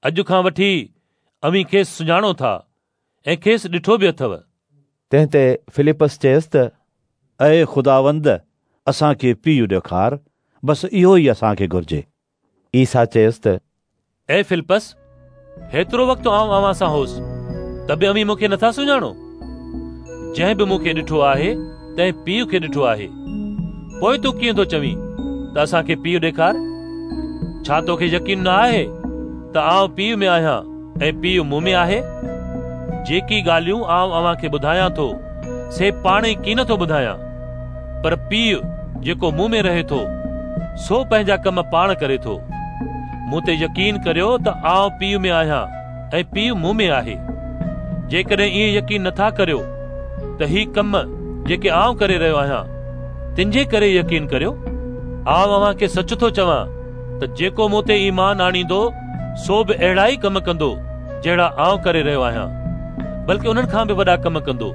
اڄ کان وٺي اوهين کيس سڃاڻو ٿا ۽ کيس ڏٺو به اٿو. تنهن تي فلپس چيس ته اي خداوند، اسان کي پيءُ ڏيکار، بس اهو ئي اسان کي گهرجي. عيسيٰ چيس ته اي فلپس، هيترو وقت آئون اوهان سان هوس ته به اوهين مون کي نٿا سڃاڻو؟ جنهن به مون کي ڏٺو آهي تنهن پيءُ کي ڏٺو آهي. پوءِ تون ڪيئن ٿو چوين ته اسان کي پيءُ ڏيکار؟ ڇا توکي يقين نه آهي ته آئون پيءُ ۾ آهيان ۽ پيءُ مون ۾ آهي؟ جيڪي ڳالهيون آئون اوهان کي ٻڌايان ٿو سي پاڻ ئي ڪين ٿو ٻڌايان، پر پيءُ جيڪو مون ۾ رهي ٿو سو پنهنجا ڪم پاڻ ڪري ٿو. مون تي يقين ڪريو ته آئون پيء ۾ آهيان ۽ پيء مون ۾ آهي. جيڪڏهن ائين يقين نٿا ڪريو ته هي ڪم جيڪي آئون ڪري رهيو آهيان تن جي ڪري يقين ڪريو. آئون اوهان کي سچ ٿو چوان ته جيڪو مون تي ايمان آڻيندو سو به اهڙا ئي ڪم ڪندو جهڙا آئون ڪري رهيو آهيان، بلڪه انهن کان به وڏا ڪم ڪندو،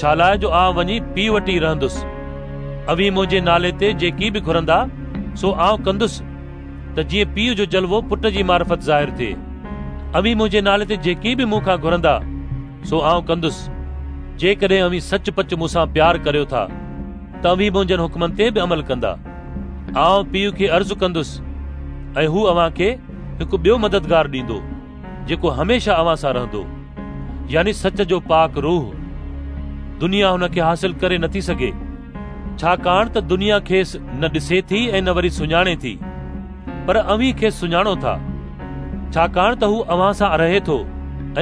ڇا لاءِ جو آئون وڃي پيء وٽ ئي رهندس. اوهين منهنجي نالي تي جيڪي به گهرندا سو آئون ڪندس، ته جيئن پيء جو جلوو پٽ جي معرفت ظاهر ٿئي. اوهين منهنجي نالي تي جيڪي به مون کان گهرندا سو آئون ڪندس. جيڪڏهن اوهين سچ پچ مون سان پيار ڪريو ٿا ته اوهين منهنجن حڪمن تي به عمل ڪندا. آئون پيء کي عرض ڪندس ۽ هو اوهان کي هڪ ٻيو مددگار ڏيندو، جيڪو هميشه اوهان سان رهندو، يعني سچ جو پاڪ روح. دنيا هن کي حاصل ڪري نٿي سگهي، ڇاڪاڻ ته دنيا کيس نه ڏسي ٿي ۽ نه وري سڃاڻي ٿي، پر اوهين کيس سڃاڻو ٿا، ڇاڪاڻ ته هو اوهان سان رهي ٿو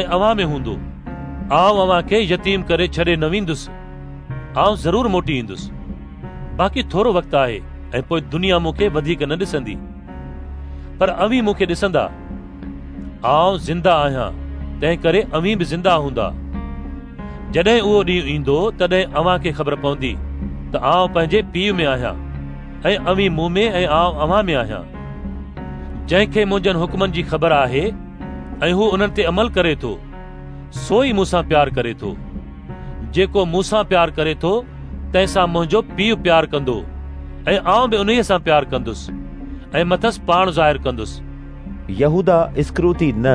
۽ اوهان ۾ هوندو. آئون اوهان کي يتيم ڪري ڇڏي نه ويندس، آئون ضرور موٽي ايندس. باقي ٿورو وقت آهي ۽ پوءِ دنيا مون کي وڌيڪ نه ڏسندي، پر اوهين مون کي ڏسندا. آئون زنده آهيان، تنهن ڪري اوهين به زنده هوندا. جڏهن اهو ڏينهن ايندو تڏهن اوهان کي خبر پوندي ته آئون پنهنجي پيء ۾ آهيان ۽ اوهين مون ۾ ۽ آئون اوهان ۾ آهيان. جنهن کي منهنجن حڪمن جي خبر آهي ۽ هو انهن تي عمل ڪري ٿو، سو ئي مون سان پيار ڪري ٿو. جيڪو مون سان پيار ڪري ٿو تنهن سان منهنجو پيء پيار ڪندو ۽ آئون به انهيءَ سان پيار ڪندس ۽ مٿس پاڻ ظاهر ڪندس. يهودا اسڪريوتي نه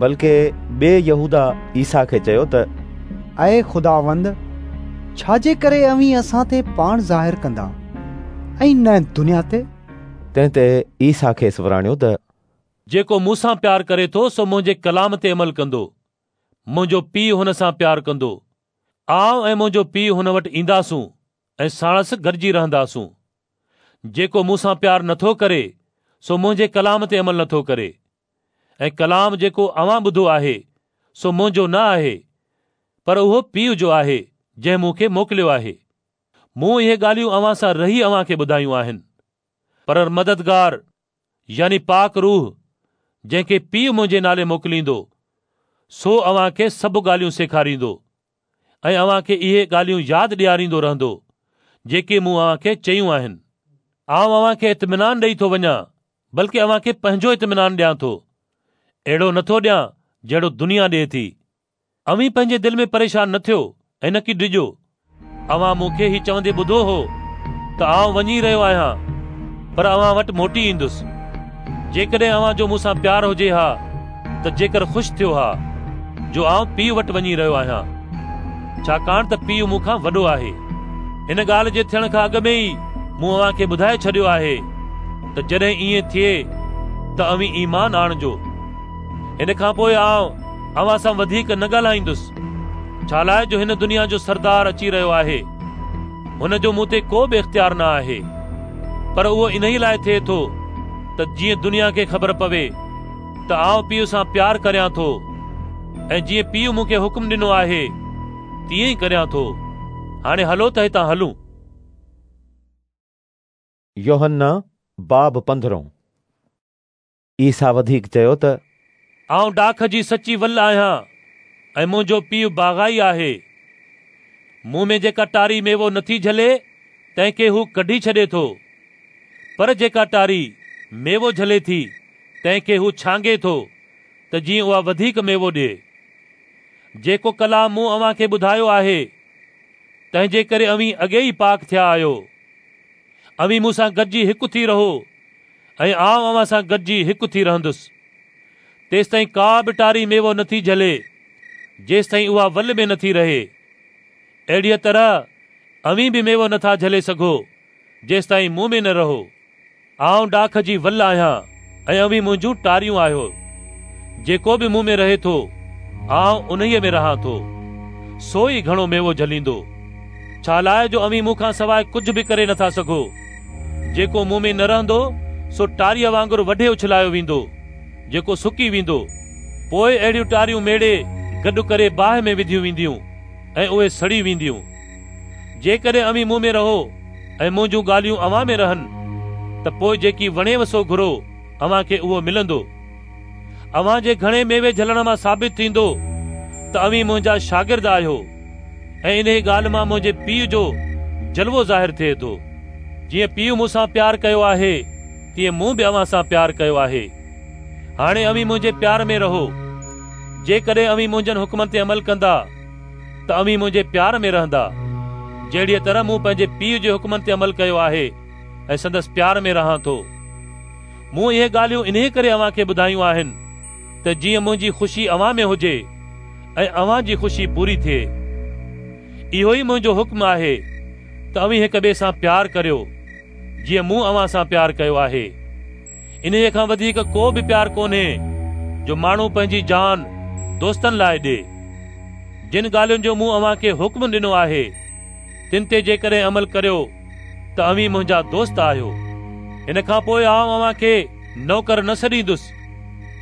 بلڪه ٻئي يهودا عيسيٰ کي چيو ته اي خداوند، ڇا جي ڪري اوهين اسان تي پاڻ ظاهر ڪندا ۽ نه دنيا تي؟ تنهن تي عيسيٰ کيس وراڻيو ته جيڪو مون سان پيار ڪري ٿو سو منهنجي ڪلام تي عمل ڪندو. منهنجو پيء هن سان پيار ڪندو. آئون ۽ منهنجو پيء هن وٽ اينداسون ۽ ساڻس گڏجي رهنداسون. جيڪو مون سان پيار نٿو ڪري سو منهنجي ڪلام تي عمل نٿو ڪري، ۽ ڪلام جيڪو اوهان ٻڌو آهي سو منهنجو نه آهي، پر اهو پيء جو آهي جنهن مون کي موڪليو آهي. مون اهي ڳالهيون اوهان سان رهي اوهان کي ٻڌايون آهن، پر مددگار يعني پاڪ روح، جنهن کي پيء منهنجي نالي موڪليندو، سو اوهان کي سڀ ڳالهيون سيکاريندو ۽ اوهان کي اهي ڳالهيون ياد ڏياريندو رهندو جيڪي مون اوهان کي چيون آهن. آئون اوهان کي اطمينان ڏيئي ٿو وڃان، بلڪه اوهان کي پنهنجو اطمينان ڏيان ٿو. اهڙو نٿو ڏيان جهڙو دنيا ڏئي ٿي. اوهين پنهنجي دل ۾ پريشان نه ٿيو ۽ نه ڪي ڊڄو. اوهان مون کي هي چوندي ٻڌو هو ته آئون وڃي رهيو آهيان، پر اوهان وٽ موٽي ايندس. جيڪڏهن اوهان جو مون سان پيار هجي ها ته جيڪر خوش ٿيو ها جو آئون پيء وٽ وڃي رهيو آهيان، ڇاڪاڻ ته پيء مون کان وڏو آهي. هن ڳالهه جي ٿيڻ کان اڳ ۾ ئي مون اوهان کي ٻڌائي ڇڏيو آهي ته جڏهن ائين ٿئي ته اوهين ايمان آڻجو. هن کان پوءِ آئون اوهان سان وڌيڪ نه ڳالهائيندس، ڇا لاءِ جو هن دنيا جو سردار اچي رهيو آهي. هن جو مون تي ڪو به اختيار نه آهي، پر اهو انهيءَ لاءِ ٿئي ٿو ته جيئن دنيا کي خبر پوي ته آئون پيءُ سان پيار ڪريان ٿو، ۽ جيئن پيءُ مون کي حڪم ڏنو آهي تيئن ئي ڪريان ٿو. هاڻي هلو ته هتان هلون. يوحنا باب پندرهون. عيسيٰ وڌيڪ چيو ته آئون ڊاک جي سچي ول آهيان ۽ منهنجو پيءُ باغائي آهي. مون ۾ جيڪا ٽاري ميوو نٿي جهلي تنهن کي هو ڪڍي ڇڏي ٿو، پر جيڪا ٽاري ميوو جهلي ٿي تنهن کي هو ڇانگي ٿو ته جيئن اها وڌيڪ ميوو ڏئي. جيڪو ڪلام مون اوهان کي ٻڌايو آهي تنهن جي ڪري اوهين اڳي ئي پاڪ ٿيا آهيو. اوهين مون سان گڏجي هڪ ٿي رهو ۽ آئون اوهان سان گڏجي هڪ ٿي رهندس. تيستائين ڪا به ٽاري ميوو نٿي جهلي جيستائين اها ول ۾ نٿي رهي. اهڙيءَ طرح اوهين به ميوو نٿا جهلي سگهو جيستائين مون ۾ نه رهو. آئون ڊاک جي ول آهيان ۽ اوهين منهنجون ٽاريون آهيو. جيڪو به مون ۾ رهي ٿو آئون انهيءَ ۾ رهان ٿو، سو ئي گهڻو ميوو جهليندو، ڇا لاءِ جو اوهين مون کان سواءِ ڪجهه به ڪري نٿا سگهو. جيڪو مون ۾ نه رهندو سو ٽاريءَ وانگر وڍي اڇلايو ويندو، جيڪو سڪي ويندو. پوءِ اهڙيون ٽاريون ميڙي گڏ ڪري باهه ۾ وڌيون وينديون ۽ اهي سڙي وينديون. جيڪڏهن اوهين مون ۾ رهو ۽ منهنجون ڳالهيون اوهان ۾ رهن ته پوءِ جيڪي وڻيو سو گهرو، اوهان کي اهو ملندو. اوهان جي گهڻي ميوي جهلڻ مان ثابت ٿيندو ته اوهين منهنجا شاگرد آهيو ۽ انهيء ڳالهه مان منهنجي پيءُ جو جلوو ظاهر ٿئي ٿو. جيئن پيءُ مون سان پيار ڪيو آهي، تيئن مون به اوهان سان پيار ڪيو آهي. هاڻي اوهين منهنجي پيار ۾ رهو. جيڪڏهن اوهين منهنجن حڪمن تي عمل ڪندا ته اوهين منهنجي پيار ۾ رهندا، جهڙيء طرح مون پنهنجي پيءُ جي حڪمن تي عمل ڪيو آهي ۽ سندس پيار ۾ رهان ٿو. مون اهي ڳالهيون انهيء ڪري اوهان کي ٻڌايون آهن ته جيئن منهنجي خوشي اوهان ۾ هجي ۽ اوهان جي خوشي پوري ٿئي. اهو ئي منهنجو حڪم آهي ته اوهين هڪ ٻئي سان پيار ڪريو، جيئن مون اوهان سان پيار ڪيو آهي. انهيء کان وڌيڪ ڪو به پيار ڪونهي جو ماڻهو پنهنجي جان دوستن لاءِ ڏئي. جن ڳالهين جو مون اوهان کي حڪم ڏنو آهي، تن تي جيڪڏهن عمل ڪريو ته اوهين منهنجا دوست آهيو. هن کان پوءِ آئون اوهان کي نوڪر نه سڏيندس،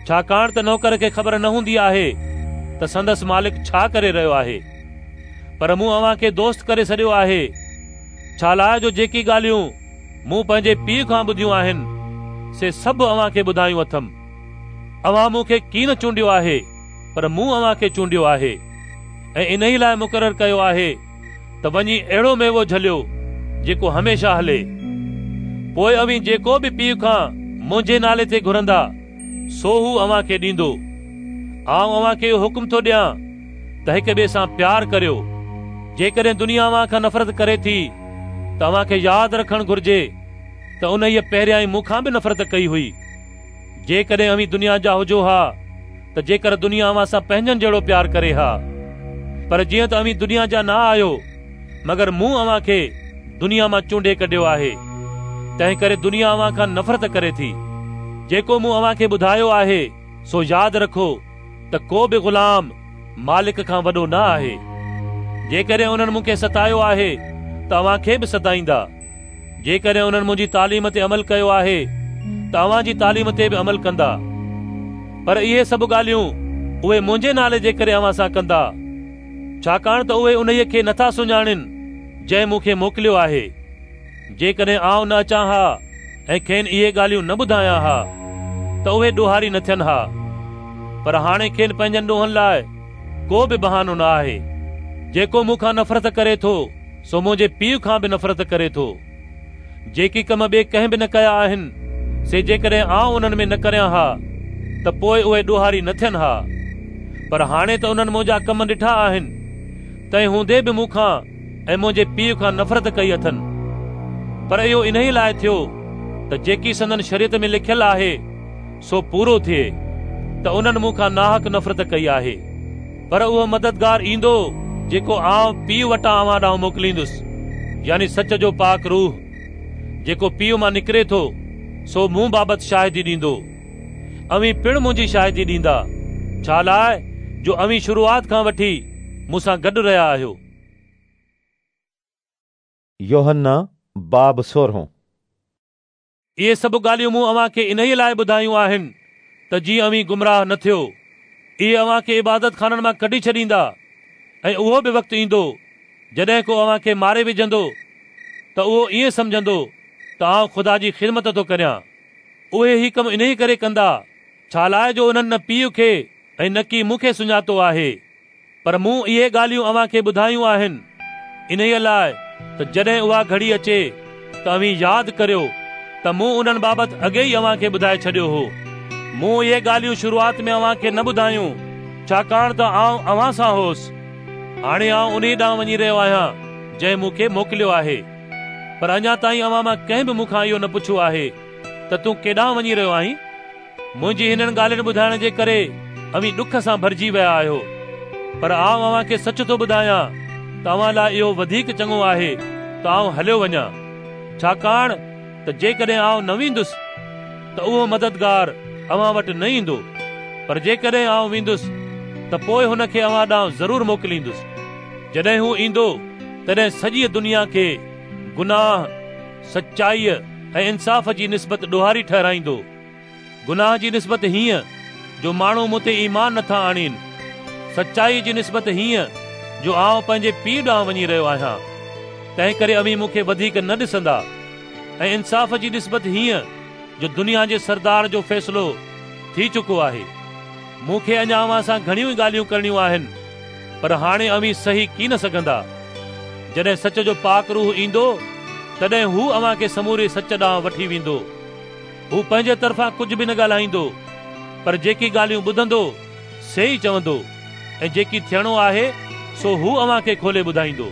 ڇاڪاڻ ته نوڪر کي خبر نه هوندي آهي ته سندس مالڪ ڇا ڪري رهيو آهي، پر مون اوهان کي دوست ڪري سڏيو آهي، ڇا لاءِ جو جيڪي ڳالهيون مون پنهنجي پيءُ کان ٻڌيون آهن، سي سڀ اوهان کي ٻڌايون اٿم. اوهان مون کي ڪين چونڊيو آهي، پر مون اوهان کي چونڊيو آهي ۽ انهيء لاءِ مقرر ڪيو آهي ته وڃي اهڙو ميوو جهليو جيڪو هميشه هلي. پوءِ اوهين جيڪو به پيءُ کان منهنجي نالي تي گهرندا، سو هو اوهان کي ڏيندو. آئون اوهان کي اهو حڪم ٿو ڏيان ته هڪ ٻئي سان پيار ڪريو. جيڪڏهن دنيا اوهان کان نفرت ڪري ٿي ته اوهان کي ياد رکڻ گهرجي ته انهيءَ پهريان ئي مون کان به نفرت ڪئي هئي. جيڪڏهن اوهين دنيا جا هجو ها ته جيڪر دنيا اوهان سان پنهنجن جهڙو پيار ڪري ها، پر جيئن ته اوهين دنيا جا نه آهيو، مگر مون اوهان کي دنيا مان چونڊي ڪڍيو آهي، تنهن ڪري دنيا اوهان کان نفرت ڪري ٿي. جيڪو مون اوهان کي ٻڌايو آهي سو ياد رکو ته ڪو به غلام مالڪ کان وڏو نه آهي. جيڪڏهن انهن مون کي ستايو آهي ته اوهان کي به ستائيندا. جيڪڏهن انهن منهنجي تعليم تي عمل ڪيو آهي ته اوهان جي تعليم تي به عمل ڪندا. پر اهي سڀ ڳالهيون اهي منهنجي نالي جي ڪري اوهان سان ڪندا، ڇاڪاڻ ته اهي انهيءَ کي نٿا سڃاڻن جنهن مون کي موڪليو آهي. جيڪڏهن آئون نه اچان ها ۽ کين اهي ڳالهيون نه ٻڌايان ها ته اهي ڏوهاري نه ٿين ها، پر هاڻي کين پنهنجن ڏوهن لاءِ ڪو به بهانو نه آهي. جيڪو مون کان نفرت ڪري ٿو، سو منهنجي پيءُ کان به نفرت ڪري ٿو. جيڪي ڪم ٻئي ڪنهن به نه ڪيا آهن، سي جيڪڏهن آئون انهن ۾ نه ڪريان ها ته پوءِ اهي ڏوهاري نه ٿين ها، پر هاڻي ته انهن منهنجا ڪم ڏٺا آهن، تنهن هوندي به مون کان ۽ منهنجي پيءُ کان نفرت ڪئي اٿن. پر اهو انهيءَ لاءِ ٿيو ته جيڪي سندن شريعت ۾ لکيل آهي سو پورو ٿئي، ته انهن مون کان ناحق نفرت ڪئي آهي. پر اهو مددگار ايندو جيڪو آئون پيءُ وٽان اوهان ڏانهن موڪليندس، يعني سچ جو پاڪ روح، جيڪو پيءُ مان نڪري ٿو، سو مون بابت شاهدي ڏيندو. اوهين پڻ منهنجي شاهدي ڏيندا، ڇا لاءِ جو اوهين شروعات کان وٺي مون سان گڏ رهيا آهيو. يوحنا باب سورهون. اهي سڀ ڳالهيون مون اوهان کي انهيءَ لاءِ ٻڌايون آهن ته جيئن اوهين گمراهه نه ٿيو. اهي اوهان کي عبادت خانن مان ڪڍي ڇڏيندا ۽ اهو به وقت ايندو جڏهن ڪو اوهان کي ماري وجهندو ته اهو ائين سمجهندو ته آئون خدا جي خدمت ٿو ڪريان. اهي هي ڪم انهيءَ ڪري ڪندا ڇا لاءِ جو انهن نه پيءُ کي ۽ نه ڪي مون کي سڃاتو آهي. پر مون اهي ڳالهيون اوهان کي ٻڌايون آهن انهيءَ لاءِ ته جڏهن اها گهڙي اچي ته اوهين ياد ڪريو ته مون انهن بابت اڳي ئي اوهان کي ٻڌائي ڇڏيو هو. مون اهي ڳالهيون شروعات ۾ اوهان کي نه ٻڌايون، ڇاڪاڻ ته آئون اوهان سان هوس. هاڻي آئون انهيءَ ڏانهن وڃي رهيو آهيان جنهن مون کي موڪليو آهي. پر اڃا تائين اوهان مان ڪنهن به مون کان اهو نه پڇيو آهي ته تون ڪيڏانهن وڃي رهيو آهين. منهنجي هنن ڳالهين ٻڌائڻ جي ڪري اوهين ڏک سان ڀرجي ويا آهيو. پر آئون اوهان کي سچ ٿو ٻڌايان ته اوهان لاءِ اهو وڌيڪ چڱو آهي ته آئون هليو وڃان، ڇاڪاڻ ته جيڪڏهن آئون نه ويندس ته اهو مددگار اوهان وٽ نه ايندو، پر جيڪڏهن آئون ويندس ته پوءِ هن کي اوهان ڏانهن ضرور موڪليندس. جڏهن هو ايندو تڏهن سڄيءَ دنيا کي گناهه، سچائيءَ ۽ انصاف جي نسبت ڏوهاري ٺهرائيندو. گناهه جي نسبت هيئن جو ماڻهو مون تي ايمان نٿا آڻين، سچائيءَ جي نسبت هيئن جو آئون پنهنجي پيءُ ڏانهن وڃي رهيو آهيان، تنهن ڪري اوهين مون کي وڌيڪ نه ڏسندا، ۽ انصاف جي نسبت هيئن جو دنيا جي سردار جو فيصلو ٿي چڪو آهي. مون کي اڃا اوهان سان گهڻيون ئي ڳالهيون ڪرڻيون آهن، پر هاڻي اوهين سهي ڪين سگهندا. جڏهن سچ جو پاڪ روح ايندو، تڏهن هو اوهان کي سموري سچ ڏانهن وٺي ويندو. هو پنهنجي طرفان ڪجهه به نه ڳالهائيندو، پر جيڪي ڳالهيون ٻڌندو سي ئي چوندو، ۽ جيڪي ٿيڻو آهي سو هو اوهان کي کولي ٻڌائيندو.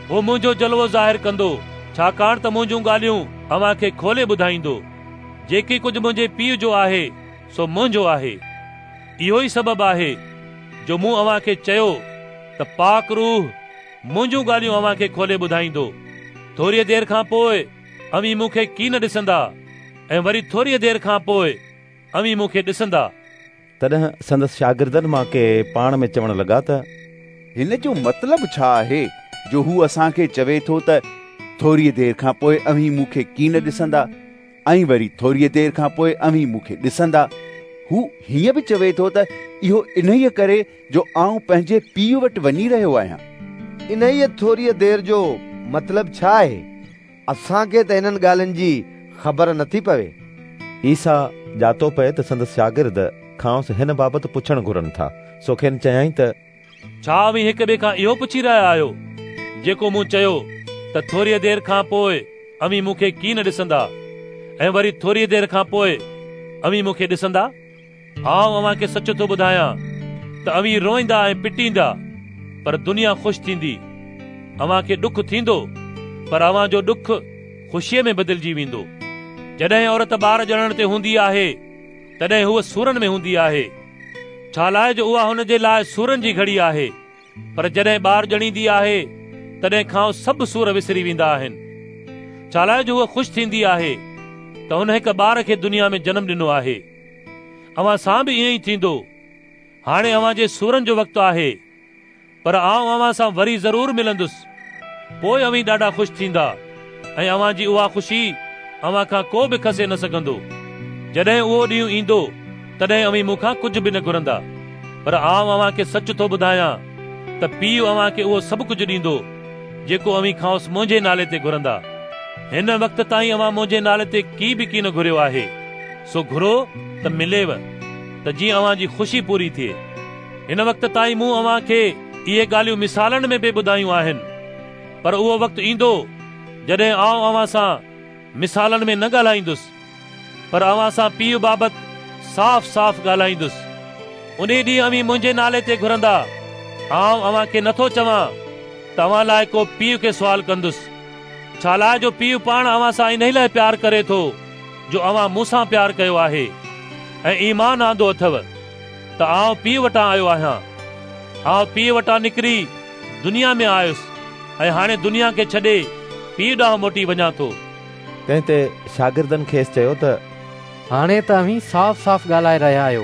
هو منهنجو جلوو ظاهر ڪندو، ڇاڪاڻ ته منهنجون ڳالهيون اوهان کي کولي ٻڌائيندو. جيڪي ڪجهه منهنجي پيءُ جو آهي سو منهنجو آهي. اهو ئي سبب آهي جو مون اوهان کي چيو ته پاڪ روح منهنجون ڳالهيون اوهان کي کولي ٻڌائيندو. ٿوريء دير کان پوءِ اوهين مون کي ڪين ڏسندا، ۽ وري ٿوريء دير کان پوءِ اوهين مون کي ڏسندا. تڏهن سندس شاگردن مان ڪي پاڻ ۾ چوڻ لڳا ته هن جو مطلب ڇا آهي جو هو اسان کي چوي ٿو ته ٿوريء دير کان پوءِ اوهين مون کي ڪين ڏسندا، ۽ وري ٿوريء دير کان پوءِ اوهين مون کي ڏسندا؟ هو هيئن به چوي ٿو ته اهو انهيءَ ڪري جو آئون پنهنجي پيءُ وٽ وڃي رهيو آهيان. انهيءَ ٿوريءَ دير جو مطلب ڇا آهي؟ اسان کي ته هنن ڳالهين جي خبر نٿي پوي. عيسيٰ ڄاتو پئي ته سندس شاگرد کانئس هن بابت پڇڻ گهرن ٿا، سو کين چيائين ته ڇا اوهين هڪ ٻئي کان اهو پڇي رهيا آهيو جيڪو مون چيو ته ٿوريءَ دير کان پوءِ اوهين مون کي ڪين ڏسندا، ۽ وري ٿوريءَ دير کان پوءِ اوهين مون کي ڏسندا؟ آئون اوهان کي سچ ٿو ٻڌايان ته اوهين روئيندا ۽ پٽيندا، پر دنيا خوش ٿيندي. اوهان کي ڏک ٿيندو، پر اوهان جو ڏک خوشيءَ ۾ بدلجي ويندو. جڏهن عورت ٻار ڄڻڻ تي هوندي آهي، تڏهن هوءَ سورن ۾ هوندي آهي، ڇا لاءِ جو اها هن جي لاءِ سورن جي گهڙي آهي. پر جڏهن ٻار ڄڻيندي آهي، تڏهن کان سڀ سور وسري ويندا آهن، ڇا لاءِ جو هوءَ خوش ٿيندي آهي ته هن هڪ ٻار کي دنيا ۾ جنم ڏنو آهي. اوهان سان به ائين ئي ٿيندو. هاڻي اوهان جي سورن جو وقت آهي، پر آئون اوهان سان وري ضرور ملندس. پوءِ اوهين ڏاڍا خوش ٿيندا، ۽ اوهان جي اها خوشي اوهان کان ڪو به کسي نه سگهندو. جڏهن اهو ڏينهن ايندو، تڏهن اوهين مون کان ڪجهه به نه گهرندا، پر آئون اوهان کي سچ ٿو ٻڌايان ته پيءُ اوهان کي اهو سڀ ڪجهه ڏيندو جيڪو اوهين کانئس منهنجي نالي تي گهرندا. هن وقت تائين اوهان منهنجي نالي تي ڪي به ڪين گهريو آهي، سو گهرو ته مليو، ته جيئن اوهان جي خوشي پوري ٿئي. هن وقت تائين مون اوهان کي اهي ڳالهيون مثالن ۾ پئي ٻڌايون آهن، پر اهو وقت ايندو جڏهن آئون اوهان سان مثالن ۾ نه ڳالهائيندس، پر اوهان سان پيءُ بابت صاف صاف ڳالهائيندس. ان ڏينهن اوهين منهنجي نالي تي گهرندا. آئون اوهان کي نٿو چوان ته اوهان لاءِ ڪو پيءُ کي سوال ڪندس، ڇا لاءِ جو پيءُ پاڻ اوهان سان انهيءَ لاءِ پيار ڪري ٿو جو اوهان مون سان پيار ڪيو آهي ۽ ايمان آندو اٿو ته آئون پيءُ وٽان آيو آهيان. آئون پيءُ وٽان نڪري دنيا ۾ آيس، ۽ هاڻي دنيا کي ڇڏي پيءُ ڏانهن موٽي وڃان ٿو. تنهن تي شاگردن کيس چيو ته هاڻي ته اوهين صاف صاف ڳالهائي رهيا آهيو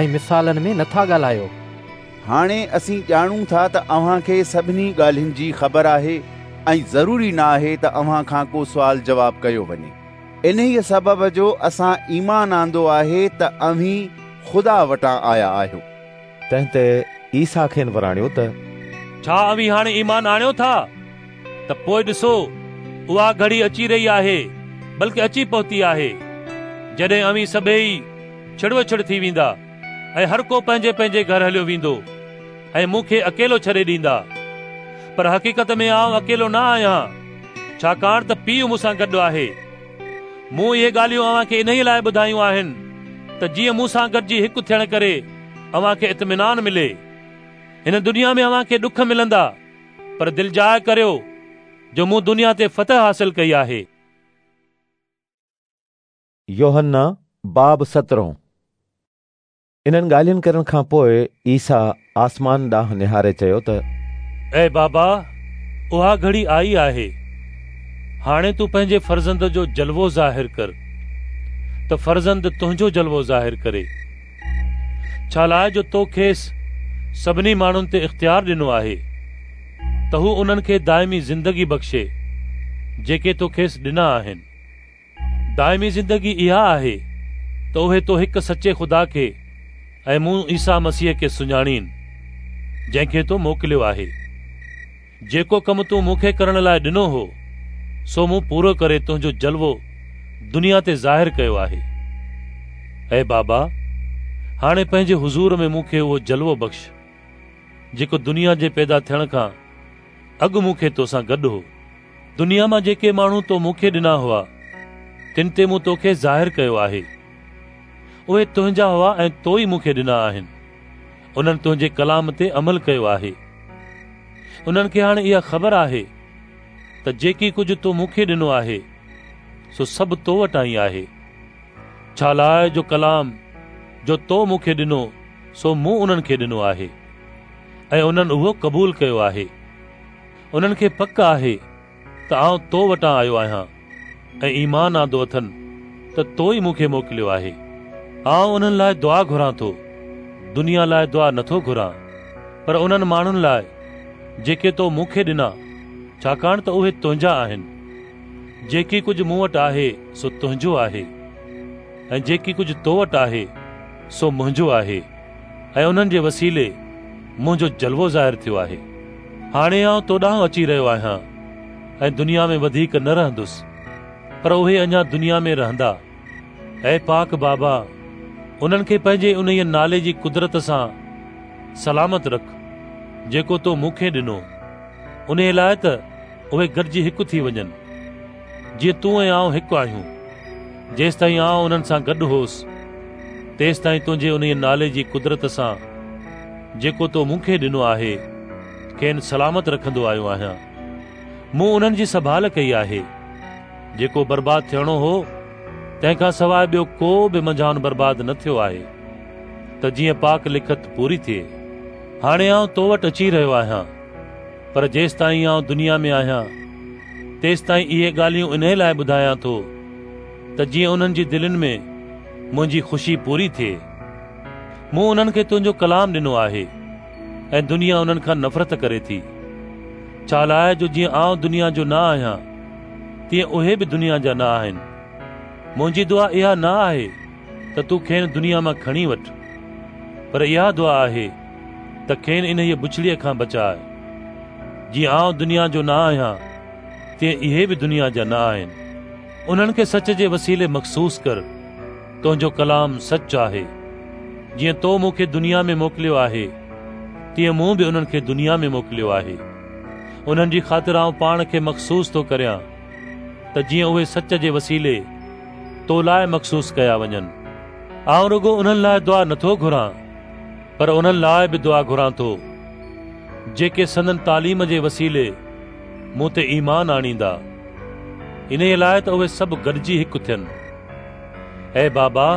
۽ مثالن ۾ نٿا ڳالهايو. هاڻي اسين ڄاڻون ٿا ته اوهان کي سڀني ڳالهين جي خبر آهي، ۽ ضروري نه آهي ته اوهان کان ڪو سوال جواب ڪيو وڃي. انهيءَ سبب جو اسان ايمان آندو آهي ته اوهين خدا وٽان آيا آهيو. تنهن تي عيسيٰ کين وراڻيو ته ڇا اوهين هاڻي ايمان آڻيو ٿا؟ ته پوءِ ڏسو، اها گهڙي اچي رهي آهي، بلڪه اچي پهتي آهي، جڏهن اوهين سڀيئي ڇڙوڇڙ ٿي ويندا، ۽ هر ڪو پنهنجي پنهنجي گهر هليو ويندو، ۽ مون کي اڪيلو ڇڏي ڏيندا. پر حقيقت ۾ آئون اڪيلو نه آهيان، ڇاڪاڻ ته پيءُ مون سان گڏ آهي. مون اهي ڳالهيون اوهان کي انهيءَ لاءِ ٻڌايون آهن ته جيئن مون سان گڏجي هڪ ٿيڻ ڪري اوهان کي اطمينان ملي. هن دنيا ۾ اوهان کي ڏک ملندا، پر دلجاءِ ڪريو جو مون دنيا تي فتح حاصل ڪئي آهي. يوحنا باب سترهون. انهن ڳالهين ڪرڻ کان پوءِ عيسيٰ آسمان ڏانهن نهاري چيو ته اي بابا، اها گهڙي آئي آهي، هاڻي تون پنهنجي فرزند جو جلوو ظاهر ڪر، ته فرزند تنهنجو جلوو ظاهر ڪري. ڇا لاءِ جو تو کيس سڀني ماڻهن تي اختيار ڏنو آهي ته هو انهن کي دائمي زندگي بخشي جيڪي تو کيس ڏنا آهن. دائمي زندگي اها آهي ته اهي تو هڪ سچي خدا کي ۽ مون عيسيٰ مسيح کي سڃاڻين، جنهن کي تو موڪليو آهي. جيڪو ڪم تون مون کي ڪرڻ لاءِ ڏنو هو، سو مون پورو ڪري تنهنجو جلوو دنيا تي ظاهر ڪيو آهي. اي بابا، هاڻي پنهنجي حضور ۾ مون کي اهو جلوو بخش، جيڪو دنيا جي پيدا ٿيڻ کان اڳ مون کي توسان گڏ هو. دنيا مان جيڪي ماڻهو تو مون کي ڏنا هئا، تن تي مون توکي ظاهر ڪيو آهي. اهي تنهنجا هئا ۽ تو ئي مون کي ڏنا آهن. انهن تنهنجي ڪلام تي عمل ڪيو آهي. انهن کي هاڻي اها خبر آهي ته جيڪي ڪجهه تو مون کي ڏنو آهي سو سڀ تو وٽان ئي آهي، ڇا لاءِ جو ڪلام جو تو مون کي ڏنو سو مون انهن کي ڏنو آهي ۽ انهن اهو قبول ڪيو آهي. انهن کي پڪ آهي ته آئون تو وٽان آيو آهيان ۽ ايمان آندو اٿن ته تو ئي مون کي موڪليو آهي. آئون انهن لاءِ دعا گهران ٿو، دنيا لاءِ دعا نٿو گهران، پر انهن ماڻهن لاءِ جيڪي تو مون کي ڏنا، ڇاڪاڻ ته اهي تنهنجا آهن. جيڪي ڪجهه مون وٽ آهي سو تنهنجو آهي، ۽ جيڪي ڪجهه تو وٽ آهي سو منهنجو آهي، ۽ انهن جي وسيلي منهنجو جلوو ظاهر ٿيو آهي. هاڻي آئون تو ڏانهن اچي رهيو آهيان ۽ دنيا ۾ وڌيڪ نه رهندس، پر اهي اڃا دنيا ۾ رهندا. اي پاڪ بابا، انهن کي پنهنجي انهيء نالي جي قدرت سان سلامت رک جيڪو تو مون کي ڏنو، انهيء لاءِ ته اهي گڏجي هڪ ٿي وڃن، جيئن تون ۽ آئون هڪ آهيون. جيستائين آئون انهن سان گڏ هوس، تيستائين تنهنجي انهيء نالي جي قدرت سان جيڪو تو مون کي ڏنو آهي کين سلامت رکندو آيو آهيان. مون انهن جي سنڀال ڪئي آهي. جيڪو برباد ٿيڻو هو تنهن کان سواءِ ٻيو ڪو به منجهان برباد نه ٿيو آهي، ته جيئن پاڪ لکت پوري ٿئي. هاڻي آئون تو وٽ اچي رهيو آهيان، پر جيستائين آئون دنيا ۾ آهيان تيستائين اهي ڳالهيون انهي لاءِ ٻڌايان ٿو ته جيئن انهن جي دلين ۾ منهنجي خوشي پوري ٿئي. مون انهن کي تنهنجو ڪلام ڏنو آهي ۽ دنيا انهن کان نفرت ڪري ٿي، ڇا لاءِ جو جيئن آئون دنيا جو نه آهيان تيئن اهي به دنيا جا نه آهن. منهنجي دعا اها نه آهي ته تون کين دنيا مان کڻي وٺ، پر اها دعا آهي ته کين انهيء بڇڙيءَ کان بچاءِ. جيئن آئون دنيا جو نه آهيان تيئن اهي به دنيا جا نه آهن. انهن کي سچ جي وسيلي مخصوص ڪر، تنهنجو ڪلام سچ آهي. جيئن تو مون کي دنيا ۾ موڪليو آهي تيئن مون به انهن کي دنيا ۾ موڪليو آهي. انهن جي خاطر آئون پاڻ کي مخصوص ٿو ڪريان ته جيئن اهي سچ جي وسيلي تو لاءِ مخصوص ڪيا وڃن. آئون رڳو انهن لاءِ دعا نٿو گهران، پر انهن لاءِ به دعا گهران ٿو جيڪي سندن تعليم جي وسيلي مون تي ايمان آڻيندا، انهيءَ لاءِ ته اهي سڀ گڏجي هڪ ٿين. اي بابا،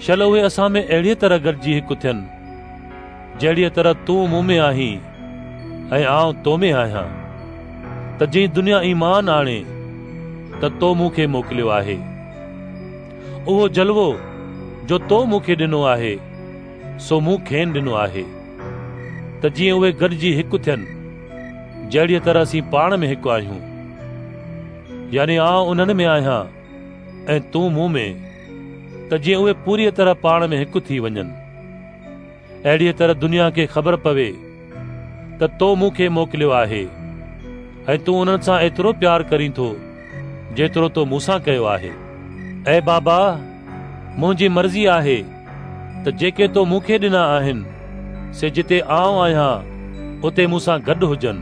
شل اهي اسان ۾ اهڙيءَ طرح گڏجي هڪ ٿين جهڙيءَ طرح تون مون ۾ آهين ۽ آئون تو ۾ آهيان، ته جيئن دنيا ايمان آڻي ته تو مون کي موڪليو آهي. اهو جلوو جو تو مون کي ڏنو آهي سو مون کين ڏنو آهي، ته جيئن اهي گڏجي هڪ ٿين جهڙيءَ طرح اسين پاڻ ۾ هڪ آهيون. يعني آئون انهن ۾ آهيان ۽ تون مون ۾، ته جيئن اهي پوريءَ طرح پاڻ ۾ هڪ ٿي وڃن. اهڙيءَ طرح دنيا کي خبر پوي ته تو مون کي موڪليو آهي ۽ تون انهن سان ايترو پيار ڪرين ٿو جيترو تو مون سان ڪيو آهي. اي بابا، منهنجي مرضي آهي ته جيڪي تو مون کي ڏنا آهن سي جتي آئون آهيان اتي مون سان گڏ هجن،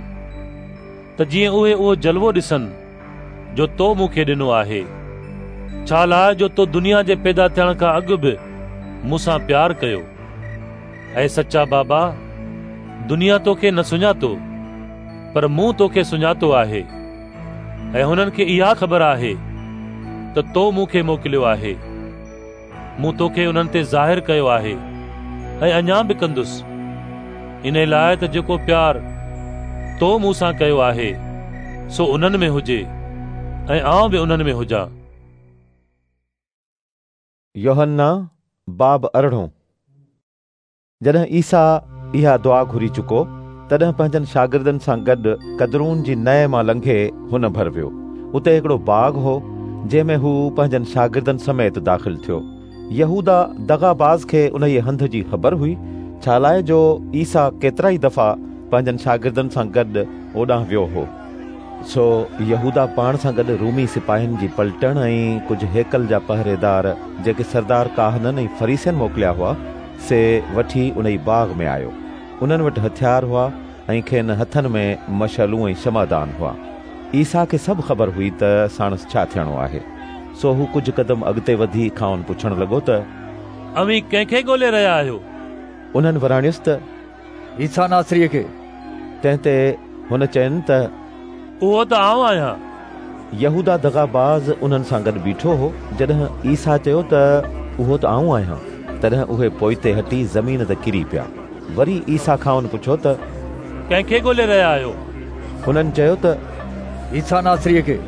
ته جيئن اهي اهو جلوو ڏسن جو تو مون کي ڏنو آهي، ڇا لاءِ جو تو دنيا جي پيدا ٿيڻ کان اڳ به مون سان پيار ڪيو. اي سچا بابا، دنيا توکي نه سڃاتو، پر مون توکي سڃاتو آهي، ۽ هنن کي اها خبر آهي ته تو مون کي موڪليو آهي. مون توکي انهن تي ظاهر ڪيو آهي ۽ اڃا به ڪندس، ان لاءِ ته جيڪو پيار تو مون سان ڪيو آهي سو انهن ۾ هجي ۽ آئون به انهن ۾ هجان. يوحنا باب ارڙهون. جڏهن عيسيٰ اها دعا گهري چڪو تڏهن پنهنجن شاگردن سان گڏ قدرون جي نئين مان لنگهي هن ڀر ويو. اتي هڪڙو باغ هو جنهن ۾ هو پنهنجن شاگردن سميت داخل ٿيو. يهودا دغاباز کي انهيءَ هنڌ جي خبر هئي، ڇا لاءِ جو عيسيٰ ڪيترا ئي دفعا پنهنجن شاگردن سان گڏ اوڏانهن ويو هو. سو يهودا پاڻ سان گڏ رومي سپاهين جي پلٽڻ ۽ ڪجهه هيڪل جا پهريدار جيڪي سردار ڪاهنن ۽ فريسين موڪليا هئا سي وٺي انهي باغ ۾ آيو. انهن وٽ هٿيار هئا ۽ کين هٿن ۾ مشعلون ۽ شمعدان هئا. عيسيٰ کي سڀ خبر هئي ته ساڻس ڇا ٿيڻو آهي، سو هو ڪجهه قدم اڳتي وڌي کانئن پڇڻ لڳو ته اوهين ڪنهن کي ڳولي رهيا آهيو؟ انهن وراڻيس ته عيسيٰ ناصريء کي. تنهن تي هن چين ته اهو ته آئون آهيان. يهودا دغاباز انهن سان گڏ بيٺو هو. جڏهن عيسيٰ چيو ته اهو ته آئون آهيان، تڏهن اهي پوئتي هٽي زمين تي ڪري پيا. وري عيسيٰ کانئن پڇيو ته ڪنهن کي ڳولي رهيا آهيو؟ هنن چيو ته عيسيٰ ناصريء کي.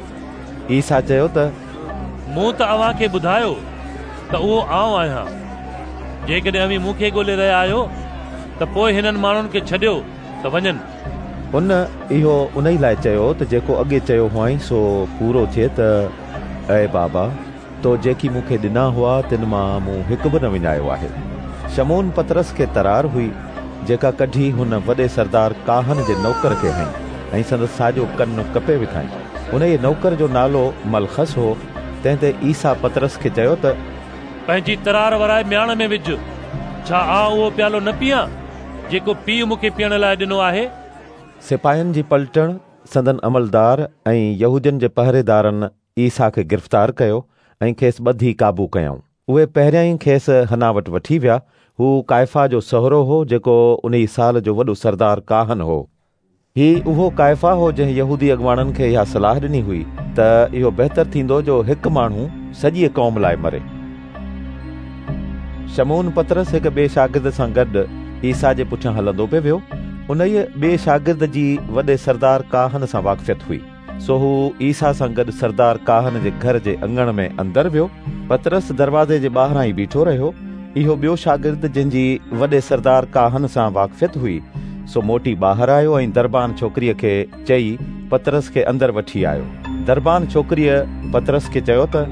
عيسيٰ چيو ته مون ته اوهان کي ٻڌايو ته اهو آئون آهيان. جيڪڏهن اوهين مون کي ڳولي رهيا آهيو ته پوء هنن ماڻهن کي ڇڏيو ته وڃن. هن اهو انهي لاء چيو ته جيڪو اڳي چيو هئائين سو پورو ٿئي ته اي بابا، تو جيڪي مون کي ڏنا هئا تن مان مون هڪ به نه وڃايو آهي. شمعون پطرس کي ترار هئي، جيڪا ڪڍي هن وڏي سردار ڪاهن جي نوڪر کي هنئي ۽ سندس ساڄو ڪن ڪپي وڌائين. انهيء نوڪر جو نالو ملخس هو. تنهن تي عيسيٰ پطرس کي چيو ته پنهنجي ترار ورائي مياڻ ۾ وجهه. ڇا آئون اهو پيالو نه پيئان جيڪو پيءُ مون کي پيئڻ لاء ڏنو آهي؟ سپاهين جي پلٽڻ، سندن عملدار ۽ يهودين جي پهريدارن عيسيٰ کي گرفتار ڪيو ۽ کيس ٻڌي قابو ڪيائون. اهي پهريائين کيس حنا وٽ وٺي ويا. هو ڪائفا جو سهرو هو، جيڪو انهي سال جو وڏو سردار ڪاهن هو. هي اهو ڪائفا هو جنهن يهودي اڳواڻن کي اها صلاح ڏني هئي ته اهو بهتر ٿيندو جو هڪ ماڻهو سڄيء قوم لاء مري. شمعون پطرس هڪ ٻئي شاگرد سان گڏ عيسيٰ جي پٺيان هلندو پئي ويو. انهيء ٻئي شاگرد جي وڏي سردار ڪاهن سان واقفيت هئي، سو هو عيسيٰ سان گڏ سردار ڪاهن جي گهر جي اڱڻ ۾ اندر ويو. پطرس دروازي جي ٻاهران ئي بيٺو رهيو. اهو ٻيو شاگرد جنهن جي وڏي سردار ڪاهن سان واقفيت هئي، سو موٽي ٻاهر آيو ۽ دربان ڇوڪريء کي چئي پطرس کي اندر وٺي آيو. دربان ڇوڪريء پطرس کي چيو ته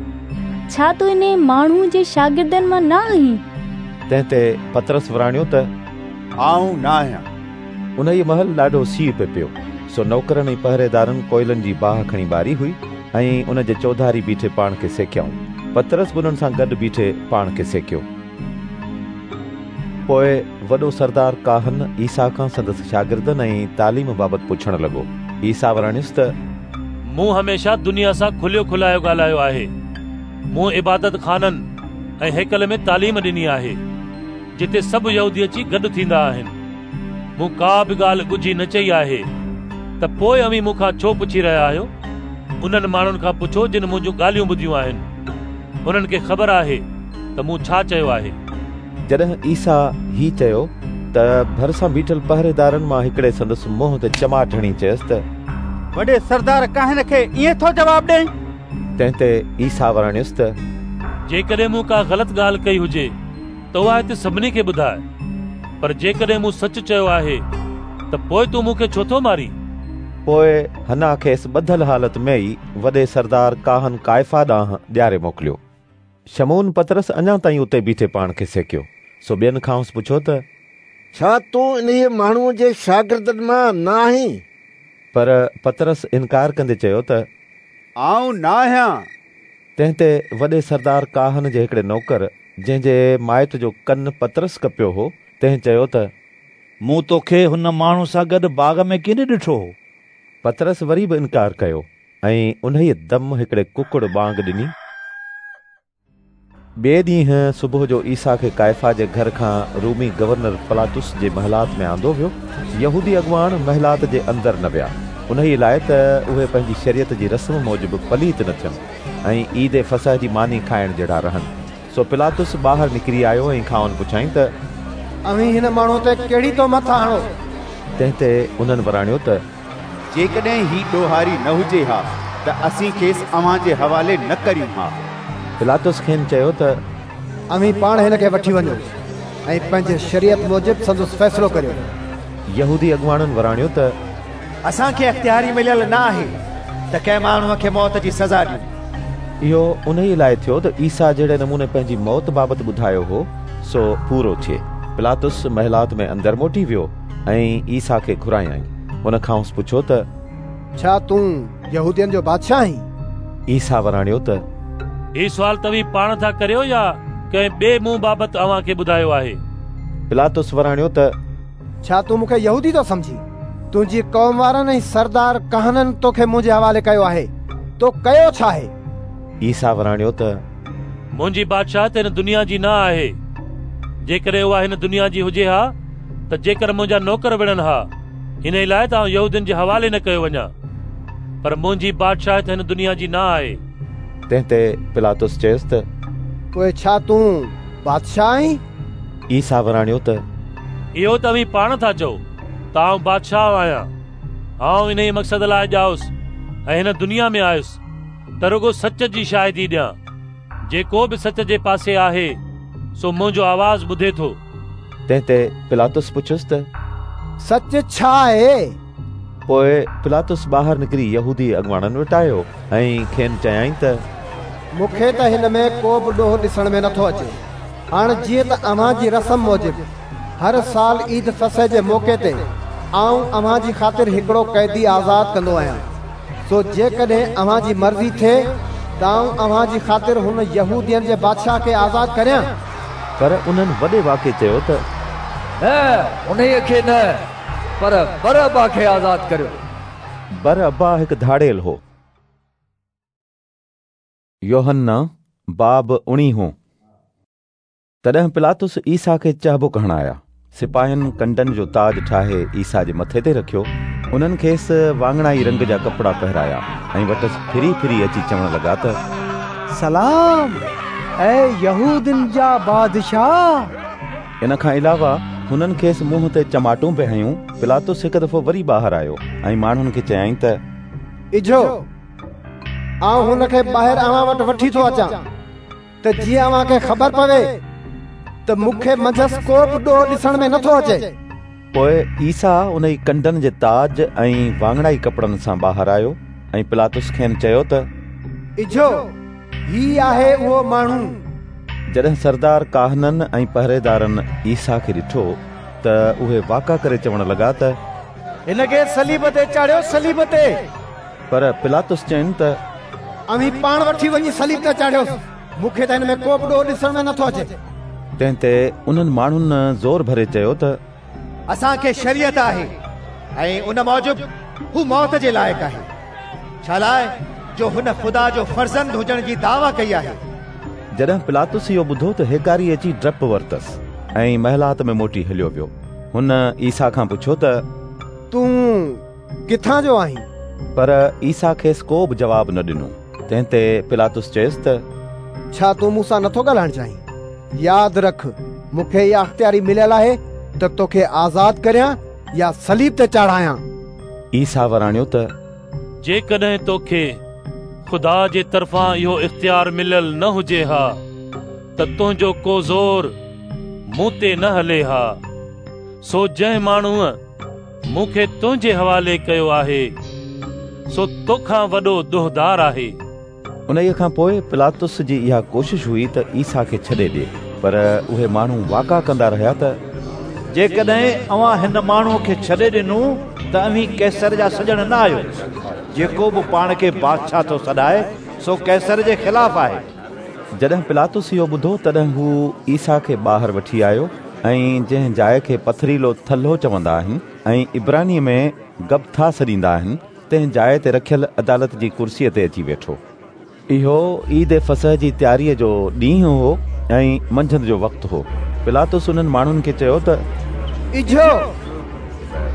ڇا تون انهي ماڻهوء جي شاگردن مان نه آهين؟ تنهن تي پطرس وراڻيو ته آئون نه آهيان. انهيء مهل ڏاڍو سيءُ پئي پيو، سو نوڪرن ۽ پهريدارن ڪوئلن جي باهه کڻي ٻاري هئي ۽ ان جي چوڌاري بيٺي پاڻ کي سيڪيائون. پطرس به انهن سان گڏ بيٺي پاڻ کي سيڪيو. پوءِ وڏو سردار ڪاهن عيسيٰ کان سندس شاگردن ۽ تعليم بابت پڇڻ لڳو. عيسيٰ وراڻيس ته مون هميشه دنيا سان کليو کلايو ڳالهايو آهي. مون عبادت خانن ۽ هيڪل ۾ تعليم ڏني آهي، جتي سڀ يهودي اچي گڏ ٿيندا آهن. مون ڪا به ڳالهه ڳجهي نه چئي آهي، ته پوءِ اوهين مون کان ڇو پڇي رهيا آهيو؟ انهن ماڻهن کان پڇو جن منهنجون ڳالهيون ٻڌيون آهن. انهن کي خبر آهي ته مون ڇا چيو آهي. جڏهن عيسيٰ هي چيو ته ڀرسان بيٺل پهريدارن مان هڪڙي سندس منهن تي چماٽ هڻي چيس ته وڏي سردار ڪاهن کي ائين ٿو جواب ڏئين؟ تنهن تي عيسيٰ وراڻيس ته جيڪڏهن مون ڪا غلط ڳالهه ڪئي هجي ته اها هتي سڀني کي ٻڌاء، پر جيڪڏهن مون سچ چيو آهي ته پوءِ تون مون کي ڇو ٿو مارين؟ پوءِ حنا کيس ٻڌل حالت ۾ ئي وڏي سردار ڪاهن ڪائفا ڏانهن ڏياري موڪليو. شمعون پطرس اڃا تائين اتي بيٺي پاڻ کي سيڪيو، سو ٻين کانئس پڇيو ته ڇا تون انهيء ماڻهوء جي شاگردن مان نه آهين؟ پر پطرس انڪار ڪندي چيو ته آئون نه آهيان. تنهن تي وڏي سردار ڪاهن جي هڪڙي نوڪر، جنهن جي مائٽ جو ڪن پطرس ڪپيو هو، تنهن چيو ته مون توکي هن ماڻهو سان گڏ باغ ۾ ڪين ڏٺو هو؟ پطرس وري به انڪار ڪيو ۽ انهيء دم هڪڙي ڪڪڙ ٻانگ ڏني. ٻئي ڏينهن صبح جو عيسيٰ کي ڪائفا جي گهر کان رومي گورنر پلاطس جي محلات ۾ آندو ويو. يهودي اڳواڻ محلات جي اندر نه ويا، انهيء لاءِ ته اهي پنهنجي شريعت جي رسم موجب پليت نه ٿين ۽ عيد فصح جي ماني کائڻ جهڙا رهن. سو پلاطس ٻاهر نڪري آيو ۽ کانئن پڇيائين ته اوهين هن ماڻهوءَ تي ڪهڙي تهمت ٿا هڻو؟ تنهن تي انهن وراڻيو ته جيڪڏهن هي ڏوهاري نه هجي ها ته اسين کيس اوهان جي حوالي نه ڪريون ها. پلاطس کين چيو ته اوهين پاڻ هن کي وٺي وڃو ۽ پنهنجي شريعت موجب سندس فيصلو ڪريو. يهودي اڳواڻن وراڻيو ته اسان کي اختياري مليل نه آهي ته ڪنهن ماڻهوءَ کي موت جي سزا ڏيون. اهو انهيءَ لاءِ ٿيو ته عيسيٰ جهڙي نموني پنهنجي موت بابت ٻڌايو هو سو پورو ٿئي. پلاطس محلات ۾ اندر موٽي ويو ۽ عيسيٰ کي گهرايائين. هن کانئس پڇيو ته ڇا تون يهودين جو بادشاهه آهين؟ عيسيٰ وراڻيو ته هي سوال توهين پاڻ ٿا ڪريو يا ڪنهن ٻئي مون بابت اوهان کي ٻڌايو آهي؟ پلاطس وراڻيو ته ڇا تون مون کي يهودي ٿو سمجهين؟ تنهنجي قوم وارن ۽ سردار ڪاهنن توکي منهنجي حوالي ڪيو آهي، تو ڪيو ڇا آهي؟ عيسيٰ وراڻيو ته منهنجي بادشاهت هن دنيا جي نه آهي. جيڪڏهن اها هن دنيا جي هجي ها ته جيڪر منهنجا نوڪر وڙهن ها، ان لاءِ ته آئون يهودين جي حوالي نه ڪيو وڃان، پر منهنجي بادشاهت هن دنيا جي نه آهي. تنهن تي پلاطس چيس ته پوءِ ڇا تون بادشاهه آهين؟ عيسيٰ وراڻيو ته اهو ته اوهين پاڻ ٿا چئو ته آئون بادشاهه آهيان. آئون انهيءَ مقصد لاءِ ڄائس ۽ هن دنيا ۾ آيس ته رڳو سچ جي شاهدي ڏيان. جيڪو به سچ جي پاسي آهي سو منهنجو آواز ٻڌي ٿو. تنهن تي پلاطس پڇيس ته سچ ڇا آهي؟ پوءِ پلاطس ٻاهر نڪري يهودي اڳواڻن وٽ آيو ۽ کين چيائين ته مون کي ته هن ۾ ڪو به ڏوهه ڏسڻ ۾ نٿو اچي. هاڻي جيئن ته اوهان جي رسم موجب هر سال عيد فصح جي موقعي تي آئون اوهان جي خاطر هڪڙو قيدي آزاد ڪندو آهيان، سو جيڪڏهن اوهان جي مرضي ٿئي ته آئون اوهان جي خاطر هن يهودين جي بادشاهه کي آزاد ڪريان. پر انهن وڏي واڪي چيو ته نه، انهيءَ کي نه، پر برابا کي آزاد ڪريو. برابا هڪ ڌاڙيل هو. يوحنا باب اڻويهون. تڏهن پلاطس عيسيٰ کي چهبڪ هڻايا. سپاهين ڪنڊن جو تاج ٺاهي عيسيٰ جي مٿي تي رکيو. انهن کيس واڱڻائي رنگ جا ڪپڙا پهرايا ۽ وٽس ڦري ڦري اچي چوڻ لڳا ته سلام اي يهودين جا بادشاهه. ان کان علاوه هنن کيس منهن تي چماٽون به هنيون. پلاطس هڪ دفعو وري ٻاهر آيو ۽ ماڻهن کي چيائين ته اجهو، آئون هن کي ٻاهر اوهان وٽ وٺي ٿو اچان ته جيئن اوهان کي خبر پوي ته مون کي منجهس ڪو به ڏوهه ڏسڻ ۾ نٿو اچي. پوءِ عيسيٰ ان ئي ڪنڊن جي تاج ۽ واڱڻائي ڪپڙن سان ٻاهر آيو ۽ پلاطس کين چيو ته اجهو، هي آهي اهو ماڻهو. جڏهن سردار ڪاهنن ۽ پهريدارن عيسيٰ کي ڏٺو ته اهي واڪا ڪري چوڻ لڳا ته هن کي صليب تي چاڙهيو، صليب تي. پر پلاطس چين ته اوهين پاڻ وٺي وڃي صليب تي چاڙهيوس، مون کي ته هن ۾ ڪو به ڏوهه ڏسڻ ۾ نٿو اچي. تنهن تي انهن ماڻهن زور ڀري چيو ته اسان کي شريعت آهي ۽ ان موجب هو موت جي لائق آهي، ڇا لاءِ جو هن خدا جو فرزند هجڻ جي دعويٰ ڪئي آهي. جڏهن پلاطس اهو ٻڌو ته هيڪاري اچي ڊپ ورتس ۽ محلات ۾ موٽي هليو ويو. هن عيسيٰ کان پڇيو ته تون ڪٿان جو آهين؟ پر عيسيٰ کيس ڪو به جواب نه ڏنو. تنهن تي پلاطس چيس ته ڇا تون مون سان نٿو ڳالهائڻ چاهين؟ ياد رک، مون کي اها اختياري مليل آهي ته توکي آزاد ڪريان يا صليب تي چاڙهايان. عيسيٰ وراڻيو ته جيڪڏهن توکي خدا جي طرفان اهو اختيار مليل نه هجي ها ته تنهنجو ڪو زور مون تي نه هلي ها. سو جنهن ماڻهوءَ مون کي تنهنجي حوالي ڪيو آهي سو توکان وڏو ڏوهدار آهي. انهيءَ کان پوءِ پلاطس جي اها ڪوشش هئي ته عيسيٰ کي ڇڏي ڏئي، پر اهي ماڻهو واڪا ڪندا رهيا ته جيڪڏهن اوهان هن ماڻهوءَ کي ڇڏي ڏنو ته اوهين قيصر جا سڄڻ نه آهيو. جيڪو به پاڻ کي بادشاهه ٿو سڏائي سو قيصر جي خلاف آهي. جڏهن پلاطس اهو ٻڌو تڏهن هو عيسيٰ کي ٻاهر وٺي آيو ۽ جنهن جاءِ کي پٿريلو ٿلهو چوندا آهن ۽ عبرانيءَ ۾ گبٿا سڏيندا آهن، تنهن جاءِ تي رکيل عدالت جي ڪرسيءَ تي اچي ويٺو. اهو عيد فصح جي تياريءَ جو ڏينهن هو ۽ منجهند جو وقت هو. پلاطس انهن ماڻهن کي چيو ته اجهو،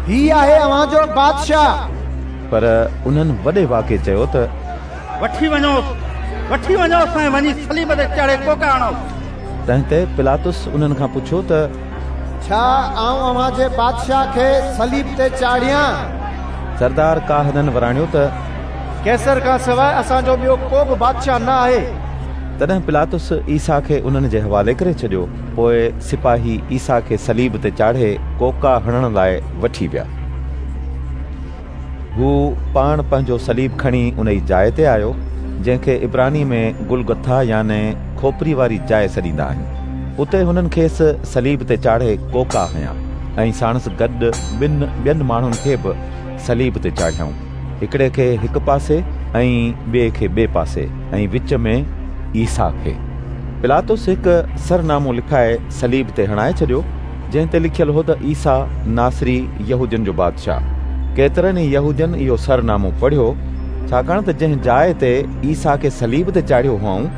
هي آهي اوهان جو بادشاهه. پر انهن وڏي واڪي چيو ته وٺي وڃوس، وٺي وڃوس ۽ وڃي صليب تي چاڙهي ڪوڪا هڻوس. تنهن تي پلاطس انهن کان پڇيو ته ڇا آئون اوهان جي بادشاهه کي صليب تي چاڙهيان؟ سردار ڪاهنن وراڻيو ته قيصر کان سواءِ اسان جو ٻيو ڪو به بادشاهه نه آهي. تڏهن پلاطس عيسيٰ کي انهن جي حوالي ڪري ڇڏيو. پوءِ سپاهي عيسيٰ کي صليب تي چاڙهي ڪوڪا هڻڻ لاءِ وٺي ويا. هو پاڻ پنهنجو صليب کڻي ان ئي جاءِ تي آيو جنهن کي عبراني ۾ گلگٿا يعني کوپري واري جاءِ سڏيندا آهن. اتي هنن کيس صليب تي چاڙهي ڪوڪا هنيا ۽ ساڻس گڏ ٻن ٻين ماڻهن کي به صليب تي چاڙهيائون. هڪڙي کي هڪ پاسي ۽ ٻئي کي ٻئي پاسي ۽ وچ ۾ عيسيٰ کي. پلاطس هڪ سرنامو لکائي صليب تي هڻائي ڇڏيو، جنهن تي لکيل هو ته عيسيٰ ناصري يهودين جو بادشاهه. ڪيترن ئي يهودين اهو سرنامو پڙهيو، ڇاڪاڻ ته جنهن جاءِ تي عيسيٰ کي صليب تي چاڙهيو هئائون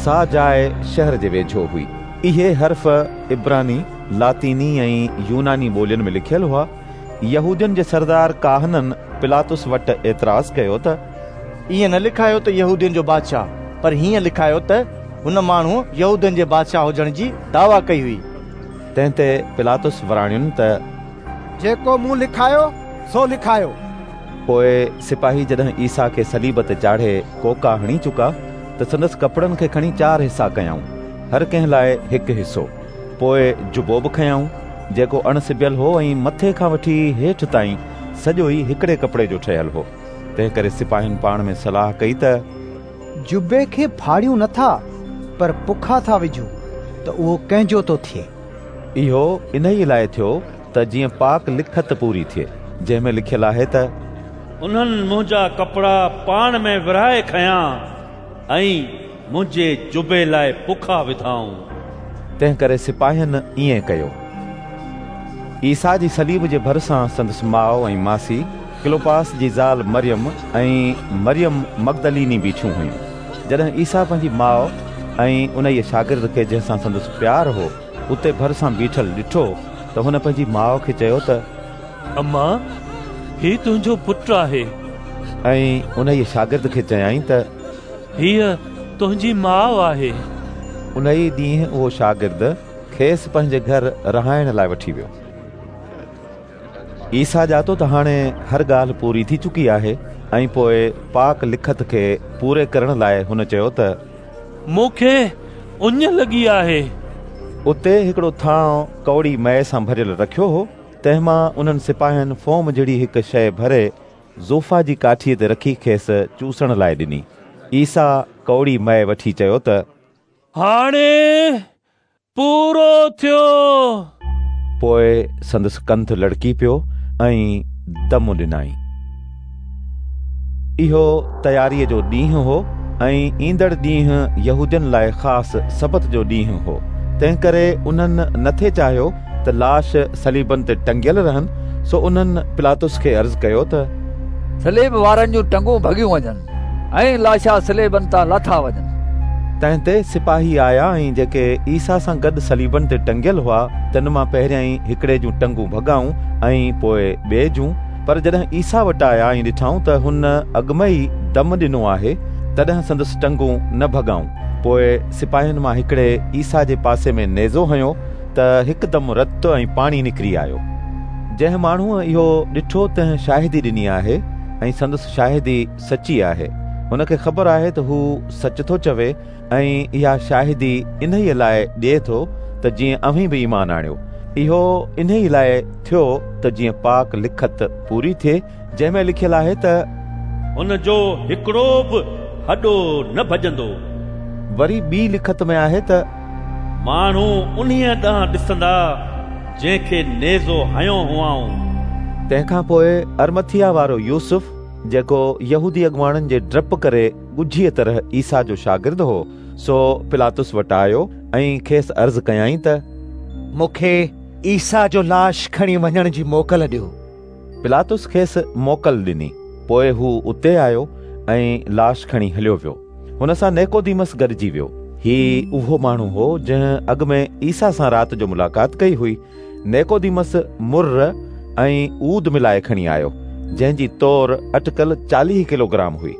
سا جاءِ شهر جي ويجهو هئي. اهي حرف عبراني، لاطيني ۽ يوناني ٻولين ۾ لکيل هئا. يهودين جي سردار ڪاهنن پلاطس وٽ اعتراض ڪيو ته ائين نه لکايو ته يهودين جو بادشاهه، پر هيئن لکايو ته هن ماڻهوءَ يهودين جي بادشاهه هجڻ جي دعويٰ ڪئي هئي. تنهن تي پلاطس وراڻين ته جيڪو مون لکايو سو لکايو. پوءِ سپاهي جڏهن عيسيٰ کي صليب تي چاڙهي ڪوڪا هڻي چڪا ته سندس ڪپڙن کي کڻي چار حصا ڪيائون، هر ڪنهن لاءِ هڪ حصو. پوءِ جبو به کنيائون، جيڪو اڻ سبيل هو ۽ مٿي کان وٺي هيٺ تائين سڄو ئي هڪڙي ڪپڙي جو ٺهيل هو. تنهن ڪري سپاهين پاڻ ۾ صلاح ڪئي ته جبي کي ڦاڙيون نٿا پر پکا ٿا وجهون ته اهو ڪنهن جو ٿو ٿئي. اهو انهيءَ لاءِ ٿيو ته جيئن پاڪ لکت پوري ٿئي، جنهن ۾ لکيل آهي ته انهن منهنجا ڪپڙا پاڻ ۾ ورهائي کنيا ۽ منهنجي جبي لاءِ پکا وڌائون. تنهن ڪري سپاهين ائين ڪيو. عيسيٰ جي صليب جي ڀرسان سندس ماءُ ۽ ماسي ڪلوپاس جي زال مريم ۽ مريم مگدليني بيٺيون هيون. جڏهن عيسيٰ پنهنجي ماءُ ۽ انهيءَ شاگرد کي جنهن سان سندس پيار هو اتي ڀرسان بيٺل ڏٺو ته هن پنهنجي ماءُ کي چيو ته اما، هي تنهنجو پٽ آهي. ۽ انهيءَ شاگرد کي چيائين ته هيءَ تنهنجي ماءُ آهي. انهيءَ ڏينهن اهو شاگرد کيس پنهنجي گهر رهائڻ لاءِ وٺي ويو. عيسيٰ ڄاتو ته هاڻي هر ڳالهه پوري ٿي چڪي آهي ۽ پوءِ پاڪ لکت کي پوري ڪرڻ لاءِ هن چيو ته مون کي اڃ لڳي آهي. اتي هڪڙو ٿانءُ ڪؤڙي مئي سان ڀريل رکيو هو، تنهن مان انهن سپاهين فوم جهڙي هڪ شيءِ ڀري زوفا جي ڪاٺيءَ تي رکي کيس چوسڻ لاءِ ڏني. عيسيٰ ڪؤڙي مئي وٺي چيو ته هاڻي پورو ٿيو. پوءِ سندس ڪنڌ لڙڪي پيو ۽ دم ڏنائين. اهو تياريءَ جو ڏينهن هو ۽ ايندڙ ڏينهن يهودين لاءِ خاص سبت جو ڏينهن هو. تنهن ڪري انهن نٿي چاهيو ته لاش صليبن تي ٽنگيل رهن، سو انهن پلاطس کي عرض ڪيو ته صليب وارن جون ٽنگون ڀڳيون وڃن ۽ لاشا صليبن تان لاٿا وڃن. تنهن تي سپاهي آيا ۽ جيڪي عيسيٰ سان گڏ صليبن تي ٽنگيل هئا تن مان پهريائين هڪڙي جون ٽنگون ڀڳائون ۽ پوءِ ٻئي جون. پر جڏهن عيسيٰ وٽ آيا ۽ ڏٺائون ته هن اڳ ۾ ئي دم ڏنو آهي، تڏهن سندس ٽنگون نه ڀڳائون. پوءِ سپاهين مان هڪڙي عيسيٰ جي پاسي ۾ نيزو هنيو ته هڪدم رت ۽ پاڻي نڪري آيو. جنهن ماڻهوءَ اهو ڏٺو تنهن شاهدي ڏني آهي ۽ سندس شاهدي سچي آهي. هن کي خبر آهي ته هو سچ ٿو چوي ۽ اها شاهدي انهيءَ لاءِ ڏئي ٿو ته جيئن اوهين به ايمان آڻيو. اهو انهيءَ لاءِ ٿيو ته جيئن پاڪ لکت پوري ٿئي، جنهن ۾ لکيل آهي ته هن جو هڪڙو به هڏو نه ڀڄندو. وري ٻي لکت ۾ آهي ته ماڻهو انهيءَ ڏانهن ڏسندا جنهن کي نيزو هنيو هئائون. تنهن کان پوءِ ارمٿيا وارو يوسف، جيڪو يهودي اڳواڻن جي ڊپ ڪري ڳجهيءَ طرح عيسيٰ جو شاگرد هو، سو پلاطس وٽ آيو ۽ کيس عرض ڪيائين ته مون کي عيسيٰ جو لاش کڻي وڃڻ جي موڪل ڏيو. پلاطس کيس موڪل ڏني. پوءِ هو اتي آيو ۽ لاش کڻي هليو ويو. هن سان نيڪوديمس گڏجي ويو. هي اهو ماڻهو هو جنهن اڳ ۾ عيسيٰ سان رات جو ملاقات ڪئي هئي. نيڪوديمس مر ۽ عود ملائي کڻي آيو، جنهن جي تور اٽڪل چاليهه ڪلوگرام هئي.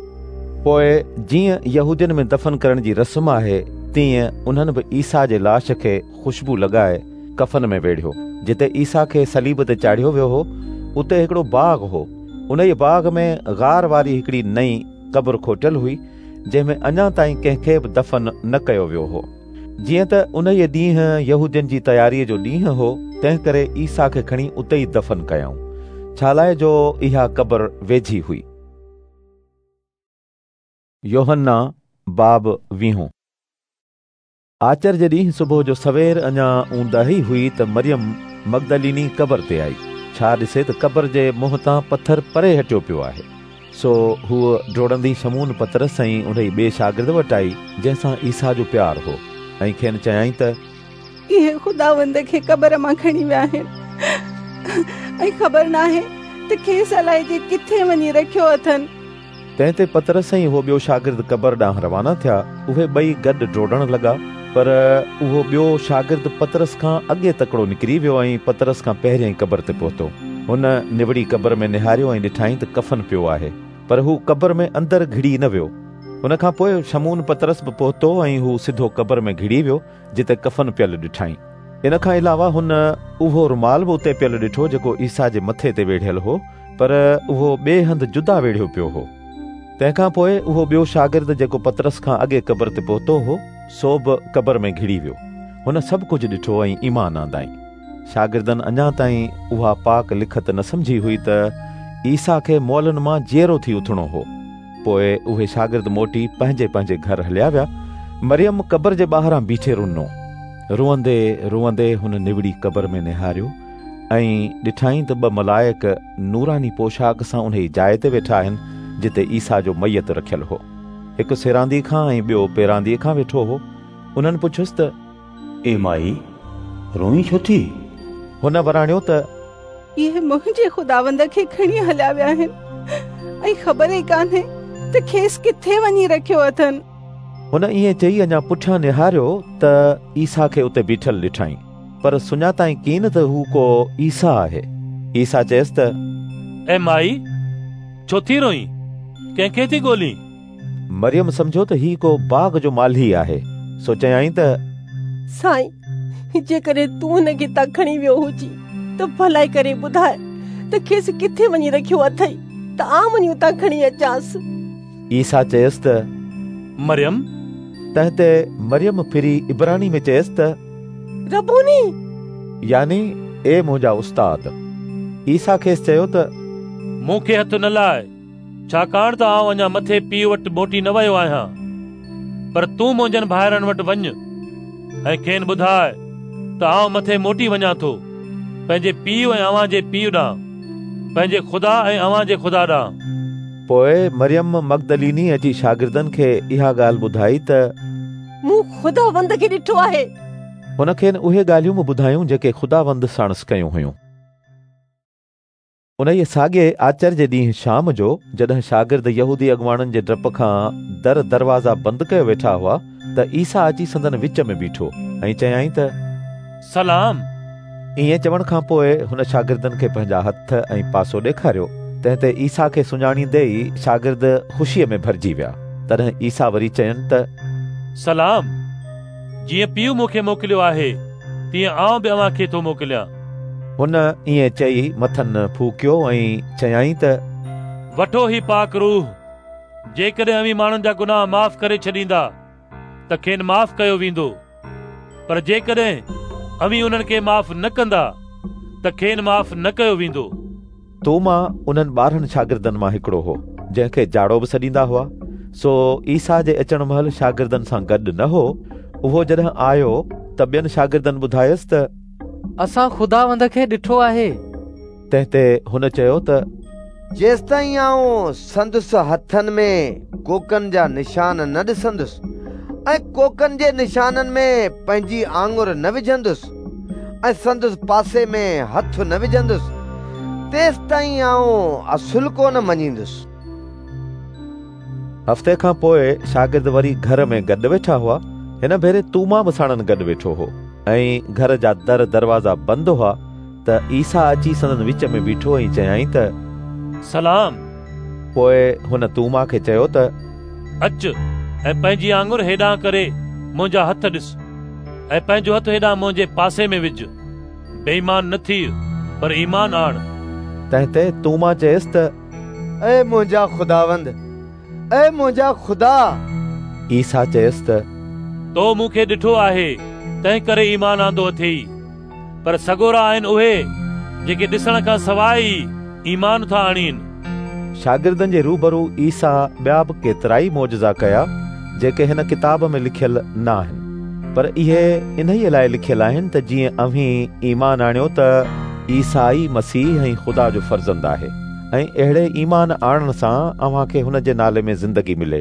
پوءِ جيئن يهودين ۾ دفن ڪرڻ جي رسم آهي، تيئن انهن به عيسيٰ جي لاش کي خوشبو لڳائي ڪفن ۾ ويڙهيو. جتي عيسيٰ کي صليب تي چاڙهيو ويو هو، اتي هڪڙو باغ هو. انهيءَ باغ ۾ غار واري هڪڙي نئين قبر کوٽيل هئي، جنهن ۾ اڃا تائين ڪنهن کي به دفن نه ڪيو ويو هو. جيئن ته انهيءَ ڏينهن يهودين جي تياريءَ جو ڏينهن هو، تنهن ڪري عيسيٰ کي کڻي اتي ئي دفن ڪيائون، ڇا لاءِ جو اها قبر ويجهي هئي. يوحنا باب ويهون. آچر جي ڏينهن صبح جو سوير اڃا اونداهي هئي ته مريم مگدليني قبر تي آئي. ڇا ڏسي ته قبر جي منهن تان پٿر پري هٽيو پيو آهي. سو هوء ڊوڙندي شمعون پطرس ۽ انهي ٻئي شاگرد وٽ آئي جنهن سان عيسيٰ جو پيار هو، ۽ کين چيائين ته اهي خداوند کي قبر مان کڻي ويا آهن ۽ خبر ناهي ته کيس الائجي ڪٿي وڃي رکيو اٿن. تنهن تي پطرس ۽ اهو ٻيو شاگرد قبر ڏانهن روانا ٿيا. اهي ٻئي گڏ ڊوڙڻ لڳا، پر اهو ٻيو شاگرد پطرس کان اڳي تڪڙو نڪري ويو ۽ پطرس کان پهريائين قبر تي پهتو. هن نوڙي قبر ۾ نهاريو ۽ ڏٺائين ته ڪفن پيو آهي، پر هو قبر ۾ اندر گهڙي نه ويو. ان کان پوء شمعون پطرس به پهتو ۽ هو سڌو قبر ۾ گهڙي ويو جتي ڪفن پيل ڏٺائين. ان کان علاوه هن اهو رومال به اتي پيل ڏٺو جيڪو عيسيٰ جي مٿي تي ويڙهيل هو، پر اهو ٻئي هنڌ جدا ويڙهيو پيو هو. تنهن کان پوء اهو ٻيو شاگرد جيڪو پطرس کان اڳي قبر تي پهتو هو، سو به قبر ۾ گهڙي ويو. هن سڀ ڪجهه ڏٺو ۽ ايمان آندائين. شاگردن اڃا تائين اها پاڪ لکت نه سمجهي هئي ته عيسيٰ کي مئلن مان جيئرو ٿي اٿڻو هو. پوء اهي شاگرد موٽي پنهنجي پنهنجي گهر هليا ويا. مريم قبر جي ٻاهران بيٺي رنو. روئندي روئندي هن نوڙي قبر ۾ نهاريو ۽ ڏٺائين ته ٻه ملائڪ نوراني پوشاڪ سان انهي جاء تي ويٺا آهن جتي عيسيٰ جو ميت رکيل هو. هڪ سيراندي کان ۽ ٻيو پيراندي کان ويٺو هو. انهن پڇيس ته اي مائي، روئين ڇو ٿي؟ هن وراڻيو ته اهي منهنجي خداوند کي کڻي هليا ويا آهن ۽ خبر ئي ڪانهي ته کيس ڪٿي وڃي رکيو اٿن. هن ائين چئي اڃا پٺيان نهاريو ته عيسيٰ کي اتي بيٺل ڏٺائين، پر سڃاتائين ڪين ته هو ڪو عيسيٰ آهي. عيسيٰ چيس ته اي مائي، ڇو ٿي روئين؟ ڪنهن کي ٿي ڳولين؟ مريم سمجهيو ته هي ڪو باغ جو مالهي آهي، سو چيائين ته سائين، جيڪڏهن تون هن کي هتان کڻي ويو هجين ته ڀلائي ڪري ٻڌاء ته کيس ڪٿي وڃي رکيو اٿئي ته آئون وڃي اتان کڻي اچانس. عيسيٰ چيس ته مريم. تنهن تي مريم ڦري عبراني ۾ چيس ته ربوني، يعني اي منهنجا استاد. عيسيٰ کيس چيو ته مون کي هٿ نه لاء، ڇاڪاڻ ته آئون اڃا مٿي پيءُ وٽ موٽي نه ويو آهيان، پر تون منهنجن ڀائرن وٽ وڃ ۽ کين ٻڌاء ته آئون مٿي موٽي وڃان ٿو، پنهنجي پيءُ ۽ اوهان جي پيءُ ڏانهن، پنهنجي خدا ۽ اوهان جي خدا ڏانهن. پوءِ مريم مگدليني اچي شاگردن کي اها ڳالهه ٻڌائي ته مون خداوند کي ڏٺو آهي. هن کين اهي ڳالهيون به ٻڌايون جيڪي خداوند ساڻس ڪيون هيون. انهيء ساڳئي آچر جي ڏينهن شام جو جڏهن شاگرد يهودي اڳواڻن جي ڊپ کان در دروازا بند ڪيو ويٺا هئا ته عيسيٰ اچي سندن وچ ۾ بيٺو ۽ چيائين ته سلام. ائين چوڻ کان پوءِ هن شاگردن کي پنهنجا هٿ ۽ پاسو ڏيکاريو. تنهن تي عيسيٰ کي سڃاڻيندي ئي شاگرد خوشيءَ ۾ ڀرجي ويا. تڏهن عيسيٰ وري چين ته سلام. جيئن پيءُ مون کي موڪليو آهي تيئن آئون به اوهان کي ٿو موڪليان. هن ائين چئي مٿن ڦوڪيو ۽ چيائين ته وٺو هي پاڪ روح. جيڪڏهن اوهين ماڻهن جا گناهه معاف ڪري ڇڏيندا ته کين معاف ڪيو ويندو، پر جيڪڏهن اوهين انهن کي معاف نه ڪندا ته کين معاف نه ڪيو ويندو. توما انهن ٻارهن شاگردن مان هڪڙو هو، جنهن کي جاڙو به سڏيندا هئا. سو عيسيٰ جي اچڻ مهل شاگردن سان گڏ نه هو. اهو جڏهن آيو ته ٻين شاگردن ٻڌايس ته اسان خداوند کي ڏٺو آهي. تنهن تي هن چيو ته جيستائين آئون سندس هٿن ۾ ڪوڪن جا نشان نه ڏسندس ۽ ڪوڪن جي نشانن ۾ پنهنجي آڱر نه وجهندس ۽ سندس پاسي ۾ هٿ نه وجهندس، تيستائين آئون اصل ڪونه مڃيندس. هفتي کان پوءِ شاگرد وري گهر ۾ گڏ ويٺا هئا. هن ڀيري توما به ساڻن گڏ ويٺو هو ۽ گهر جا در دروازا بند هئا ته عيسيٰ اچي سندن وچ ۾ بيٺو ۽ چيائين ته سلام. پوءِ هن توما کي چيو ته اچ ۽ پنهنجي آڱر هيڏانهن ڪري منهنجا هٿ ڏس ۽ پنهنجو هٿ هيڏانهن منهنجي پاسي ۾ وجهه. بي ايمان نه ٿيءَ پر ايمان آڻ. تنهن تي توما چيس ته اي منهنجا خداوند، اي منهنجا خدا. عيسيٰ چيس ته تو مون کي ڏٺو آهي تنهن ڪري ايمان آندو اٿئي، پر سڳورا آهن اهي جيڪي ڏسڻ کان سواءِ ئي ايمان ٿا آڻين. شاگردن جي روبرو عيسيٰ ٻيا به ڪيترائي معجزا ڪيا جيڪي هن ڪتاب ۾ لکيل نه آهن، پر اهي انهيءَ لاءِ لکيل آهن ته جيئن اوهين ايمان آڻيو ته عيسيٰ ئي مسيح ۽ خدا جو فرزند آهي ۽ اهڙي ايمان آڻڻ سان اوهان کي هن جي نالي ۾ زندگي ملي.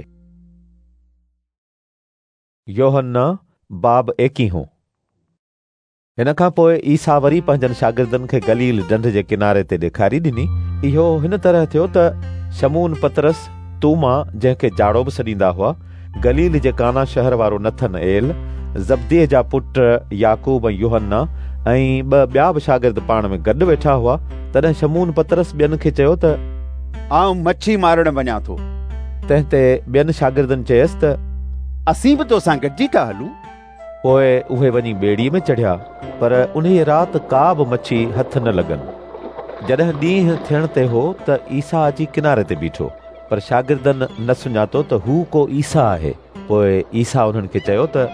يوحنا باب ايڪيهون. هن کان پوءِ عيسيٰ وري پنهنجن شاگردن کي گليل ڍنڍ جي ڪناري تي ڏيکاري ڏني. اهو هن طرح ٿيو ته شمعون پطرس، توما جنهن کي جاڙو به سڏيندا هئا، گليل جي قانا شهر وارو نٿن ايل، زبديء جا پٽ يعقوب ۽ يوحنا ۽ ٻه ٻيا به شاگرد پاڻ ۾ گڏ ويٺا هئا. تڏهن شمعون پطرس ٻين کي چيو ته آئون مڇي مارڻ وڃان ٿو. تنهن تي ٻين شاگردن چيس ته اسين به توسان گڏجي ٿا هلون. پوءِ اهي وڃي ٻيڙيءَ ۾ چڙهيا، پر انهيءَ رات ڪا به مڇي هٿ نه لڳن. جڏهن ڏينهن ٿيڻ تي هو ته عيسيٰ اچي ڪناري تي بيٺو، پر شاگردن نه سڃاتو ته هو ڪو عيسيٰ آهي. پوءِ عيسيٰ انهن کي چيو ته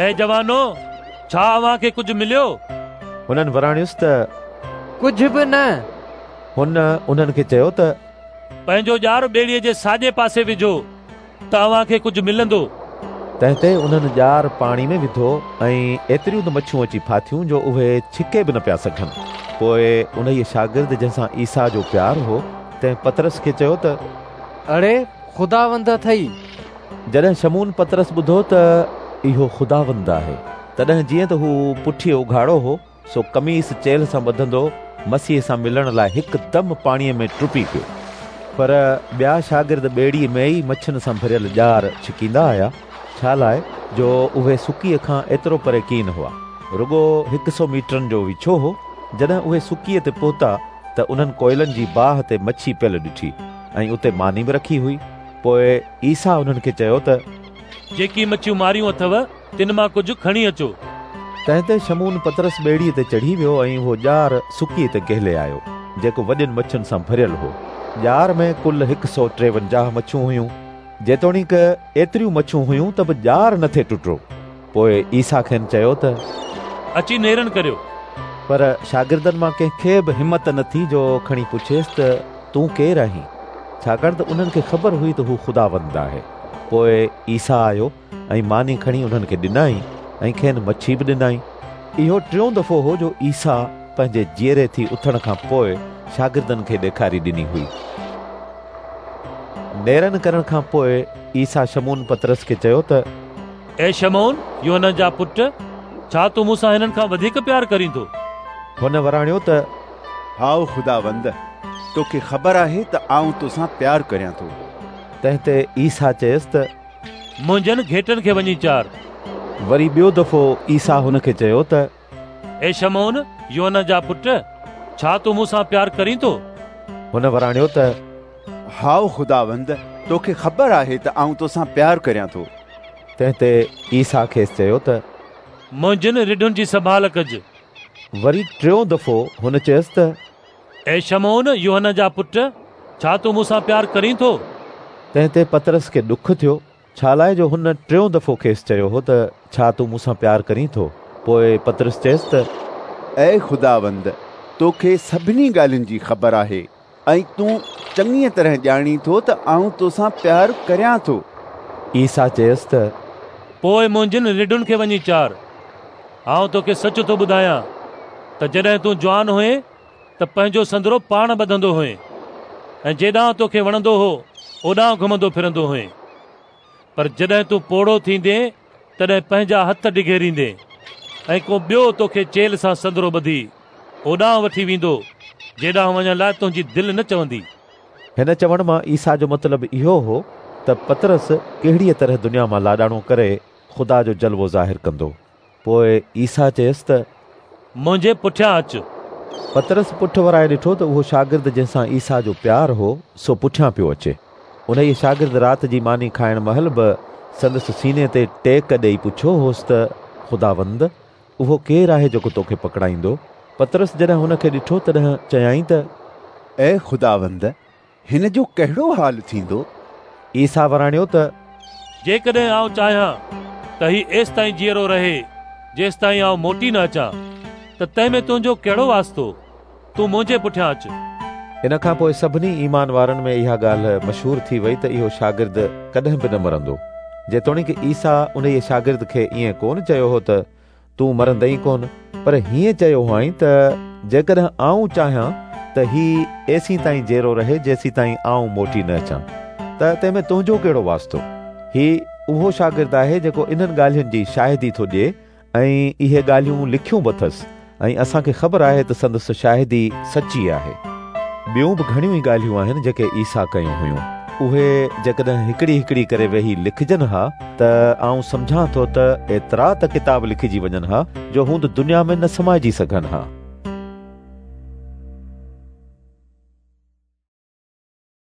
اي جوانو، ڇا اوهان کي ڪجهه مليو؟ هنن وراڻيس ته ڪجهه به نه. هن انهن کي چيو ته پنهنجو ڄار ٻيڙيءَ جي ساڄي پاسي وجهو ته اوهان کي ڪجهه ملندو. تنهن تي انهن ڄار پاڻي ۾ وڌو ۽ ايتريون ته مڇيون اچي ڦاٿيون جو اهي ڇڪي به نه پيا سگهن. پوءِ انهيءَ شاگرد جنهن سان عيسيٰ جو پيار هو، تنهن پطرس کي چيو ته اڙي خداوند اٿئي. جڏهن شمعون پطرس ٻڌو ته اهو خداوند آهي، تڏهن جيئن ته هو پٺيءَ اگهاڙو هو، سو قميص چيلهه سان ٻڌندو مسيح سان ملڻ لاءِ هڪدم پاڻيءَ ۾ ٽپي پيو. پر ٻيا شاگرد ٻيڙيءَ ۾ ئي مڇين سان ڀريل ڄار ڇڪيندا آيا، ڇا لاءِ جو اهي سڪيءَ کان ايترو پري ڪين هئا، رڳو هڪ سؤ ميٽرن جو ويڇو هو. جڏهن اهي سڪيءَ تي پهتا ته انهن ڪوئلن جي باهه تي مڇي پيل ڏٺي ۽ اتي ماني به رکي هئي. پوءِ عيسيٰ انهن کي چيو ته جيڪي مڇيون ماريون اٿو تن مان ڪجهه کڻي اچو. تنهن تي شمعون پطرس ٻيڙيءَ تي چڙهي ويو ۽ اهو ڄار سڪيءَ تي گهلي آيو، جيڪو وڏين مڇين سان ڀريل هو. ڄار ۾ ڪل هڪ سؤ ٽيونجاهه مڇيون هيون. جيتوڻيڪ ايتريون مڇيون هيون ته به ڄار نٿي ٽٽو. پوءِ عيسيٰ کين چيو ته اچي نيرن ڪريو. پر شاگردن مان ڪنهن کي به همت نه ٿي جو کڻي پڇيس ته تون ڪير آهين، ڇاڪاڻ ته انهن کي خبر هئي ته هو خداوند آهي. پوءِ عيسيٰ آيو ۽ ماني کڻي انهن کي ڏنائين ۽ کين مڇي به ڏنائين. اهو ٽيون دفعو هو جو عيسيٰ پنهنجي جيئري ٿي اٿڻ کان پوءِ شاگردن کي ڏيکاري ڏني هئي. نيرن ڪرڻ کان پوءِ عيسيٰ شمعون پطرس کي چيو ته اي شمعون، يوحنا جا پٽ، ڇا تون مون سان هنن کان وڌيڪ پيار ڪرين ٿو؟ هن وراڻيو ته هائو خداوند، توکي خبر آهي ته آئون توسان پيار ڪريان ٿو. تنهن تي عيسيٰ چيس ته منهنجن گهيٽن کي وڃي چار. وري ٻيو دفعو عيسيٰ هن کي چيو ته اي شمعون، يوحنا جا پٽ، ڇا تون مون سان پيار ڪرين ٿو؟ هن وراڻيو ته هائو خداوند، توکي خبر آهي ته آئون توسان پيار ڪريان ٿو. تنهن تي عيسيٰ کيس چيو ته منهنجن رڍن جي سنڀال ڪج. وري ٽيون دفعو هن چيس ته اي شمعون، يوحنا جا پٽ، ڇا تون مون سان پيار ڪرين ٿو؟ تنهن تي پطرس کي ڏک ٿيو، ڇا لاءِ جو هن ٽيون دفعو کيس چيو هو ته ڇا تون مون سان پيار ڪرين ٿو؟ پوءِ پطرس چيس ته اي خداوند، توکي سڀني ڳالهين جي خبر آهي ۽ تون چڱيءَ طرح ڄاڻين ٿو ته آئون توسان پيار ڪريان ٿو. عيسيٰ چيس ته پوءِ منهنجن رڍن کي وڃي چار. آئون توکي سچ ٿو ٻڌايان ته جڏهن تون جوان هئين ته پنهنجو سندرو پاڻ ٻڌندو هئين ۽ جيڏانهن توکي وڻندو هو اوڏانهن گهمندو ڦرندو هئين، پر جڏهن تون پوڙهو ٿيندين تڏهن پنهنجا هٿ ڊگهيريندين ۽ ڪو ٻيو توکي چيلهه سان سندرو ٻڌي اوڏانهن وٺي ويندو جيڏانهن وڃڻ لاءِ تنهنجي دل نه چوندي. هن چوڻ مان عيسيٰ جو مطلب اهو هو ته پطرس ڪهڙيءَ طرح دنيا مان لاڏاڻو ڪري خدا جو جلوو ظاهر ڪندو. پوءِ عيسيٰ چيس ته منهنجي پٺيان اچ. پطرس پٺ ورائي ڏٺو ته اهو شاگرد جنهن سان عيسيٰ جو پيار هو سو پٺيان پيو اچي. انهيءَ شاگرد رات جي ماني کائڻ مهل به سندس سيني تي ٽيڪ ڏيئي پڇيو هوس ته خداوند، اهو ڪير آهي جيڪو توکي پڪڙائيندو؟ پطرس جڏهن هن کي ڏٺو تڏهن چيائين ته اي خداوند، هن جو ڪهڙو حال ٿيندو؟ عيسيٰ وراڻيو ته جيڪڏهن آئون چاهيان ته هي ايستائين جيئرو رهي جيستائين آئون موٽي نه اچان ته تنهن ۾ تنهنجو ڪهڙو واسطو؟ تون منهنجي پٺيان اچ. ان کان پوءِ سڀني ايمان وارن ۾ اها ڳالهه مشهور ٿي وئي ته اهو شاگرد ڪڏهن به نه مرندو. جيتوڻيڪ عيسيٰ انهيءَ شاگرد کي ائين ڪونه چيو هو ته تون مرندين ڪونه، پر هيئن چيو هئائين ته جيڪڏهن آئون چاهيان ته هي ايسين تائين جيئرو رهي جيسين تائين آئون موٽي نه اچان، ته تنهن ۾ تنهنجو ڪهڙو واسطو؟ هي اهو شاگرد آهي جيڪو انهن ڳالهين جي شاهدي ٿو ڏئي ۽ اهي ڳالهيون لکيون به اٿس ۽ اسان کي خبر آهي ته سندس شاهدي سچي آهي. ٻيون به گهڻيون ئي ڳالهيون آهن جيڪي عيسيٰ ڪيون هيون. اهي جيڪڏهن هڪڙي هڪڙي ڪري ويهي لکجن ها ته آئون سمجهان ٿو ته ايترا ته ڪتاب لکجي وڃن ها جو هوند دنيا ۾ نه سمائجي سگهن ها.